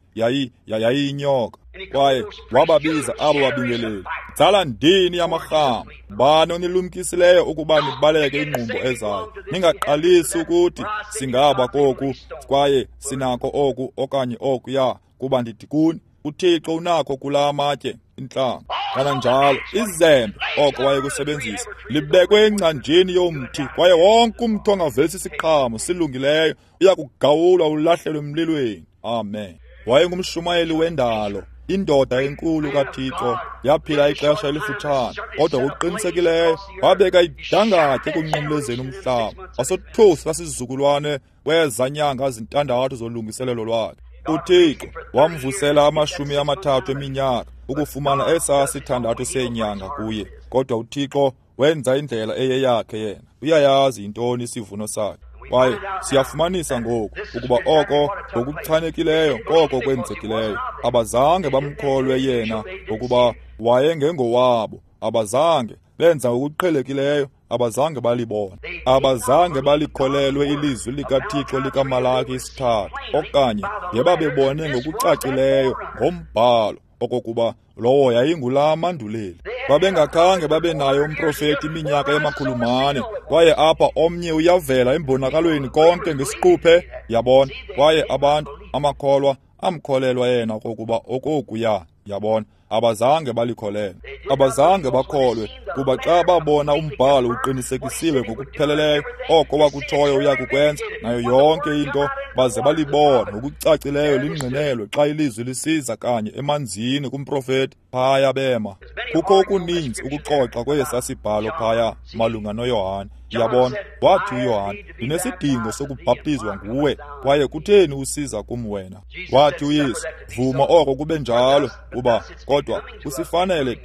Speaker 1: yayiyinyoka." Kwaye wababiza abo babingeleli, nzala ndini yamarhamba, bani onilumkisileyo ukuba nibaleke ingqumbo ezayo? Ningaqalisi ukuthi singaba koku kwaye sinako oku okanye okuya, kuba ndithi kuni, uThixo unakho kula matye intlanga. Kananjalo izembe oko wayekusebenzisa libekwe engcanjeni yomthi, kwaye wonke umthi ongavelisi isiqhamo silungileyo uyakugawulwa ulahlelwe emlilweni. Amen. Wayengumshumayeli wendalo, indoda enkulu kaThixo, yaphila ixesha elifutshane, kodwa ngokuqinisekileyo wabeka idangatye ekunqumlezeni umhlaba. Wasothusa sizukulwane kwezanyanga zintandathu zolungiselelo lwakhe. uThixo wamvusela 30 eminyaka ukufumana esaa 6 seenyanga kuye, kodwa uThixo wenza indlela eyeyakhe yena. Uyayazi yintoni isivuno sakhe. Kwaye siyafumanisa ngoku ukuba oko ngokuchanekileyo koko kwenzekileyo. Abazange bamkholwe yena ngokuba wayengengowabo. Abazange benza ngokuqhelekileyo, abazange balibona, abazange balikholelwe ilizwi likaThixo likaMalaki 3, okanye ngebabebone ngokucacileyo ngombhalo okokuba Lowo yayingulaa manduleli. Babengakhange babe naye umprofeti iminyaka ema-400, kwaye apha omnye uyavela embonakalweni konke ngesiquphe, yabona. Kwaye abantu, amakholwa, amkholelwa yena okokuba okokuya, yabona. Abazange balikholelwe. Abazange bakholwe, kuba xa babona umbhalo uqinisekisiwe ngokupheleleyo, oko wakutshoyo uyakukwenza, nayo yonke into, baze balibona ngokucacileyo lingqinelwe xa ilizwi lisiza kanye emanzini kumprofeti, phaya bema. Kukho okuninzi ukuxoxa kwesa sibhalo phaya malunga noYohane. Yabona, wathi uYohane, ndinesidingo sokubhaptizwa nguwe, kwaye kutheni usiza kum wena? Wathi uYesu, vuma oko kube njalo, kuba kodwa kusifanele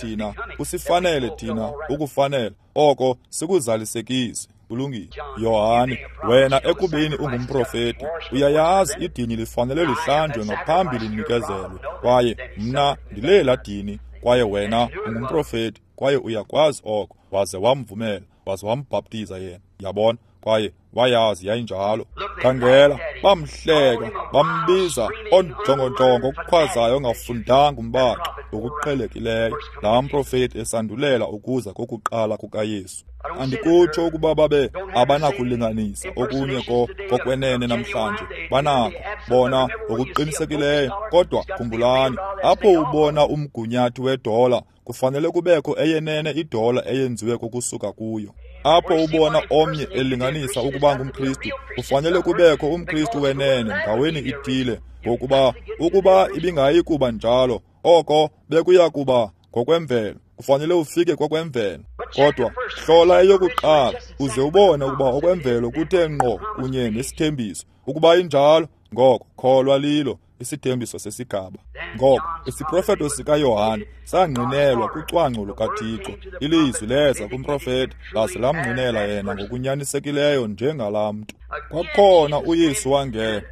Speaker 1: thina, ukufanele oko sikuzalisekise. Kulungile. Yohane, wena ekubeni ungumprofeti, uyayazi idini lifanele lihlanjwe ngaphambi linikezelwe, kwaye mna ndilela dini, kwaye wena ungumprofeti, kwaye uyakwazi oko. Waze wamvumela, waze wambhaptiza yena, yabona, kwaye wayazi yayinjalo. Khangela, bamhleka, bambiza onjongonjongo okukhwazayo ongafundanga umbaxo ngokuqhelekileyo, laa mprofeti esandulela ukuza kokuqala kukaYesu. Andikutsho ukuba babe abanakulinganisa okunye kokwenene namhlanje, banako bona ngokuqinisekileyo, kodwa khumbulani, apho ubona umgunyathi wedola, kufanele kubekho eyenene idola eyenziwe kokusuka kuyo. Apho ubona omnye elinganisa ukuba ngumKristu, kufanele kubekho umKristu wenene ndaweni ithile, ngokuba ukuba ibingayi kuba njalo, oko bekuya kuba ngokwemvelo. Kufanele ufike kokwemvelo. Kodwa hlola eyokuqala uze ubone ukuba okwemvelo kuthe ngqo kunye nesithembiso. Ukuba injalo, ngoko kholwa lilo isithembiso sesigaba. Ngoko isiprofeto sikaYohane sangqinelwa kucwangco lukaThixo. Ilizwi leza kumprofeti laze lamngqinela yena ngokunyanisekileyo njengalaa mntu. Kwakhona uYesu wangena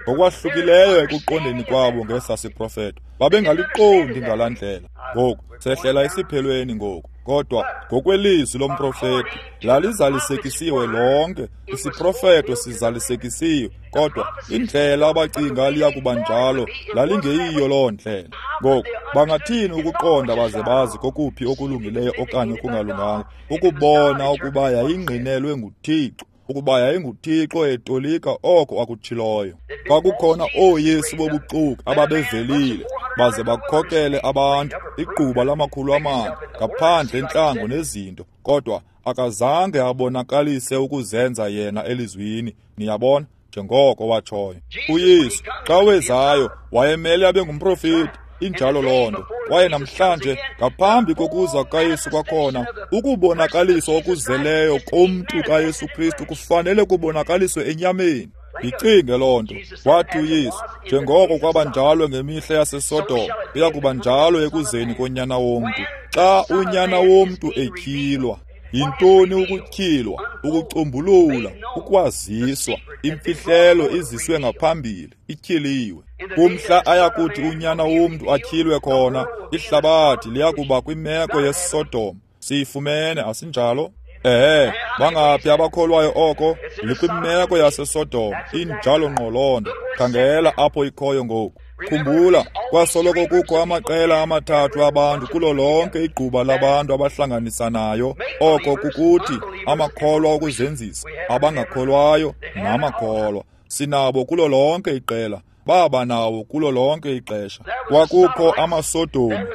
Speaker 1: ngokwahlukileyo ekuqondeni kwabo ngesa siprofeto. Babengaliqondi ngalaa ndlela. Ngoku sehlela esiphelweni ngoku, kodwa ngokwelizwi lomprofeti lalizalisekisiwe lonke. Isiprofeto sizalisekisiwe, kodwa indlela abacinga liya kuba njalo lalingeyiyo loo ndlela. Ngoku bangathini ukuqonda baze bazi kokuphi okulungileyo okanye okungalunganga, ukubona ukuba yayingqinelwe nguThixo, ukuba yayinguThixo etolika oko akutshiloyo. Kwakukhona ooYesu bobuxoki ababevelile baze bakhokele abantu igquba lama-400 ngaphandle entlango nezinto, kodwa akazange abonakalise ukuzenza yena elizwini, niyabona, njengoko watshoyo. uYesu xa wezayo wayemele abe ngumprofeti, injalo loo nto. Kwaye namhlanje ngaphambi kokuza kukaYesu kwakhona, ukubonakaliswa okuzeleyo komntu kaYesu Kristu kufanele kubonakaliswe enyameni. Yicinge loo nto. Wathi uYesu, njengoko kwaba njalo ngemihla yaseSodom, kuya kuba njalo ekuzeni koNyana womntu. Xa uNyana womntu etyhilwa. Yintoni ukutyhilwa? Ukucumbulula, ukwaziswa, imfihlelo iziswe ngaphambili, ityhiliwe. Kumhla ayakuthi uNyana womntu atyhilwe khona, ihlabathi liyakuba kwimeko yeSodom. Siyifumene, asinjalo? Ehe, bangaphi abakholwayo oko? Likwimeko yaseSodom, injalo ngqo loo nto. Khangela apho ikhoyo ngoku. Khumbula, kwasoloko kukho amaqela amathathu abantu kulo lonke igquba labantu abahlanganisanayo, oko kukuthi amakholwa okuzenzisa, abangakholwayo namakholwa. Sinabo kulo lonke iqela, baba nawo kulo lonke ixesha. Kwakukho amaSodom,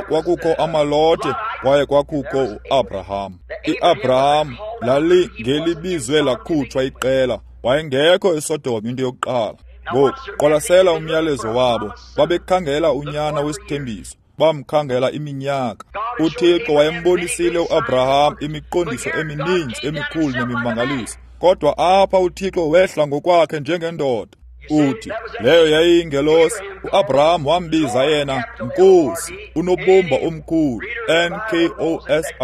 Speaker 1: kwakukho amaLote, kwaye kwakukho uAbraham. IAbraham lalingelibizwe lakhutshwa iqela, wayengekho eSodom into yokuqala. Ngoku qwalasela umyalezo wabo. Babekhangela unyana wesithembiso, bamkhangela iminyaka. uThixo wayembonisile uAbraham imiqondiso emininzi emikhulu nemimangaliso, kodwa apha uThixo wehla ngokwakhe njengendoda. Uthi leyo yayiyingelosi. uAbraham wambiza yena Nkosi, unobumba omkhulu, Nkosi.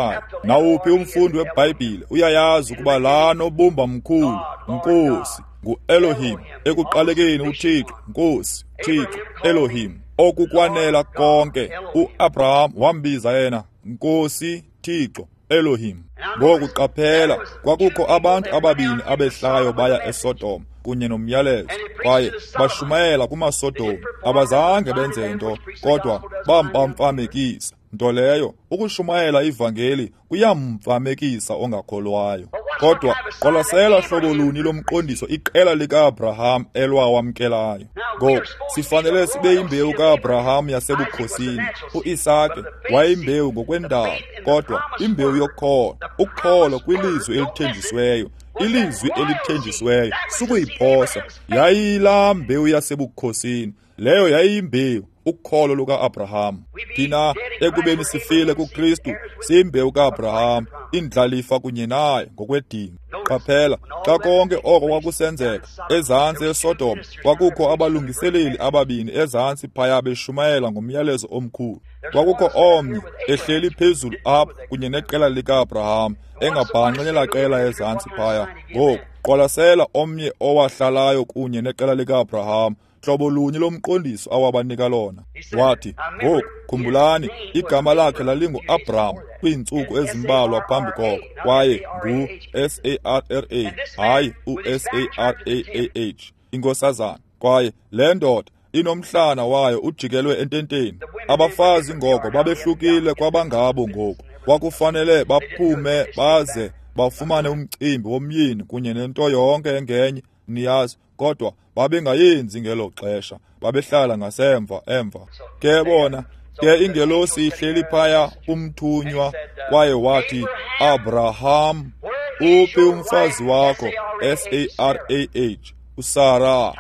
Speaker 1: Nawuphi umfundi weBhayibhile uyayazi ukuba laa nobumba mkhulu, Nkosi, nguElohim. Ekuqalekeni uThixo, Nkosi, Thixo, Elohim, okukwanela konke. uAbraham wambiza yena Nkosi, Thixo, Elohim. Ngoku qaphela, kwakukho abantu ababini abehlayo baya eSodom kunye nomyalezo, kwaye bashumayela kumaSodom. Abazange benze nto, kodwa bampamfamekisa. Nto leyo, ukushumayela ivangeli kuyamfamekisa ongakholwayo. Kodwa qwalasela hlobo luni lomqondiso iqela lika-Abraham elwawamkelayo. Ngoku sifanele sibe yimbewu ka-Abraham yasebukhosini. U-Isake wayeyimbewu ngokwendalo, kodwa imbewu yokholo, ukholo kwilizwi elithenjisiweyo, ilizwi elithenjisiweyo, sukuyiphosa. Yayilaa mbewu yasebukhosini, leyo yayiyimbewu, ukholo luka-Abraham. Thina ekubeni sifile kuKristu, siyimbewu ka-Abraham, indlalifa kunye naye ngokwedinga. Qaphela, xa konke oko kwakusenzeka ezantsi eSodom, kwakukho abalungiseleli ababini ezantsi phaya beshumayela ngomyalezo omkhulu. Kwakukho omnye ehleli phezulu apha kunye neqela lika-Abraham, engabhanxi nelaa qela ezantsi phaya. Ngoku qwalasela omnye owahlalayo kunye neqela lika-Abraham, hlobo lunye lomqondiso awabanika lona. Wathi, ngoku khumbulani, igama lakhe lalingu-Abraham kwiintsuku ezimbalwa phambi koko, kwaye ngu-S-A-R-R-A, hayi u-S-A-R-A-A-H, inkosazana. Kwaye le ndoda inomhlana wayo ujikelwe ententeni. Abafazi ngoko babehlukile kwabangabo ngoku. Kwakufanele baphume baze bafumane umcimbi womyeni kunye nento yonke engenye, niyazi, kodwa babengayenzi ngelo xesha, babehlala ngasemva emva. Ke bona, ke ingelosi ihleli phaya, umthunywa, kwaye wathi, Abraham, uphi umfazi wakho? S-A-R-A-H, uSarah.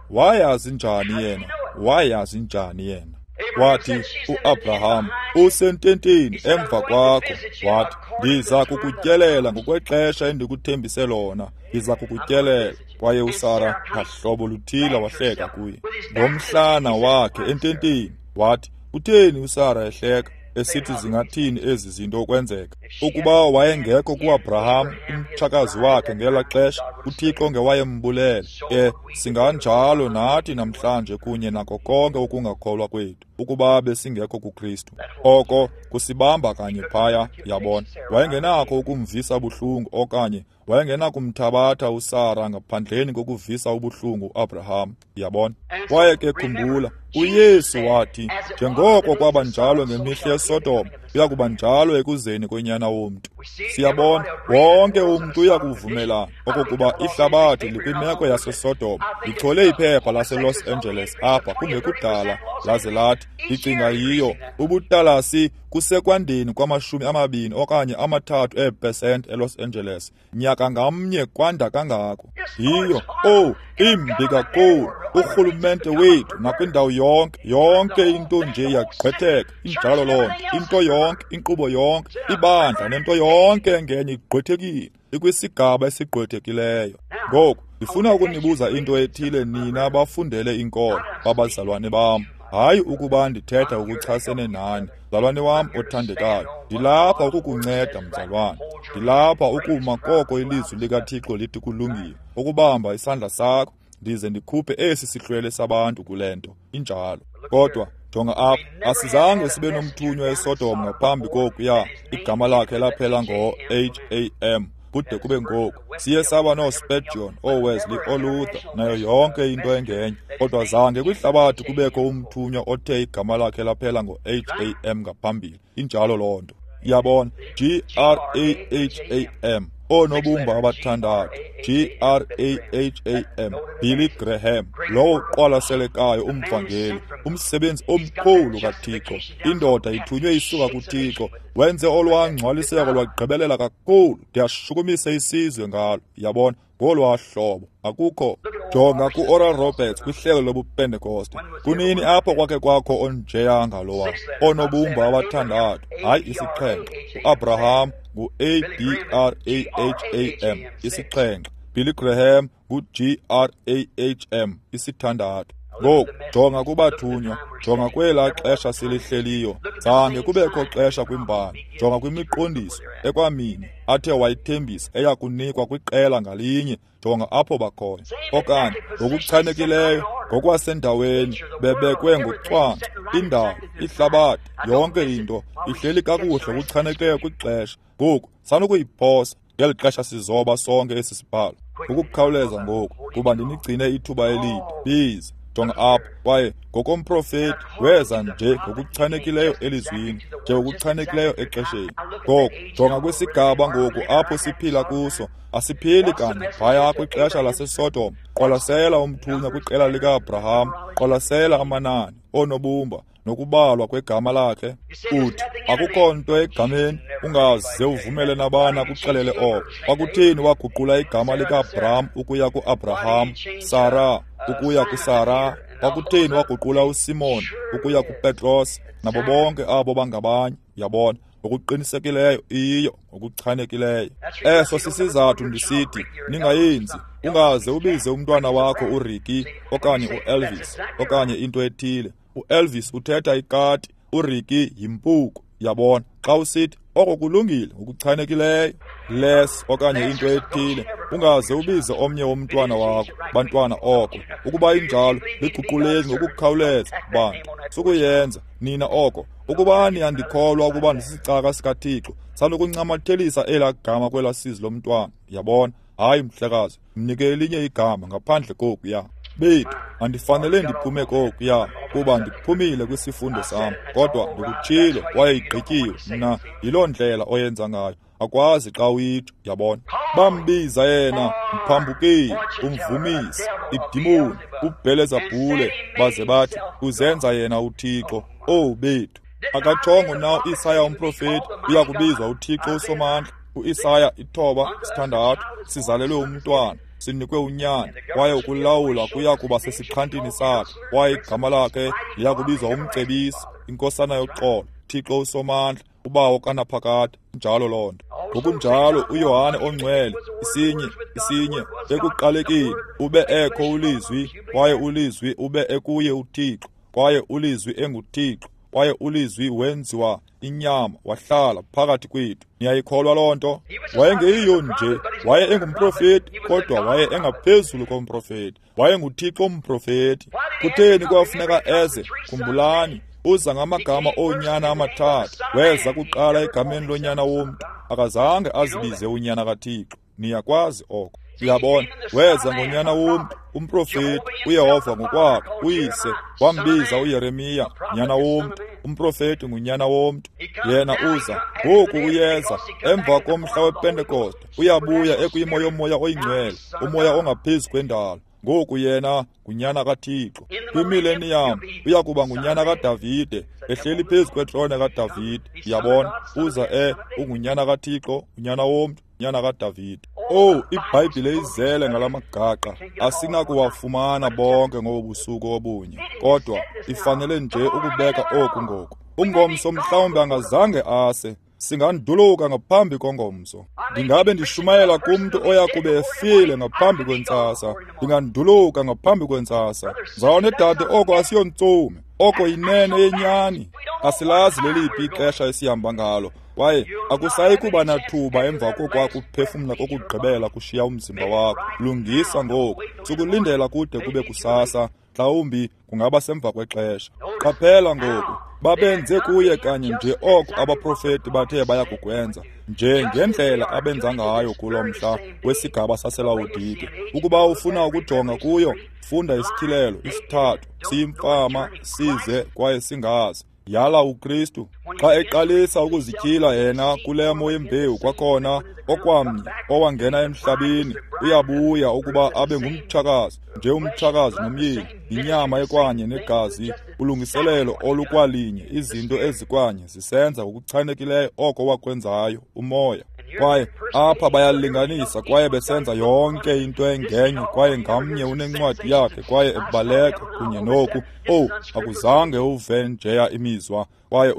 Speaker 1: Wayazi njani yena? Wayazi njani yena? Wathi uAbraham, usententeni emva kwakho. Wathi, ndiza kukutyelela ngokwexesha endikuthembise lona, ndiza kukutyelela. Kwaye uSara ngahlobo luthile wahleka kuye ngomhlana wakhe ententeni. Wathi, utheni uSara ehleka, esithi zingathini ezi zinto ukwenzeka? Ukuba wayengekho kuAbraham umtshakazi wakhe ngela xesha, uThixo ngewayembulele. Ke singanjalo nathi namhlanje kunye nako konke ukungakholwa kwethu, ukuba besingekho kuKristu. Oko kusibamba kanye phaya, yabona. Wayengenakho ukumvisa buhlungu okanye wayengenakumthabatha uSara ngaphandleni kokuvisa ubuhlungu uAbraham, yabona. Kwaye ke khumbula, uYesu wathi, njengoko kwaba njalo ngemihla yeSodom, uya kuba njalo ekuzeni konyana womntu. Siyabona, wonke umntu uya kuvumelana okokuba ihlabathi likwimeko yaseSodom. Ndichole iphepha laseLos Angeles apha kungekudala, laze lathi, ndicinga yiyo, ubutalasi kusekwandeni kwama-20 okanye 3 eepesenti eLos Angeles. Nyaka ngamnye kwanda kangako. Yiyo, oh, imbi kakhulu. Urhulumente wethu nakwindawo yonke, yonke into nje iyagqwetheka, injalo loo nto. Into yonke, inkqubo yonke, ibandla nento yonke engenye igqwethekile, ikwisigaba esigqwethekileyo. Ngoku, ndifuna ukunibuza into ethile nina abafundele inkolo, babazalwane bam. Hayi ukuba ndithetha ukuchasene nani, mzalwane wam othandekayo. Ndilapha ukukunceda, mzalwane. Ndilapha ukuma koko ilizwi likaThixo lithi kulungile, ukubamba isandla sakho ndize ndikhuphe esi sihlwele sabantu kule nto. Injalo. Kodwa jonga apha, asizange sibe nomthunywa eSodom ngaphambi kokuya. Igama lakhe laphela ngo-H-A-M kude kube ngoku. Siye saba nooSpurgeon, ooWesley, ooLuther, nayo yonke into engenye. Kodwa zange kwihlabathi kubekho umthunywa othe igama lakhe laphela ngo-H-A-M ngaphambili. Injalo loo nto. Yabona, G-R-A-H-A-M, oonobumba abathandathu, G-R-A-H-A-M, Billy Graham, lowo uqwalaselekayo umvangeli, umsebenzi omkhulu kaThixo, indoda ithunywe isuka kuThixo, wenze olwangcwaliseko lwagqibelela kakhulu, ndiyashukumisa isizwe ngalo, yabona, ngolwaa hlobo. Akukho. Jonga ku-Oral Roberts kwihlelo lobuPentekoste. Kunini apho kwakhe kwakho onjeya ngalowa, oonobumba abathandathu, hayi isixhenxe. UAbraham ngu-A-B-R-A-H-A-M, isixhenxe. Billy Graham ngu-G-R-A-H-M, isithandathu. Ngoku jonga kubathunywa, jonga kwelaa xesha silihleliyo. Zange kubekho xesha kwimbali. Jonga kwimiqondiso ekwamini athe wayithembisa eya kunikwa kwiqela ngalinye. Jonga apho bakhoyo. Okanye ngokuchanekileyo, ngokwasendaweni, bebekwe ngocwangco, indalo, ihlabathi, yonke into ihleli kakuhle ngokuchanekileyo kwixesha. Ngoku sanukuyiphosa ngeli xesha sizoba sonke esi sibhalo. Ngokukhawuleza ngoku, kuba ndinigcine ithuba elide. Biza, jonga apha. Kwaye ngokomprofeti weza nje ngokuchanekileyo elizwini, nje ngokuchanekileyo exesheni. Ngoku jonga kwisigaba ngoku apho siphila kuso. Asiphili kanye phaya kwixesha laseSodom. Qwalasela umthunywa kwiqela lika-Abraham, qwalasela amanani, oonobumba, nokubalwa kwegama lakhe. Uthi akukho nto egameni, ungaze uvumele nabani akuxelele oko. Kwakutheni waguqula igama lika-Abraham ukuya ku-Abraham, Sara ukuya kuSara? Kwakutheni waguqula uSimon ukuya kuPetros, nabo bonke abo bangabanye? Yabona, ngokuqinisekileyo iyiyo, ngokuchanekileyo. Eso sisizathu ndisithi ningayenzi. Ungaze ubize umntwana wakho uRicky okanye uElvis okanye into ethile. UElvis uthetha ikati, uRicky yimpuku. Yabona, xa usithi oko kulungile ngokuchanekileyo, Les okanye into ethile, ungaze ubize omnye womntwana wakho bantwana oko. Ukuba injalo, liguquleni ngokukhawuleza bantu. Sukuyenza nina oko. Ukuba niyandikholwa ukuba ndisisicaka sikaThixo, sanukuncamathelisa elaa gama kwelaa sizi lomntwana. Yabona? Hayi mhlekazi, mnike elinye igama ngaphandle kokuya. Bethu, andifanele ndiphume kokuya, kuba ndiphumile kwisifundo sam, kodwa ndikutshilo kwaye igqityiwe. Mna yiloo ndlela oyenza ngayo. Akwazi xa uyitsho, yabona. Bambiza yena mphambukeli, umvumisi, idimoni, uBhelezabhule, baze bathi uzenza yena uThixo. Owu bethu, akatshongo na uIsaya umprofeti uya kubizwa uThixo uSomandla? UIsaya 9:6, sizalelwe umntwana, sinikwe unyana, kwaye ukulawula kuya kuba sesixhantini sakhe, kwaye igama lakhe liya kubizwa uMcebisi, iNkosana yoxolo, Thixo uSomandla, uBawo kanaphakade. Njalo loo nto. Ngokunjalo uYohane ongcwele, 1:1, ekuqalekeni ube ekho uLizwi, kwaye uLizwi ube ekuye uThixo, kwaye uLizwi enguThixo, kwaye uLizwi wenziwa inyama wahlala phakathi kwethu. Niyayikholwa loo nto? Wayengeyiyo nje, waye engumprofeti, kodwa waye engaphezulu komprofeti. WayenguThixo umprofeti. Kutheni kwafuneka eze? Khumbulani, uza ngamagama oonyana amathathu. Weza kuqala egameni lonyana womntu. Akazange azibize unyana kaThixo. Niyakwazi oko. Uyabona, weza ngonyana womntu, umprofeti, uYehova ngokwakhe, uyise, wambiza uYeremiya, nyana womntu. Umprofeti ngunyana womntu. Yena uza, ngoku uyeza, emva komhla wePentekoste, uyabuya ekwimo yomoya oyingcwele, umoya ongaphezu kwendalo. Ngoku yena ngunyana kaThixo. Kwimileniyam uya kuba ngunyana kaDavide, ehleli phezu kwetrone kaDavide. Uyabona, uza ungunyana kaThixo, unyana womntu, nyana kaDavide. Oh, iBhayibhile izele ngalamagaqa, asinakuwafumana bonke ngobu busuku obunye, kodwa ifanele nje ukubeka oku ngoku. Ungomso mhlawumbi angazange ase, singanduluka ngaphambi kongomso. Ndingabe ndishumayela kumntu oya kube efile ngaphambi kwentsasa. Ndinganduluka ngaphambi kwentsasa. Mzalwane dade, oko asiyontsume, oko yinene yenyani. Asilazi leliphi ixesha esihamba ngalo, kwaye akusayi kuba nathuba emva kokwakuphefumla kokugqibela kushiya umzimba wakho. Lungisa ngoku, sukulindela kude kube kusasa, mhlawumbi kungaba semva kwexesha. Qaphela ngoku, babenze kuye kanye nje oko abaprofeti bathe baya kukwenza, nje ngendlela abenza ngayo kulo mhla wesigaba saseLawodike. Ukuba ufuna ukujonga kuyo, funda isityhilelo 3, siyimfama, size kwaye singazi. Yala uKristu. Xa eqalisa ukuzityhila yena kulemo yembewu kwakhona, okwamnye owangena emhlabeni uyabuya ukuba abe ngumtshakazi, nje umtshakazi nomyeni, inyama ekwanye negazi, ulungiselelo olukwalinye, izinto ezikwanye zisenza ngokuchanekileyo oko wakwenzayo umoya. Kwaye apha bayalinganisa kwaye besenza yonke into engenye, kwaye ngamnye unencwadi yakhe kwaye ebaleka kunye noku. Oh, akuzange uve njeya imizwa, kwaye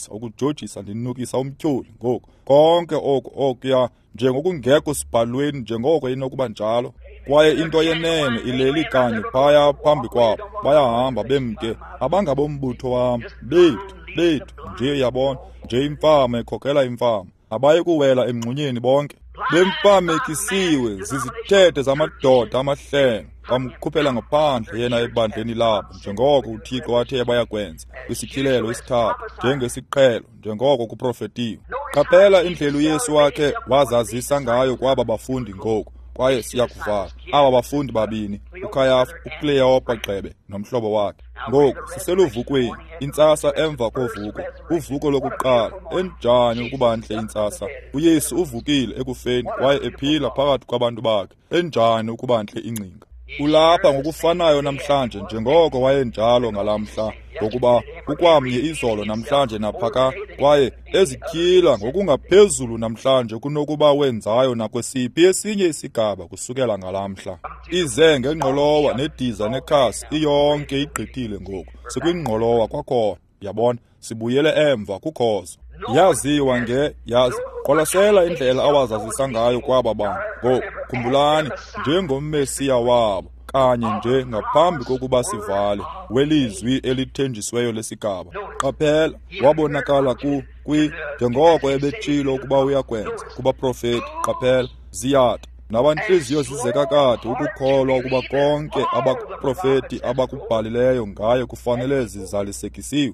Speaker 1: ukujojisa ndinukisa umtyholi ngoku. Konke oku okuya njengokungekho sibhalweni njengoko inokuba njalo. Kwaye into yenene ileli kanye phaya phambi kwabo, bayahamba bemke, abangabombutho wam, bethu nje, yabona, nje imfama ekhokela imfama. Abayi kuwela emngxunyeni bonke. Bemfamekisiwe zizithethe zamadoda amahlelo, bamkhuphela ngaphandle yena ebandleni labo, njengoko uThixo wathe bayakwenza kwisityhilelo isithathu, njengesiqhelo, njengoko kuprofetiwe. Qaphela indlela uYesu wakhe wazazisa ngayo kwaba bafundi ngoku, kwaye siyakuvala aba bafundi babini, uKhayafa, uKleyopa gxebe nomhlobo wakhe. Ngoku siseluvukweni, intsasa emva kovuko, uvuko lokuqala. Enjani ukuba ntle intsasa! UYesu uvukile ekufeni kwaye ephila phakathi kwabantu bakhe. Enjani ukuba ntle ingcinga! Ulapha ngokufanayo namhlanje njengoko wayenjalo ngalaa mhla, ngokuba ukwamnye izolo namhlanje naphaka, kwaye ezityhila ngokungaphezulu namhlanje kunokuba wenzayo nakwesiphi esinye isigaba kusukela ngalaa mhla. Ize ngengqolowa nediza nekhasi, iyonke igqithile ngoku. Sikwingqolowa kwakhona, yabona, sibuyele emva kukhozo. Yaziwa nge yazi. Qwalasela indlela awazazisa ngayo kwaba bantu. Ngoku khumbulani, njengoMesiya wabo, kanye nje ngaphambi kokuba sivale, welizwi elithenjisiweyo lesigaba. Qaphela, wabonakala kwi njengoko ebetshilo ukuba uyakwenza kubaprofeti. Qaphela, ziyatha nabantliziyo zizeka kade ukukholwa ukuba konke abaprofeti abakubhalileyo ngaye kufanele zizalisekisiwe.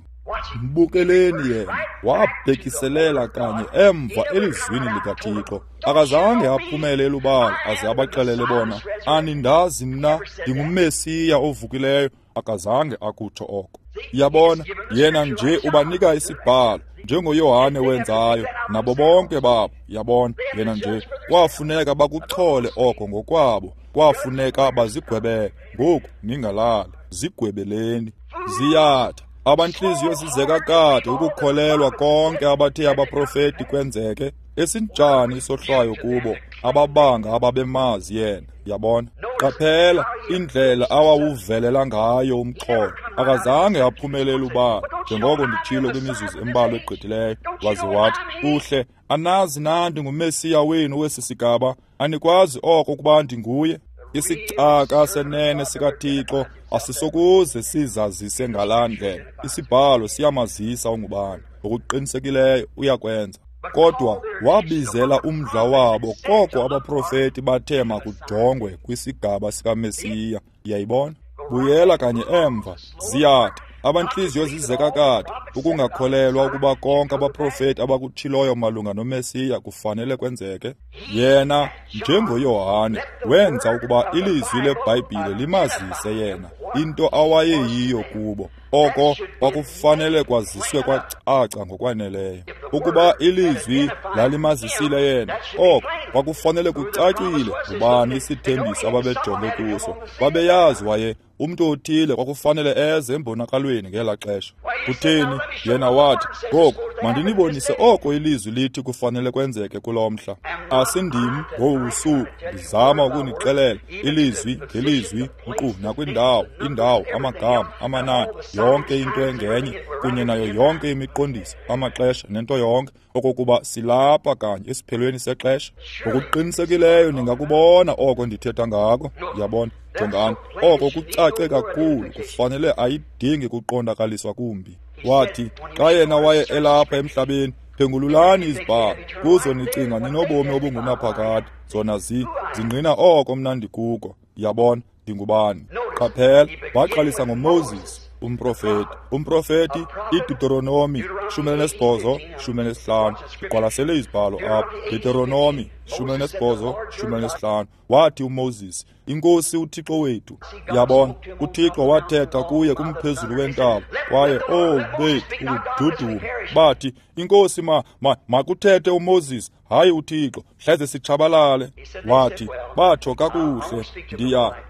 Speaker 1: Mbukeleni yena, wabhekiselela kanye emva elizwini likaThixo. Akazange aphumele elubala aze abaxelele bona, anindazi mna, ndinguMesiya ovukileyo. Akazange akutsho oko. Yabona, yena nje ubanika isibhalo njengoYohane wenzayo nabo bonke babo. Yabona, yena nje kwafuneka bakuchole oko ngokwabo, kwafuneka bazigwebele. Ngoku ningalali, zigwebeleni. Ziyatha abantliziyo zizeka kade ukukholelwa konke abathe abaprofeti kwenzeke. Esinjani isohlwayo kubo ababanga ababemazi yena. Yabona, qaphela indlela awawuvelela ngayo umxholo. Akazange aphumelele ubala, njengoko nditshilo kwimizuzu embalwa egqithileyo. Waze wathi, kuhle, anazi na ndinguMesiya wenu wesi sigaba? Anikwazi oko ukuba ndinguye? Isicaka senene sikaThixo asisokuze sizazise ngalaa ndlela. Isibhalo siyamazisa ungubani. Ngokuqinisekileyo uyakwenza. Kodwa wabizela umdla wabo koko abaprofeti bathe makujongwe kwisigaba sikaMesiya. Uyayibona? Buyela kanye emva. Ziyatha abantliziyo zizeka kade ukungakholelwa ukuba konke abaprofeti abakutshiloyo malunga noMesiya kufanele kwenzeke. Yena, njengoYohane, wenza ukuba ilizwi leBhayibhile limazise yena into awayeyiyo kubo. Oko kwakufanele kwaziswe kwacaca ngokwaneleyo. Ukuba ilizwi lalimazisile yena, oko kwakufanele kucacile ngubani isithembiso ababejonge kuso. Babeyazi waye umntu othile kwakufanele eze embonakalweni ngelaa xesha. Kutheni? Yena wathi, ngoku mandinibonise oko ilizwi lithi kufanele kwenzeke kulo mhla. Asindim ngobu busuku ndizama ukunixelela ilizwi ngelizwi, nkqu nakwindawo, indawo, amagama, amanani, yonke into engenye, kunye nayo yonke imiqondiso, amaxesha nento yonke, okokuba silapha kanye esiphelweni sexesha. Ngokuqinisekileyo ningakubona oko ndithetha ngako. Yabona, jongani, oko kucace kakhulu, kufanele ayidingi kuqondakaliswa kumbi. Wathi, xa yena waye elapha emhlabeni, phengululani izibhalo, kuzo nicinga ninobomi obungunaphakade, zona zingqina oko mna ndikuko. Yabona, ndingubani. Qaphela, waqalisa ngoMoses, umprofeti. Umprofeti, iDeuteronomi 18, 15. Iqwalasele izibhalo apha. Deuteronomi 18, 15. Wathi uMoses, iNkosi uThixo wethu. Yabona, uThixo wathetha kuye kumphezulu wentaba, kwaye bethu ukududuma. Bathi, iNkosi makuthethe uMoses, hayi uThixo, hleze sitshabalale. Wathi, batsho kakuhle,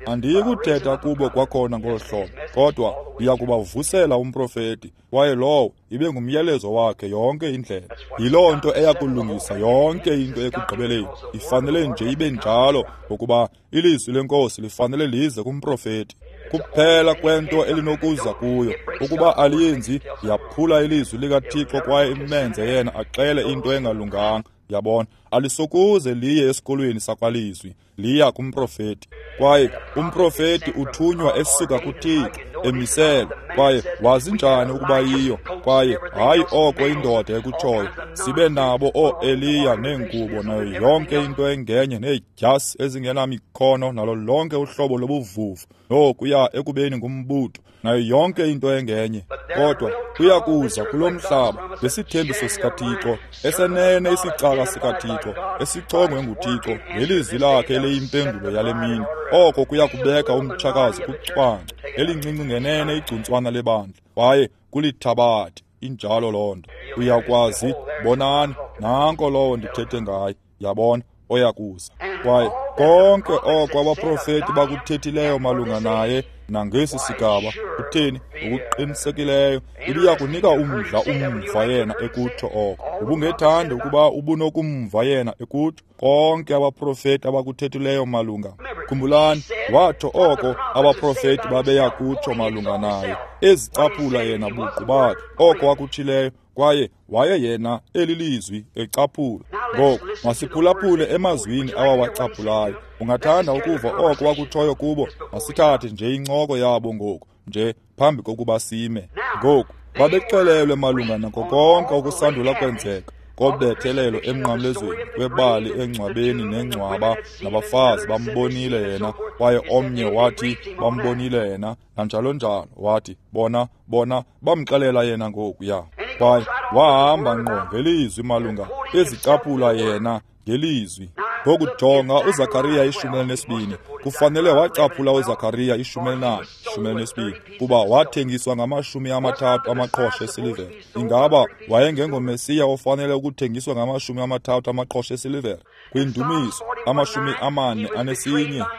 Speaker 1: andiyikuthetha kubo kwakhona ngolu hlobo, kodwa ndiya kubavusela umprofeti, kwaye lowo ibe ngumyalezo wakhe yonke indlela. Yiloo nto eyakulungisa yonke into ekugqibeleni. Ifanele nje ibe njalo, ngokuba ilizwi leNkosi lifanele lize kumprofeti. Kuphela kwento elinokuza kuyo, ukuba aliyenzi, yaphula ilizwi likaThixo kwaye imenze yena axele into engalunganga. Yabona, alisokuze liye esikolweni sakwalizwi, liya kumprofeti. Kwaye umprofeti uthunywa esuka kuThixo, emiselwe. Kwaye wazi njani ukuba yiyo? Kwaye hayi oko indoda ekutshoyo. Sibe nabo ooEliya neengubo nayo yonke into engenye needyasi ezingenamikhono nalo lonke uhlobo lobuvuvu nokuya ekubeni ngumbutho nayo yonke into engenye. Kodwa kuyakuza kulo mhlaba ngesithembiso sikaThixo, esenene isicaka sikaThixo, esichongwe nguThixo ngelizwi lakhe eliyimpendulo yale mini. Oko kuya kubeka umtshakazi kucwangco elincinci ngenene igcuntswana lebandla, kwaye kulithabathe. Injalo loo nto. Uyakwazi, bonani, nanko lowo ndithethe ngaye, yabona, oyakuza. Kwaye konke oko abaprofeti bakuthethileyo malunga naye nangesi sigaba, utheni, ngokuqinisekileyo ibiya kunika umdla umva yena ekutsho oko. Ubungethanda ukuba ubunokumva yena ekutsho konke abaprofeti abakuthethileyo malunga. Khumbulani, watsho oko abaprofeti babeya kutsho malunga naye, ezicaphula yena buqu bakhe oko akutshileyo, kwaye waye yena elilizwi ecaphula. Ngoku masiphulaphule emazwini awawacaphulayo. Ungathanda ukuva oko wakutshoyo kubo? Masithathe nje incoko yabo ngoku, nje phambi kokuba sime. Ngoku babexelelwe malunga nako konke okusandula kwenzeka kobethelelo emnqamlezweni, kwebali engcwabeni nengcwaba, nabafazi bambonile yena, kwaye omnye wathi bambonile yena, nanjalo njalo. Wathi bona bamxelela yena ngokuya. Kwaye wahamba ngqo ngelizwi malunga ezicaphula yena ngelizwi. Ngoku jonga uZakariya 12. Kufanele wacaphula uZakariya 14, 12, kuba wathengiswa ngama-30 amaqhosha esilivere. Ingaba wayengengoMesiya ofanele ukuthengiswa ngama-30 amaqhosha esilivere? Kwindumiso 41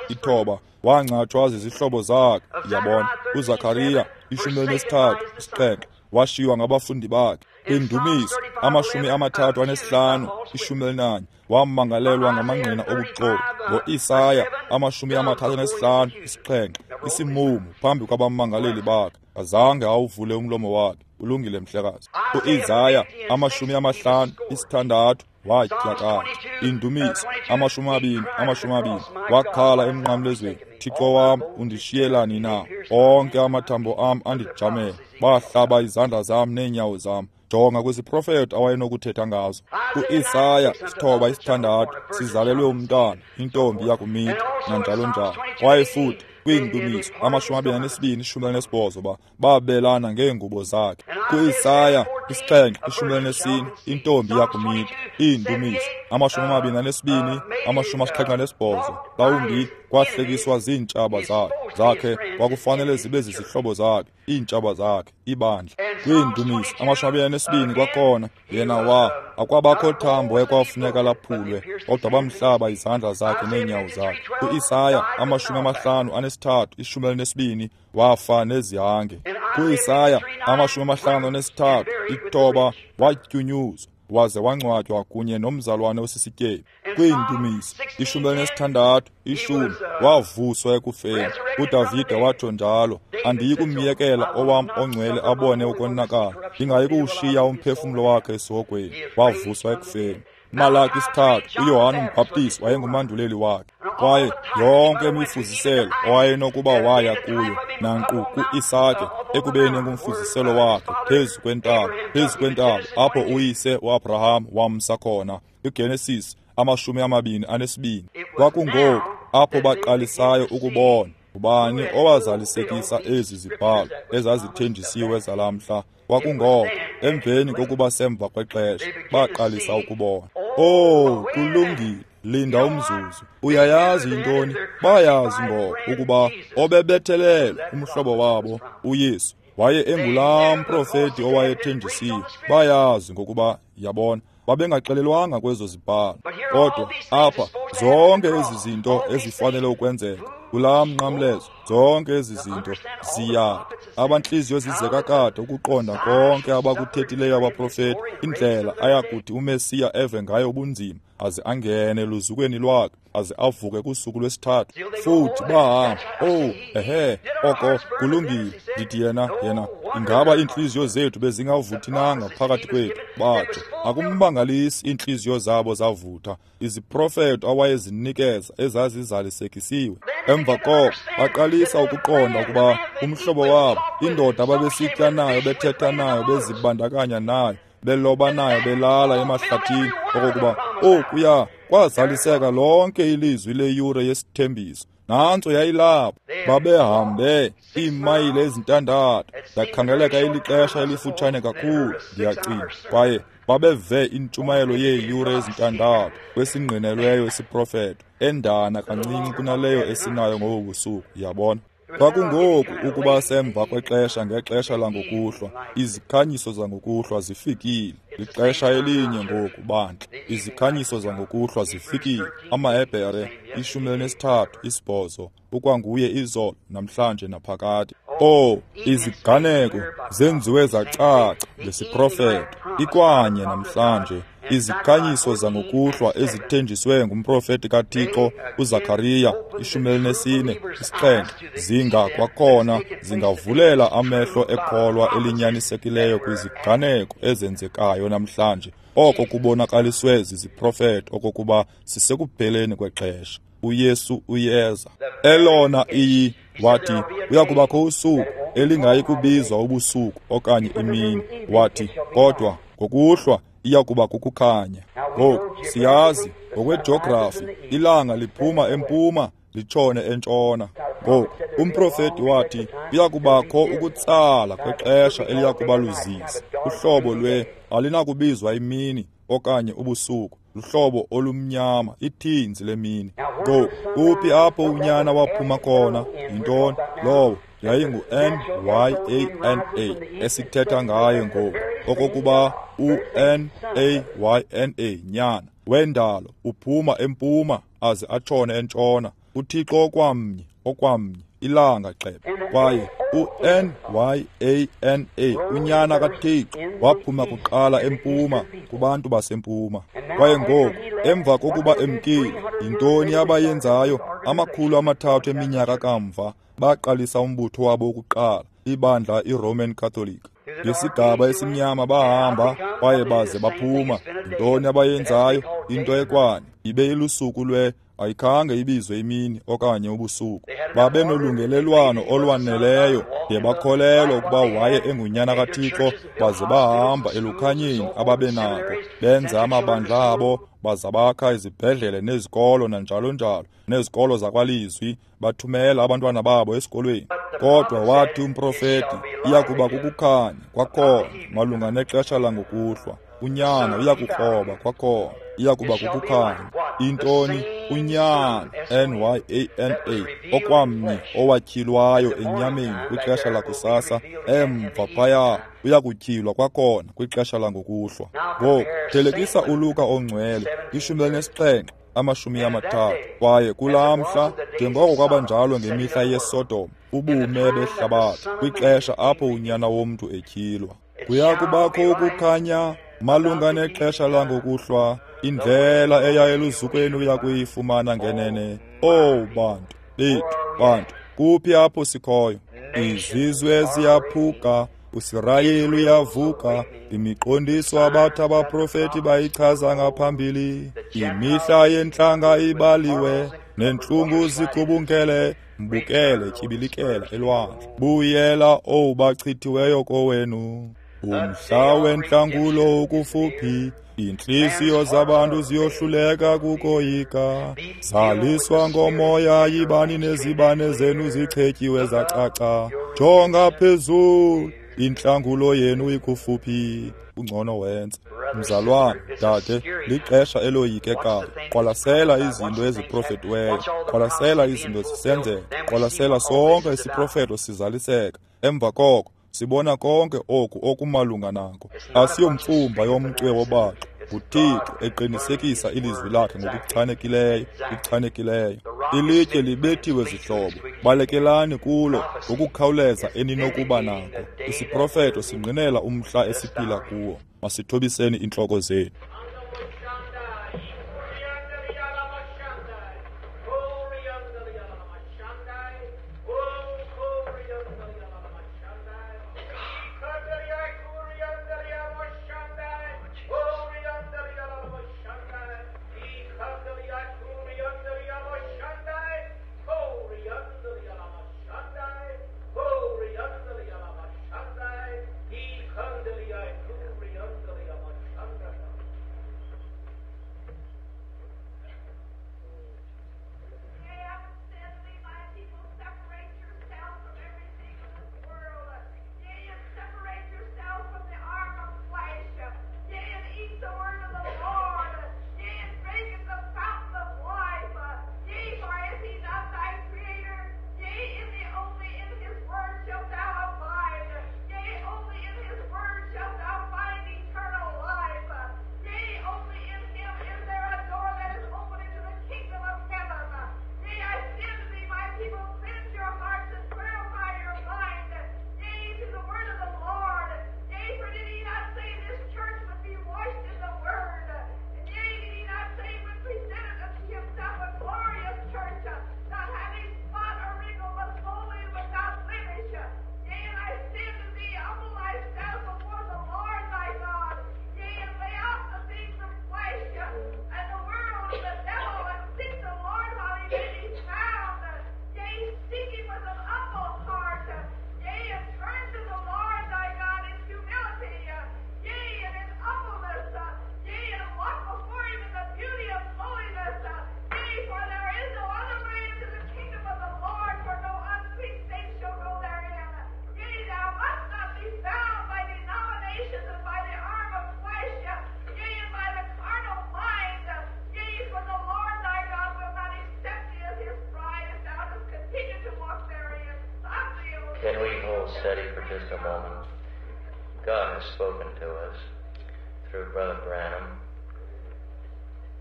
Speaker 1: 9 wangcatshwa zizihlobo zakhe. Yabona, uZakariya 13 7 washiywa ngabafundi bakhe. Kwindumiso 35 11 wamangalelwa ngamangqina obuxoki. Ngo-Isaya 35 7 isimumu phambi kwabamangaleli bakhe, azange awuvule umlomo wakhe. Ulungile mhlekazi. U-Isaya 56 watyakatha. Indumiso 20 20 wakhala emnqamlezweni, Thixo wam, undishiyelani na? Onke amathambo am andijamele, bahlaba izandla zam neenyawo zam. Jonga kwiziprofeto awayenokuthetha ngazo. U-Isaya 9 6 sizalelwe umntwana, intombi yakumitha, nanjalo njalo. Kwaye futhi kwiindumiso 22 18 babelana ngeengubo zakhe. Ku-Isaya 7 14 intombi yakumitha. Iindumiso 22 78 mhlawumbi kwahlekiswa ziintshaba zakhe, kwakufanele zibe zizihlobo zakhe, iintshaba zakhe, ibandla. Kwiindumiso 22 kwakhona yena akwabakho thambo ekwafuneka laphulwe, kodwa bamhlaba izandla zakhe neenyawo zakhe. Ku-Isaya 53 12 wafa nezihange. Ku-Isaya 53 9 watyunyuzwa waze wangcwatywa kunye nomzalwane osisityebi. Kwiindumiso 16 10 wavuswa ekufeni. uDavide watsho njalo, andiyi kumyekela owam ongcwele abone ukonakala, ndingayi kuwushiya umphefumlo wakhe esihogweni. Wavuswa ekufeni. Malaki 3 uYohane umbhaptizi wayengumanduleli wakhe. Kwaye yonke imifuziselo owayenokuba waya kuyo, nanqu ku-Isake ekubeni engumfuziselo wakhe phezu kwentaba apho uyise uAbraham wamsa khona. IGenesis 22. Kwakungoku apho baqalisayo ukubona ubani owazalisekisa ezi zibhalo ezazithenjisiwe zalamhla. Kwakungoko emveni kokuba semva kwexesha baqalisa ukubona. Oh, kulungile, linda umzuzu. Uyayazi intoni? Bayazi ngoko ukuba obebethelelwe umhlobo wabo uYesu waye engulaa mprofeti owayethenjisiwe. Bayazi ngokuba, yabona, babengaxelelwanga kwezo zibhalo. Kodwa apha zonke ezi zinto ezifanele ukwenzeka kulaa mnqamlezo, zonke ezi zinto ziyada. Abantliziyo zizeka kade ukuqonda konke abakuthethileyo abaprofeti, indlela ayakuthi uMesiya eve ngayo ubunzima, aze angene eluzukweni lwakhe, aze avuke kusuku lwesithathu. Futhi bahamba. Oh, ehe, oko kulungile. Ndithi yena Ingaba iintliziyo zethu bezingavuthi na ngaphakathi kwethu? Batsho. Akummangalisi iintliziyo zabo zavutha. Iziprofeto awayezinikeza ezazizalisekisiwe. Emva koko baqalisa ukuqonda ukuba umhlobo wabo, indoda ababesitya nayo, bethetha nayo, bezibandakanya nayo, beloba nayo, belala emahlathini, okokuba okuya kwazaliseka lonke ilizwi leyure yesithembiso. Nantso yayilapho. Babehambe iimayile 6, yakhangeleka ilixesha elifutshane kakhulu, ndiyacinga. Kwaye babeve intshumayelo yeeyure 6 kwesingqinelweyo isiprofeto, endana kancinci kunaleyo esinayo ngobu busuku, yabona. Kwakungoku ukuba semva kwexesha ngexesha langokuhlwa, izikhanyiso zangokuhlwa zifikile. Lixesha elinye ngoku, bandla. Izikhanyiso zangokuhlwa zifikile. AmaHebhere 13:8, ukwanguye izolo, namhlanje naphakade. Oh, iziganeko zenziwe zacaca ngesiprofeto, ikwanye namhlanje. Izikhanyiso zangokuhlwa ezithenjiswe ngumprofeti kaThixo uZakariya 14:7 zinga kwakhona zingavulela amehlo ekholwa elinyanisekileyo kwiziganeko ezenzekayo namhlanje. Oko kubonakaliswe ziziprofeto okokuba sisekupheleni kwexesha. uYesu uyeza. Elona iyi wathi uyakubakho usuku elingayi kubizwa ubusuku okanye imini. Wathi kodwa ngokuhlwa iyakuba kukukhanya. Ngoku siyazi ngokwejografi ilanga liphuma empuma litshone entshona. Ngoku umprofeti wathi kuyakubakho ukutsala kwexesha eliyakuba luzizi, uhlobo lwe alinakubizwa imini okanye ubusuku, luhlobo olumnyama, ithinzi lemini. Ngoku kuphi apho unyana waphuma khona? Yintoni lowo? Yayingu-N-Y-A-N-A esithetha ngaye ngoku, okokuba u-N-A-Y-N-A, nyana wendalo, uphuma empuma aze atshone entshona. uThixo okwamnye, okwamnye, ilanga gxebe. Kwaye u-N-Y-A-N-A, unyana kaThixo, waphuma kuqala empuma kubantu basempuma. Kwaye ngoku emva kokuba emkile, yintoni abayenzayo? 300 eminyaka kamva baqalisa umbutho wabo wokuqala, ibandla iRoman Catholic. Ngesigaba esimnyama bahamba kwaye baze baphuma. Yintoni abayenzayo? Into ekwanye ibe ilusuku lwe ayikhange ibizwe imini okanye ubusuku. Babe nolungelelwano olwaneleyo de bakholelwa ukuba waye engunyana kaThixo, baze bahamba elukhanyeni ababenako, benza amabandla abo, baza bakha izibhedlele nezikolo nanjalo njalo, nezikolo zakwalizwi, bathumela abantwana babo esikolweni. Kodwa wathi umprofeti iyakuba kukukhanya kwakhona malunga nexesha langokuhlwa. Unyana uyakukroba kwakhona, iyakuba kukukhanya. Intoni? Unyana, N-Y-A-N-A, okwamnye owatyhilwayo enyameni kwixesha lakusasa, emva phaya uyakutyhilwa kwakhona kwixesha langokuhlwa. Ngoku thelekisa uLuka ongcwele 17 30. Kwaye kulaa mhla, njengoko kwabanjalo ngemihla yeSodom, ubume behlabathi kwixesha apho unyana womntu etyhilwa, kuyakubakho ukukhanya malunga nexesha langokuhlwa. Indlela eya eluzukweni uyakuyifumana ngenene. Oh bantu bethu, bantu, kuphi apho sikhoyo? Izizwe ziyaphuka, uSirayeli uyavuka, imiqondiso abathi abaprofeti bayichaza ngaphambili. Imihla yentlanga ibaliwe, nentlungu zigubungele. Mbukele, tyibilikela elwandle, buyela owubachithiweyo kowenu. Umhla wentlangulo ukufuphi, iintliziyo zabantu ziyohluleka kukoyika. Zaliswa ngomoya, yibani nezibane zenu zichetyiwe zacaca. Jonga phezulu, intlangulo yenu ikufuphi. Ungcono wenze. Mzalwane, dade, lixesha eloyikekayo. Qwalasela izinto eziprofetiweyo, qwalasela izinto zisenzeka, qwalasela sonke isiprofeto sizaliseka. Emva koko sibona konke oku okumalunga nako. Asiyomfumba yomcwe wobaxo, nguThixo eqinisekisa ilizwi lakhe ngokuchanekileyo, kuchanekileyo. Ilitye libethiwe zihlobo, balekelani kulo ngokukhawuleza eninokuba nako. Isiprofeto singqinela umhla esiphila kuwo. Masithobiseni intloko zethu.
Speaker 2: nations and by the arm of flesh, yea, and by the carnal mind, yea, for the Lord thy God will not accept thee as his bride if thou dost continue to walk therein. Stop thee, O
Speaker 3: Can we hold steady for just a moment? God has spoken to us through Brother Branham,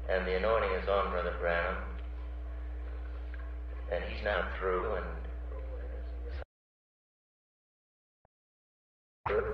Speaker 3: and the anointing is on Brother Branham, and he's now through. And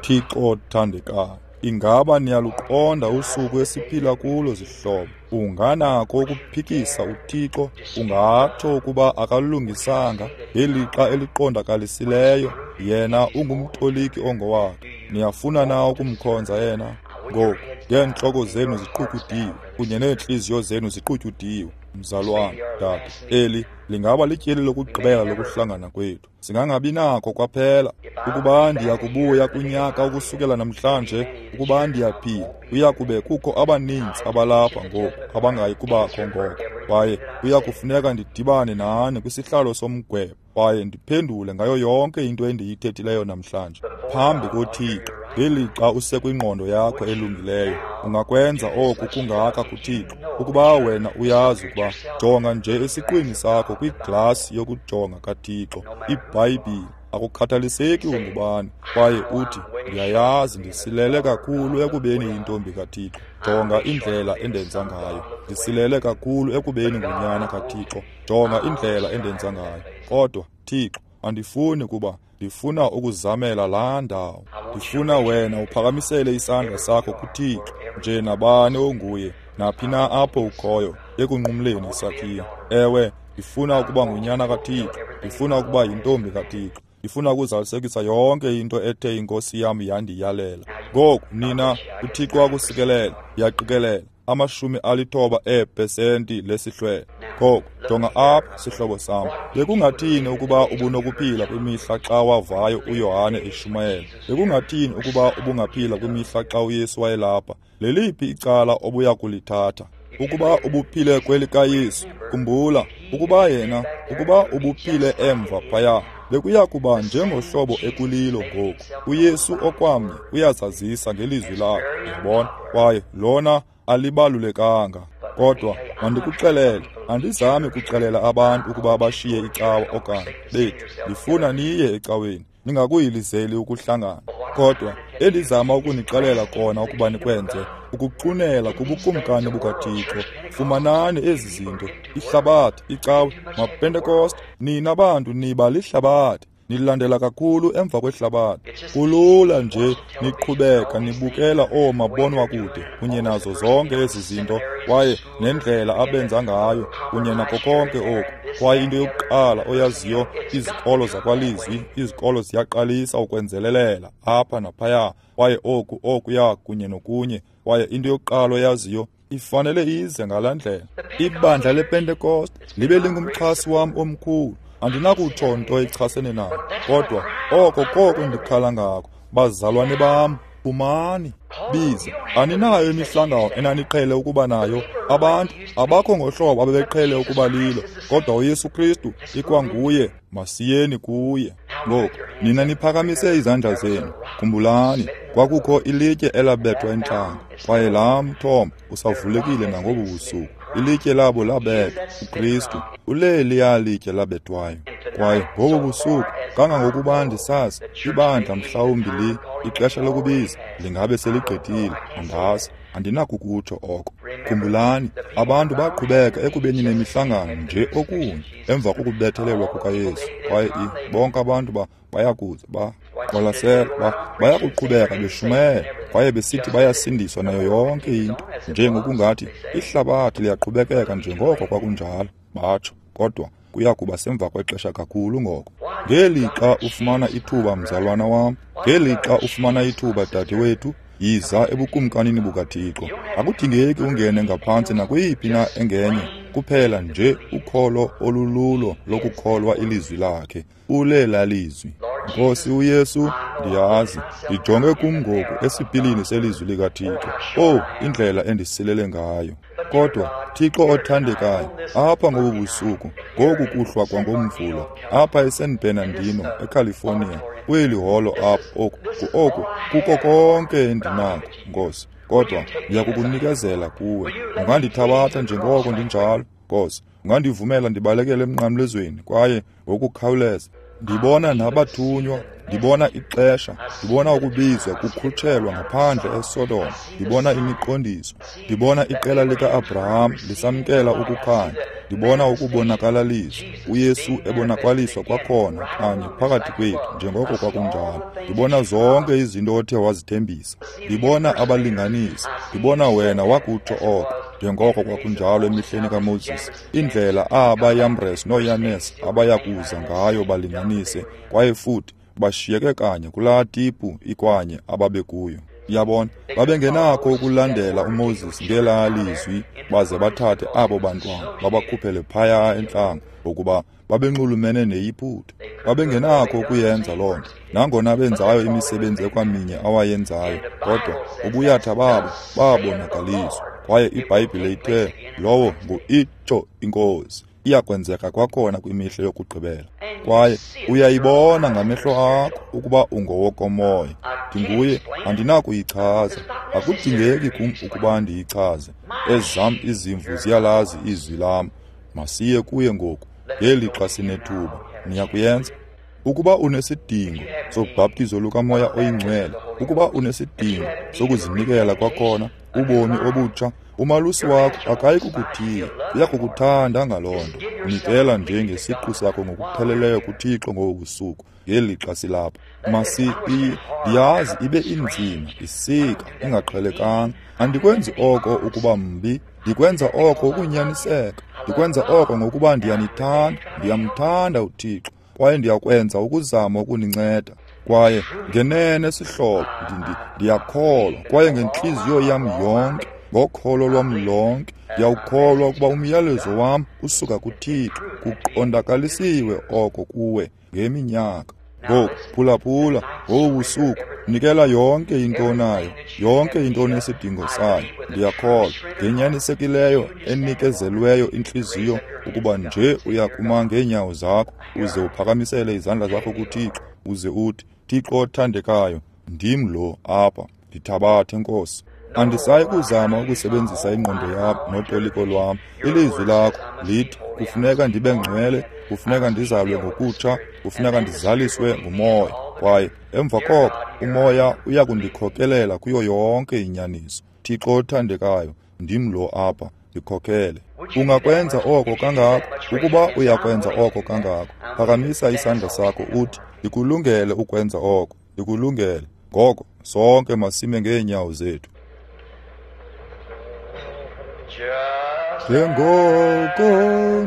Speaker 1: Thixo othandekayo, ingaba niyaluqonda usuku esiphila kulo, zihlobo? Unganako ukuphikisa uThixo, ungatsho ukuba akalungisanga ngelixa eliqondakalisileyo. Yena ungumtoliki ongowakhe. Niyafuna na ukumkhonza yena? Ngoku, ngeentloko zenu ziqutyudiwe kunye neentliziyo zenu ziqutyudiwe, mzalwana, dade, eli lingaba lityeli lokugqibela lokuhlangana kwethu. Singangabi nako kwaphela. Ukuba ndiya kubuya kunyaka ukusukela namhlanje, ukuba ndiyaphila, kuya kube kukho abaninzi abalapha ngoku abangayi kubakho ngoko. Kwaye kuya kufuneka ndidibane nani kwisihlalo somgwebo kwaye ndiphendule ngayo yonke into endiyithethileyo namhlanje phambi koThixo. Ngelixa usekwingqondo yakho elungileyo, ungakwenza oku kungaka kuThixo. Ukuba wena uyazi ukuba, jonga nje esiqwini sakho kwiglasi yokujonga kaThixo, iBhayibhile, akukhathaliseki ungubani, kwaye uthi, ndiyayazi ndisilele kakhulu ekubeni yintombi kaThixo. Jonga indlela endenza ngayo. Ndisilele kakhulu ekubeni ngunyana kaThixo. Jonga indlela endenza ngayo. Kodwa, Thixo, andifuni kuba ndifuna ukuzamela laa ndawo. Ndifuna wena uphakamisele isandla sakho kuThixo, nje nabani onguye, naphi na apho ukhoyo, ekunqumleni isakhiwo. Ewe, ndifuna ukuba ngunyana kaThixo. Ndifuna ukuba yintombi kaThixo. Ndifuna ukuzalisekisa yonke into ethe iNkosi yam yandiyalela. Ngoku, nina, uThixo akusikelela, ndiyaqikelela, 90% lesihlwele. Ngoku, jonga apha, sihlobo sam. Bekungathini ukuba ubunokuphila kwimihla xa wavayo uYohane eshumayela? Bekungathini ukuba ubungaphila kwimihla xa uYesu wayelapha? Leliphi icala obuya kulithatha? Ukuba ubuphile kwelikaYesu, khumbula, ukuba yena, ukuba ubuphile emva phaya, bekuya kuba njengohlobo ekulilo ngoku. uYesu okwamnye uyazazisa ngelizwi lakhe, uyabona, kwaye lona alibalulekanga. Kodwa mandikuxelele, andizami kuxelela abantu ukuba bashiye icawa okanye bethu. Ndifuna niye ecaweni, ningakuyilizeli ukuhlangana. Kodwa endizama ukunixelela kona ukuba nikwenze, ukuxunela kubukumkani bukaThixo. Fumanani ezi zinto, ihlabathi, icawe, maPentekoste, nina bantu niba lihlabathi. Nilandela kakhulu emva kwehlabathi. Kulula nje niqhubeka nibukela oomabonwakude kunye nazo zonke ezi zinto, kwaye nendlela abenza ngayo kunye nako konke oku. Kwaye into yokuqala oyaziyo, izikolo zakwalizwi, izikolo ziyaqalisa ukwenzelelela apha naphaya, kwaye oku okuya kunye nokunye. Kwaye into yokuqala oyaziyo, ifanele ize ngalaa ndlela. Ibandla lePentekoste libe lingumxhasi wam omkhulu. Andinakutsho nto ichasene nayo, kodwa oko koko ndikhala ngako. Bazalwane bam, phumani, biza. Aninayo imihlangano enaniqhele ukuba nayo. Abantu abakho ngohlobo abebeqhele ukuba lilo, kodwa uYesu Kristu ikwanguye. Masiyeni kuye. Ngoku, nina niphakamise izandla zenu. Khumbulani, kwakukho ilitye elabethwa entlango, kwaye laa mthombo usavulekile nangobu busuku. Ilitye labo labethwa, uKristu, uleliya litye labethwayo. Kwaye ngobu busuku, kangangokuba ndisazi, ibandla mhlawumbi ixesha lokubiza lingabe seligqithile, andazi, andinakukutsho oko. Khumbulani, abantu baqhubeka ekubeni nemihlangano nje okunye emva kokubethelelwa kukaYesu, kwaye bonke abantu bayakuza baqwalasela, bayakuqhubeka beshumayela kwaye besithi bayasindiswa nayo yonke into, njengokungathi ihlabathi liyaqhubekeka njengoko kwakunjalo, batsho. Kodwa kuya kuba semva kwexesha kakhulu ngoko. Ngelixa ufumana ithuba, mzalwana wam, ngelixa ufumana ithuba, dadewethu, yiza ebukumkanini bukaThixo. Akudingeki ungene ngaphantsi nakweyiphi na engenye, kuphela nje ukholo olululo lokukholwa ilizwi lakhe. Ulela lizwi. Nkosi uYesu, ndiyazi, ndijonge kum ngoku esipilini selizwi likaThixo. Oh, indlela endisilele ngayo. Kodwa, Thixo othandekayo, apha ngobu busuku, ngoku kuhlwa kwangomvulo, apha eSan Bernardino, eCalifornia, Kweli holo apha, oku kuko konke endinako, Nkosi, kodwa ndiyakukunikezela kuwe. Ungandithabatha njengoko ndinjalo, Nkosi. Ungandivumela ndibalekele emnqamlezweni kwaye ngokukhawuleza. Ndibona nabathunywa, ndibona ixesha, ndibona ukubizwa kukhutshelwa ngaphandle eSodom, ndibona imiqondiso, ndibona iqela lika-Abraham lisamkela ukukhanya, ndibona ukubonakalaliswa, uYesu ebonakaliswa kwakhona kanye phakathi kwethu njengoko kwakunjalo. Ndibona zonke izinto othe wazithembisa, ndibona abalinganisi, ndibona wena wakutsho oko, njengoko kwakunjalo emihleni kaMoses, indlela aba Yambres noYanes abayakuza ngayo balinganise, kwaye futhi bashiyeke kanye kulaa tipu ikwanye ababekuyo. Yabona, babengenakho ukulandela uMoses ngelaa lizwi baze bathathe abo bantwana babakhuphele phaya entlango, ngokuba babenxulumene neYiputa. Babengenakho ukuyenza loo nto, nangona benzayo imisebenzi ekwaminye awayenzayo, kodwa ubuyatha babo babonakaliswa. Kwaye iBhayibhile ithe lowo ngu-itsho iNkosi, iyakwenzeka kwakhona kwimihla yokugqibela. Kwaye uyayibona ngamehlo akho ukuba ungowokomoya. Ndinguye, andinakuyichaza. Akudingeki kum ukuba ndiyichaze. Ezam izimvu ziyalazi izwi lam. Masiye kuye ngoku, ngelixa sinethuba. Niyakuyenza? Ukuba unesidingo sobhaptizo lukaMoya oyiNgcwele, ukuba unesidingo sokuzinikela kwakhona, ubomi obutsha, umalusi wakho akayi kukuthiya, uyakukuthanda ngaloo nto. Nikela nje ngesiqu sakho ngokupheleleyo kuThixo ngobu busuku, ngelixa silapha. Ndiyazi ibe inzima, isika, ingaqhelekanga. Andikwenzi oko ukuba mbi, ndikwenza oko ukunyaniseka. Ndikwenza oko ngokuba ndiyanithanda, ndiyamthanda uThixo, kwaye ndiyakwenza ukuzama ukuninceda. Kwaye ngenene sihlobo, ndiyakholwa, kwaye ngentliziyo yam yonke, ngokholo lwam lonke, ndiyawukholwa ukuba umyalezo wam usuka kuThixo. Kuqondakalisiwe oko kuwe ngeminyaka. Ngoku phulaphula ngobu busuku, nikela yonke into onayo, yonke into onesidingo sayo. Ndiyakholwa ngenyanisekileyo enikezelweyo intliziyo ukuba nje uyakuma ngeenyawo zakho uze uphakamisele izandla zakho kuThixo, uze uthi, Thixo othandekayo, ndim lo apha, ndithabathe Nkosi. Andisayi kuzama ukusebenzisa ingqondo yam notoliko lwam. Ilizwi lakho lithi kufuneka ndibe ngcwele, kufuneka ndizalwe ngokutsha, kufuneka ndizaliswe nguMoya. Kwaye emva koko uMoya uyakundikhokelela kuyo yonke inyaniso. Thixo othandekayo, ndim lo apha, ndikhokele. Ungakwenza oko kangako? Ukuba uyakwenza oko kangako, phakamisa isandla sakho uthi, ndikulungele ukwenza oko, ndikulungele. Ngoko sonke masime ngeenyawo zethu. Njengoko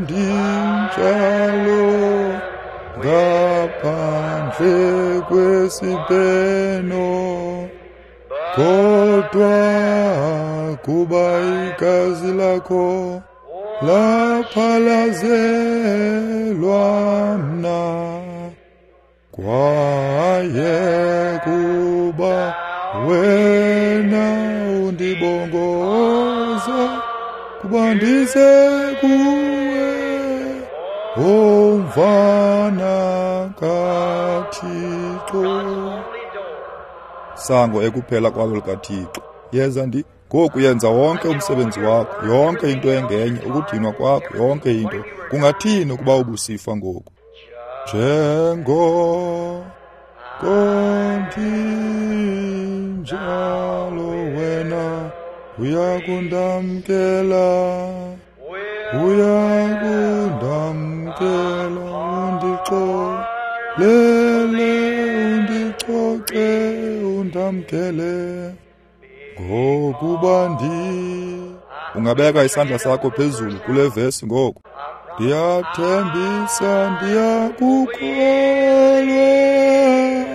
Speaker 1: ndinjalo ngaphandle kwesibheno, kodwa kuba igazi lakho laphalazelwa mna, kwaye kuba wena undibongoza kuba ndise kuwe, umvana kaThixo. Sango ekuphela kwalo likaThixo. Yeza ndi ngoku yenza wonke umsebenzi wakho, yonke into engenye, ukudinwa kwakho, yonke into. Kungathini ukuba ubusifa ngoku? Njengoko ndinjalo wena uyakundamkela, uyakundamkela, undixolele, undicoce, undamkele, ngokuba ndi. Ungabeka isandla sakho phezulu kule vesi ngoku. Ndiyathembisa ndiyakukholwa,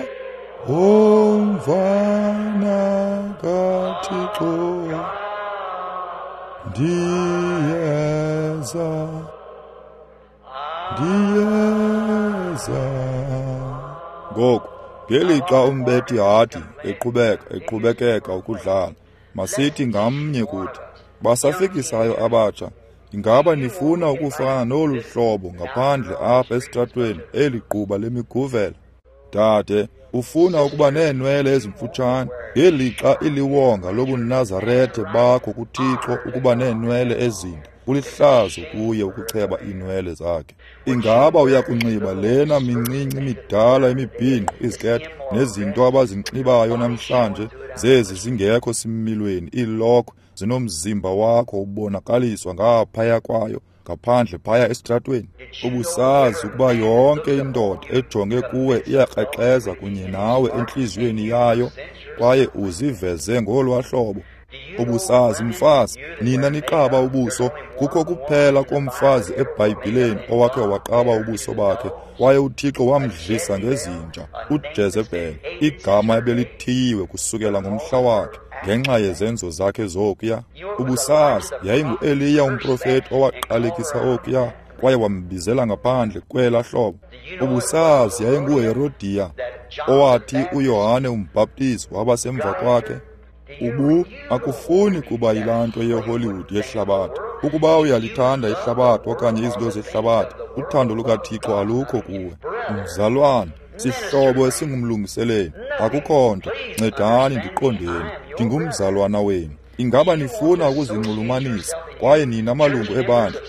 Speaker 1: umvana kaThixo. Ndiyeza, ndiyeza. Ngoku ngelixa umbethi hadi eqhubekeka ukudlala, masithi ngamnye kuthi basafikisayo abatsha, ingaba nifuna ukufana nolu hlobo ngaphandle apha esitratweni eli gquba lemiguvela? Dade, ufuna ukuba neenwele ezimfutshane, ngelixa iliwonga lobuNazarethe bakho kuThixo ukuba neenwele ezinde. Kulihlazo kuye ukucheba iinwele zakhe. Ingaba uyakunxiba lena mincinci midala imibhinqo, izikethe nezinto abazinxibayo namhlanje, zezi zingekho similweni, iilokhwe zinomzimba wakho ubonakaliswa ngaphaya kwayo, ngaphandle phaya esitratweni? Ubusazi ukuba yonke indoda ejonge kuwe iyakrexeza kunye nawe entliziyweni yayo, kwaye uziveze ngolwa hlobo? Ubusazi, mfazi, nina niqaba ubuso, kukho kuphela komfazi eBhayibhileni owakhe waqaba ubuso bakhe, kwaye uThixo wamdlisa ngezinja, uJezebhele, igama ebelithiyiwe kusukela ngomhla wakhe ngenxa yezenzo zakhe zokuya. Ubusazi, yayinguEliya umprofeti owaqalekisa okuya kwaye wambizela ngaphandle kwela hlobo. Ubusazi, yayinguHerodiya owathi uYohane umbhaptizi waba semva kwakhe. Ubu akufuni kuba yilaa nto yeHollywood yehlabathi. Ukuba uyalithanda ihlabathi okanye izinto zehlabathi, uthando lukaThixo alukho kuwe. Mzalwane, sihlobo esingumlungiseleli, akukho nto, ncedani ndiqondeni, ndingumzalwana wenu. Ingaba nifuna ukuzinxulumanisa kwaye nina malungu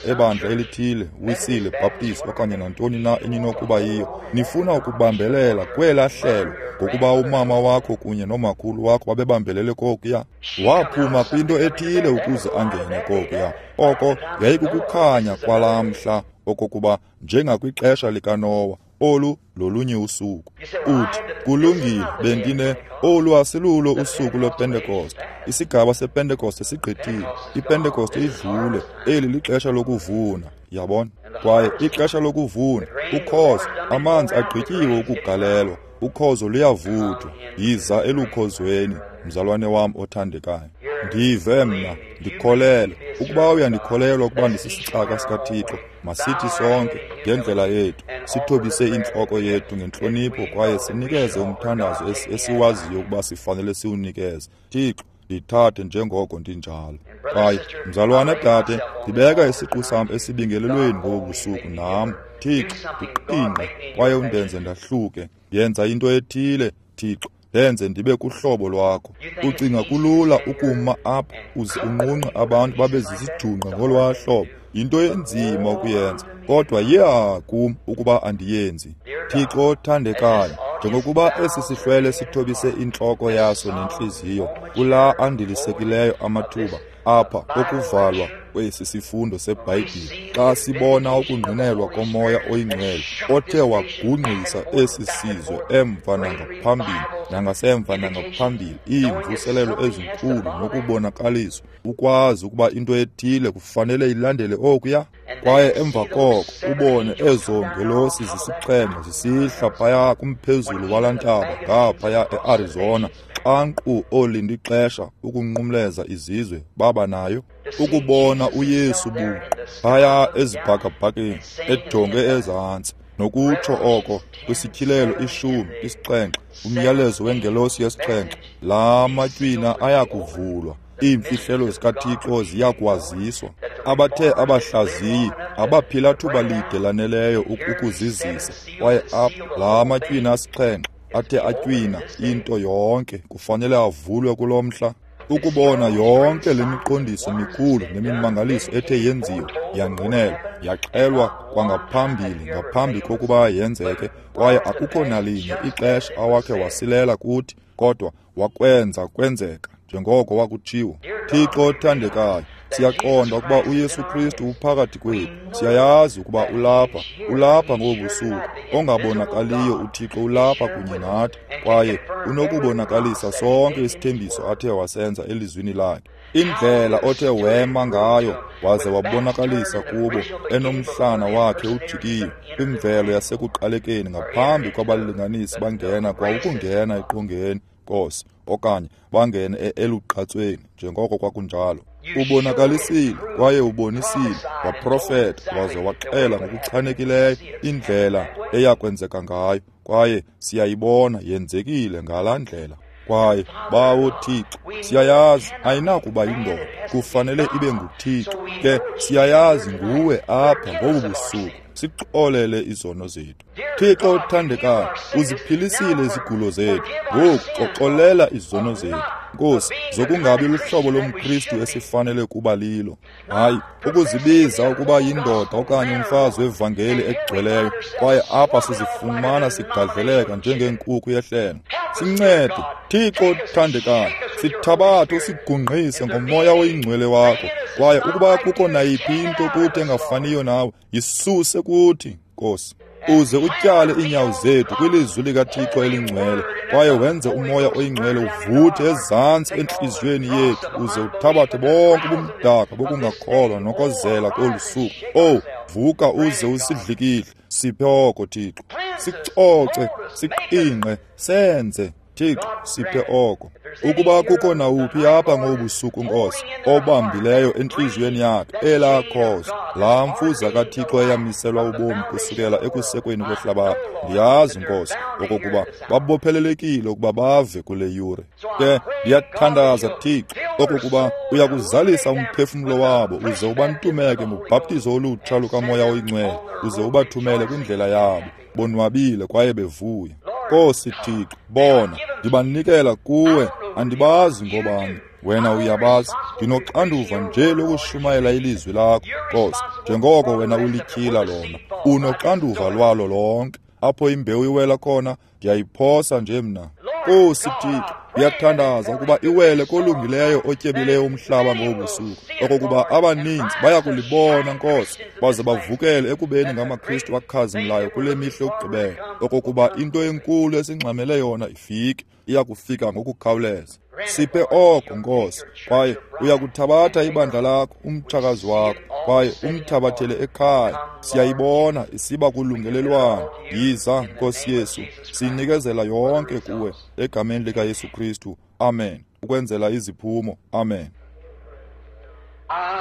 Speaker 1: ebandla elithile, Wisile, Baptist okanye nantoni na eninokuba yiyo, nifuna ukubambelela kwela hlelo ngokuba umama wakho kunye nomakhulu wakho babebambelele kokuya? Waphuma kwinto ethile ukuze angene kokuya. Oko yayikukukhanya kwalaa mhla, okokuba njengakwixesha likaNowa, olu lolunye usuku. Uthi, kulungile, bendine, olu asilulo usuku lwePentekoste. Isigaba sePentekoste sigqithile. IPentekoste idlule. Eli lixesha lokuvuna, yabona? Kwaye ixesha lokuvuna, ukhozo, amanzi agqityiwe ukugalelwa, ukhozo luyavuthwa. Yiza elukhozweni, mzalwane wam othandekayo. Ndive mna, ndikholelwa. Ukuba uyandikholelwa ukuba ndisisicaka sikaThixo, masithi sonke ngendlela yethu sithobise intloko yethu ngentlonipho kwaye sinikeze umthandazo esiwaziyo ukuba sifanele siwunikeze. Thixo, ndithathe njengoko ndinjalo. Kwaye mzalwana, dade, ndibeka isiqu sam esibingelelweni ngobu busuku nam. Thixo, ndiqingqe kwaye undenze ndahluke. Yenza into ethile, Thixo, ndenze ndibe kuhlobo lwakho. Ucinga kulula ukuma apha uze unqunqe abantu babe zizijungqe ngolwaa hlobo? Yinto enzima ukuyenza, kodwa yeha kum ukuba andiyenzi. Thixo othandekayo, njengokuba esi sihlwele sithobise intloko yaso nentliziyo kulaa andilisekileyo amathuba apha okuvalwa kwesi sifundo seBhayibhile, xa sibona ukungqinelwa koMoya oyiNgcwele othe wagungqisa esi sizwe emva nangaphambili nangasemva nangaphambili, iimvuselelo ezinkulu nokubonakaliswa, ukwazi ukuba into ethile kufanele ilandele okuya. Kwaye emva koko ubone ezo ngelosi zisixhenxe zisihla phaya kumphezulu walaa ntaba ngaphaya eArizona, xa nkqu oolindixesha ukunqumleza izizwe baba nayo, ukubona uYesu buqu phaya ezibhakabhakeni ejonge ezantsi, nokutsho oko kwisityhilelo 10, 7, umyalezo wengelosi yesixhenxe, laa matywina ayakuvulwa, iimfihlelo zikaThixo ziyakwaziswa. Abathe abahlaziyi abaphila thuba lide laneleyo ukuzizisa, kwaye apha laa matywina asixhenxe athe atywina into yonke kufanele avulwe kulo mhla. Ukubona yonke le miqondiso mikhulu nemimangaliso ethe yenziwa, yangqinelwa, yaxelwa kwangaphambili ngaphambi kokuba yenzeke, kwaye akukho nalinye ixesha awakhe wasilela kuthi, kodwa wakwenza kwenzeka njengoko wakutshiwo. Thixo othandekayo, siyaqonda ukuba uYesu Kristu uphakathi kwethu. Siyayazi ukuba ulapha, ulapha ngobu busuku. Ongabonakaliyo uThixo ulapha kunye nathi, kwaye unokubonakalisa sonke isithembiso athe wasenza elizwini lakhe. Indlela othe wema ngayo waze wabonakalisa kubo enomhlana wakhe ujikiwe kwimvelo yasekuqalekeni ngaphambi kwabalinganisi bangena kwa ukungena eqongeni, Nkosi, okanye bangene elugqatsweni njengoko kwakunjalo. Ubonakalisile kwaye ubonisile, waprofeta waze waxela ngokuchanekileyo indlela eyakwenzeka ngayo, kwaye siyayibona yenzekile ngalaa ndlela. Kwaye Bawo Thixo, siyayazi ayinakuba yindoda, kufanele ibe nguThixo. Ke siyayazi nguwe apha ngobu busuku. Sixolele izono zethu. Thixo othandekayo, uziphilisile izigulo zethu. Ngoku xolela izono zethu, Nkosi, zokungabi luhlobo lomKristu esifanele kuba lilo. Hayi, ukuzibiza ukuba yindoda okanye umfazi wevangeli egcweleyo, kwaye apha sizifumana sigadleleka njengeenkukhu yehlelo. Sincede, Thixo othandekayo, sithabathe usigungqise ngomoya oyingcwele wakho, kwaye ukuba kukho nayiphi into kuthi engafaniyo nawe, yisuse kuthi, Nkosi. Uze utyale iinyawo zethu kwilizwi likaThixo elingcwele, kwaye wenze umoya oyingcwele uvuthe ezantsi entliziyweni yethu, uze uthabathe bonke ubumdaka bokungakholwa nokozela kolu suku. Owu, vuka uze usidlikidle. Siphe oko, Thixo. Sicoce, siqingqe, senze. Thixo, siphe oko. Ukuba kukho nawuphi apha ngobusuku, Nkosi, obambileyo entliziyweni yakhe elaa khozo, laa mfuza kaThixo eyamiselwa ubomi kusukela ekusekweni kwehlabathi, ndiyazi, Nkosi, okokuba babophelelekile ukuba bave kule yure. Ke ndiyathandaza, Thixo, okokuba uyakuzalisa umphefumlo wabo uze ubantumeke ngobhaptizo olutsha lukaMoya oyiNgcwele, uze ubathumele kwindlela yabo bonwabile kwaye bevuya. Nkosi Thixo, bona, ndibanikela kuwe, andibazi ngobani, wena uyabazi. Ndinoxanduva nje lokushumayela ilizwi lakho, Nkosi, njengoko wena ulityhila lona. Unoxanduva lwalo lonke. Apho imbewu iwela khona, ndiyayiphosa nje mna. Nkosi Thixo, ndiyathandaza ukuba iwele kolungileyo otyebileyo umhlaba ngobusuku, okokuba abaninzi bayakulibona, Nkosi, baze bavukele ekubeni ngamaKristu akhazimlayo kule mihla yokugqibela, okokuba into enkulu esingxamele yona ifike, iyakufika ngokukhawuleza. Siphe oko, Nkosi, kwaye uyakuthabatha ibandla lakho, umtshakazi wakho, kwaye umthabathele ekhaya. Siyayibona isiba kulungelelwano. Yiza, Nkosi Yesu, sinikezela yonke kuwe egameni likaYesu Kristu. Amen. Ukwenzela iziphumo. Amen.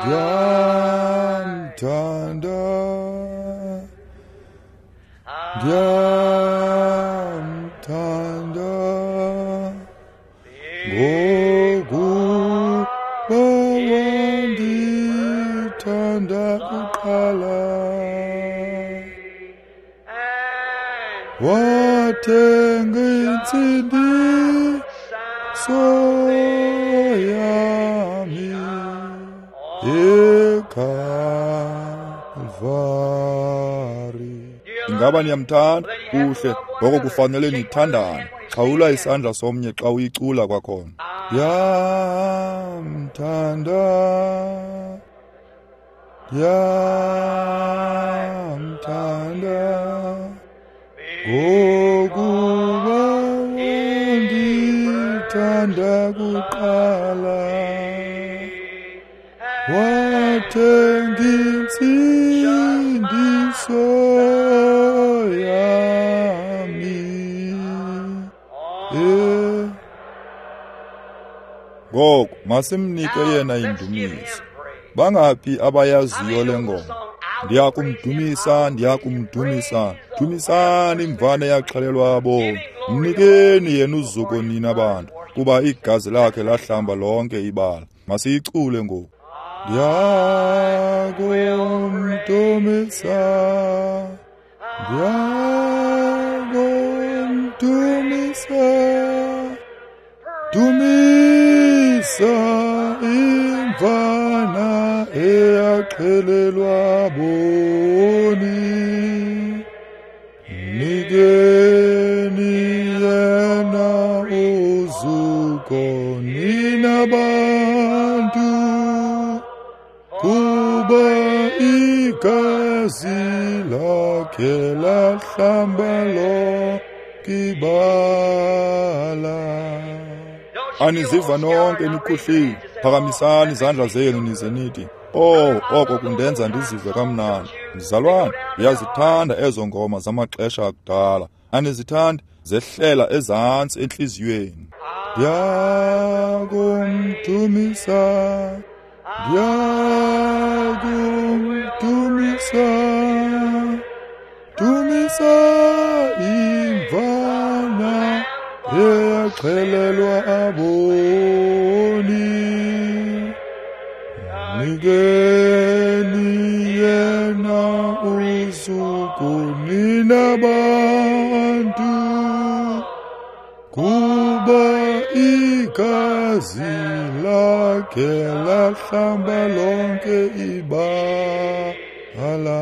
Speaker 1: Ndiyamthanda, ndiyamthanda, ngokuba wandithanda kuqala, wathenga intsindiso yami eKalvari. Ingaba niyamthanda? Kuhle, ngoko kufanele nithandane. Xhawula isandla somnye xa uyicula kwakhona. Ndiyamthanda, ndiyamthanda, ngokuba wandithanda kuqala, wathenga intsindiso yami. Ngoku masimnike yena indumiso. Bangaphi abayaziyo le ngoma? Ndiyakumdumisa, ndiyakumdumisa. Dumisani imvana eyaxhelelwa abomi. Mnikeni yena uzuko nina bantu, kuba igazi lakhe lahlamba lonke ibala. Masiyicule ngoku. Ndiyakumdumisa, ndiyakumdumisa, dumisa imvana eyaxhelelwa boni. Mnikeni yena uzuko nina bantu, kuba igazi lakhe lahlamba lonke ibala. Aniziva nonke nikhuhlile? Phakamisani izandla zenu nize nithi, oh, oko kundenza ndizive kamnandi. Mzalwane, ndiyazithanda ezo ngoma zamaxesha akudala. Anizithandi? Zehlela ezantsi entliziyweni. Ndiyakumdumisa, ndiyakumdumisa, dumisa imvana eyaxhelelwa aboni. Mnikeni yena Lona uzuko nina bantu, kuba igazi lakhe lahlamba lonke ibala.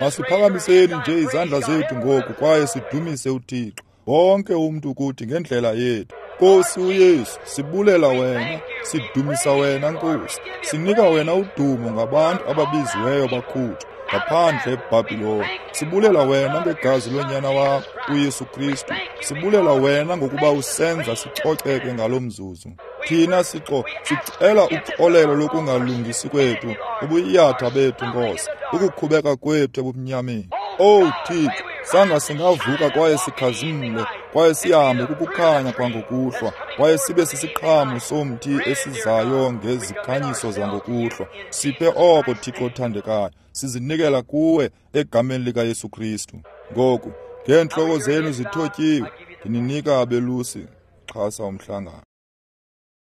Speaker 1: Masiphakamiseni nje izandla zethu ngoku kwaye sidumise uThixo. Wonke umntu kuthi ngendlela yethu. Nkosi uYesu, sibulela wena, sidumisa wena Nkosi. Sinika wena udumo ngabantu ababiziweyo bakhutshwa ngaphandle eBhabhiloni. Sibulela wena ngegazi lonyana wakho uYesu Kristu. Sibulela wena ngokuba usenza sicoceke ngalo mzuzu. Thina sicela uxolelo lokungalungisi kwethu, ubuyatha bethu Nkosi, ukukhubeka kwethu ebumnyameni. Owu Thixo, sanga singavuka kwaye sikhazimle, kwaye sihambe kukukhanya kwangokuhlwa, kwaye sibe sisiqhamo somthi esizayo ngezikhanyiso zangokuhlwa. Siphe oko, Thixo othandekayo, sizinikela kuwe egameni likaYesu Kristu. Ngoku, ngeentloko zenu zithotyiwe, ndininika abelusi, xhasa umhlangano.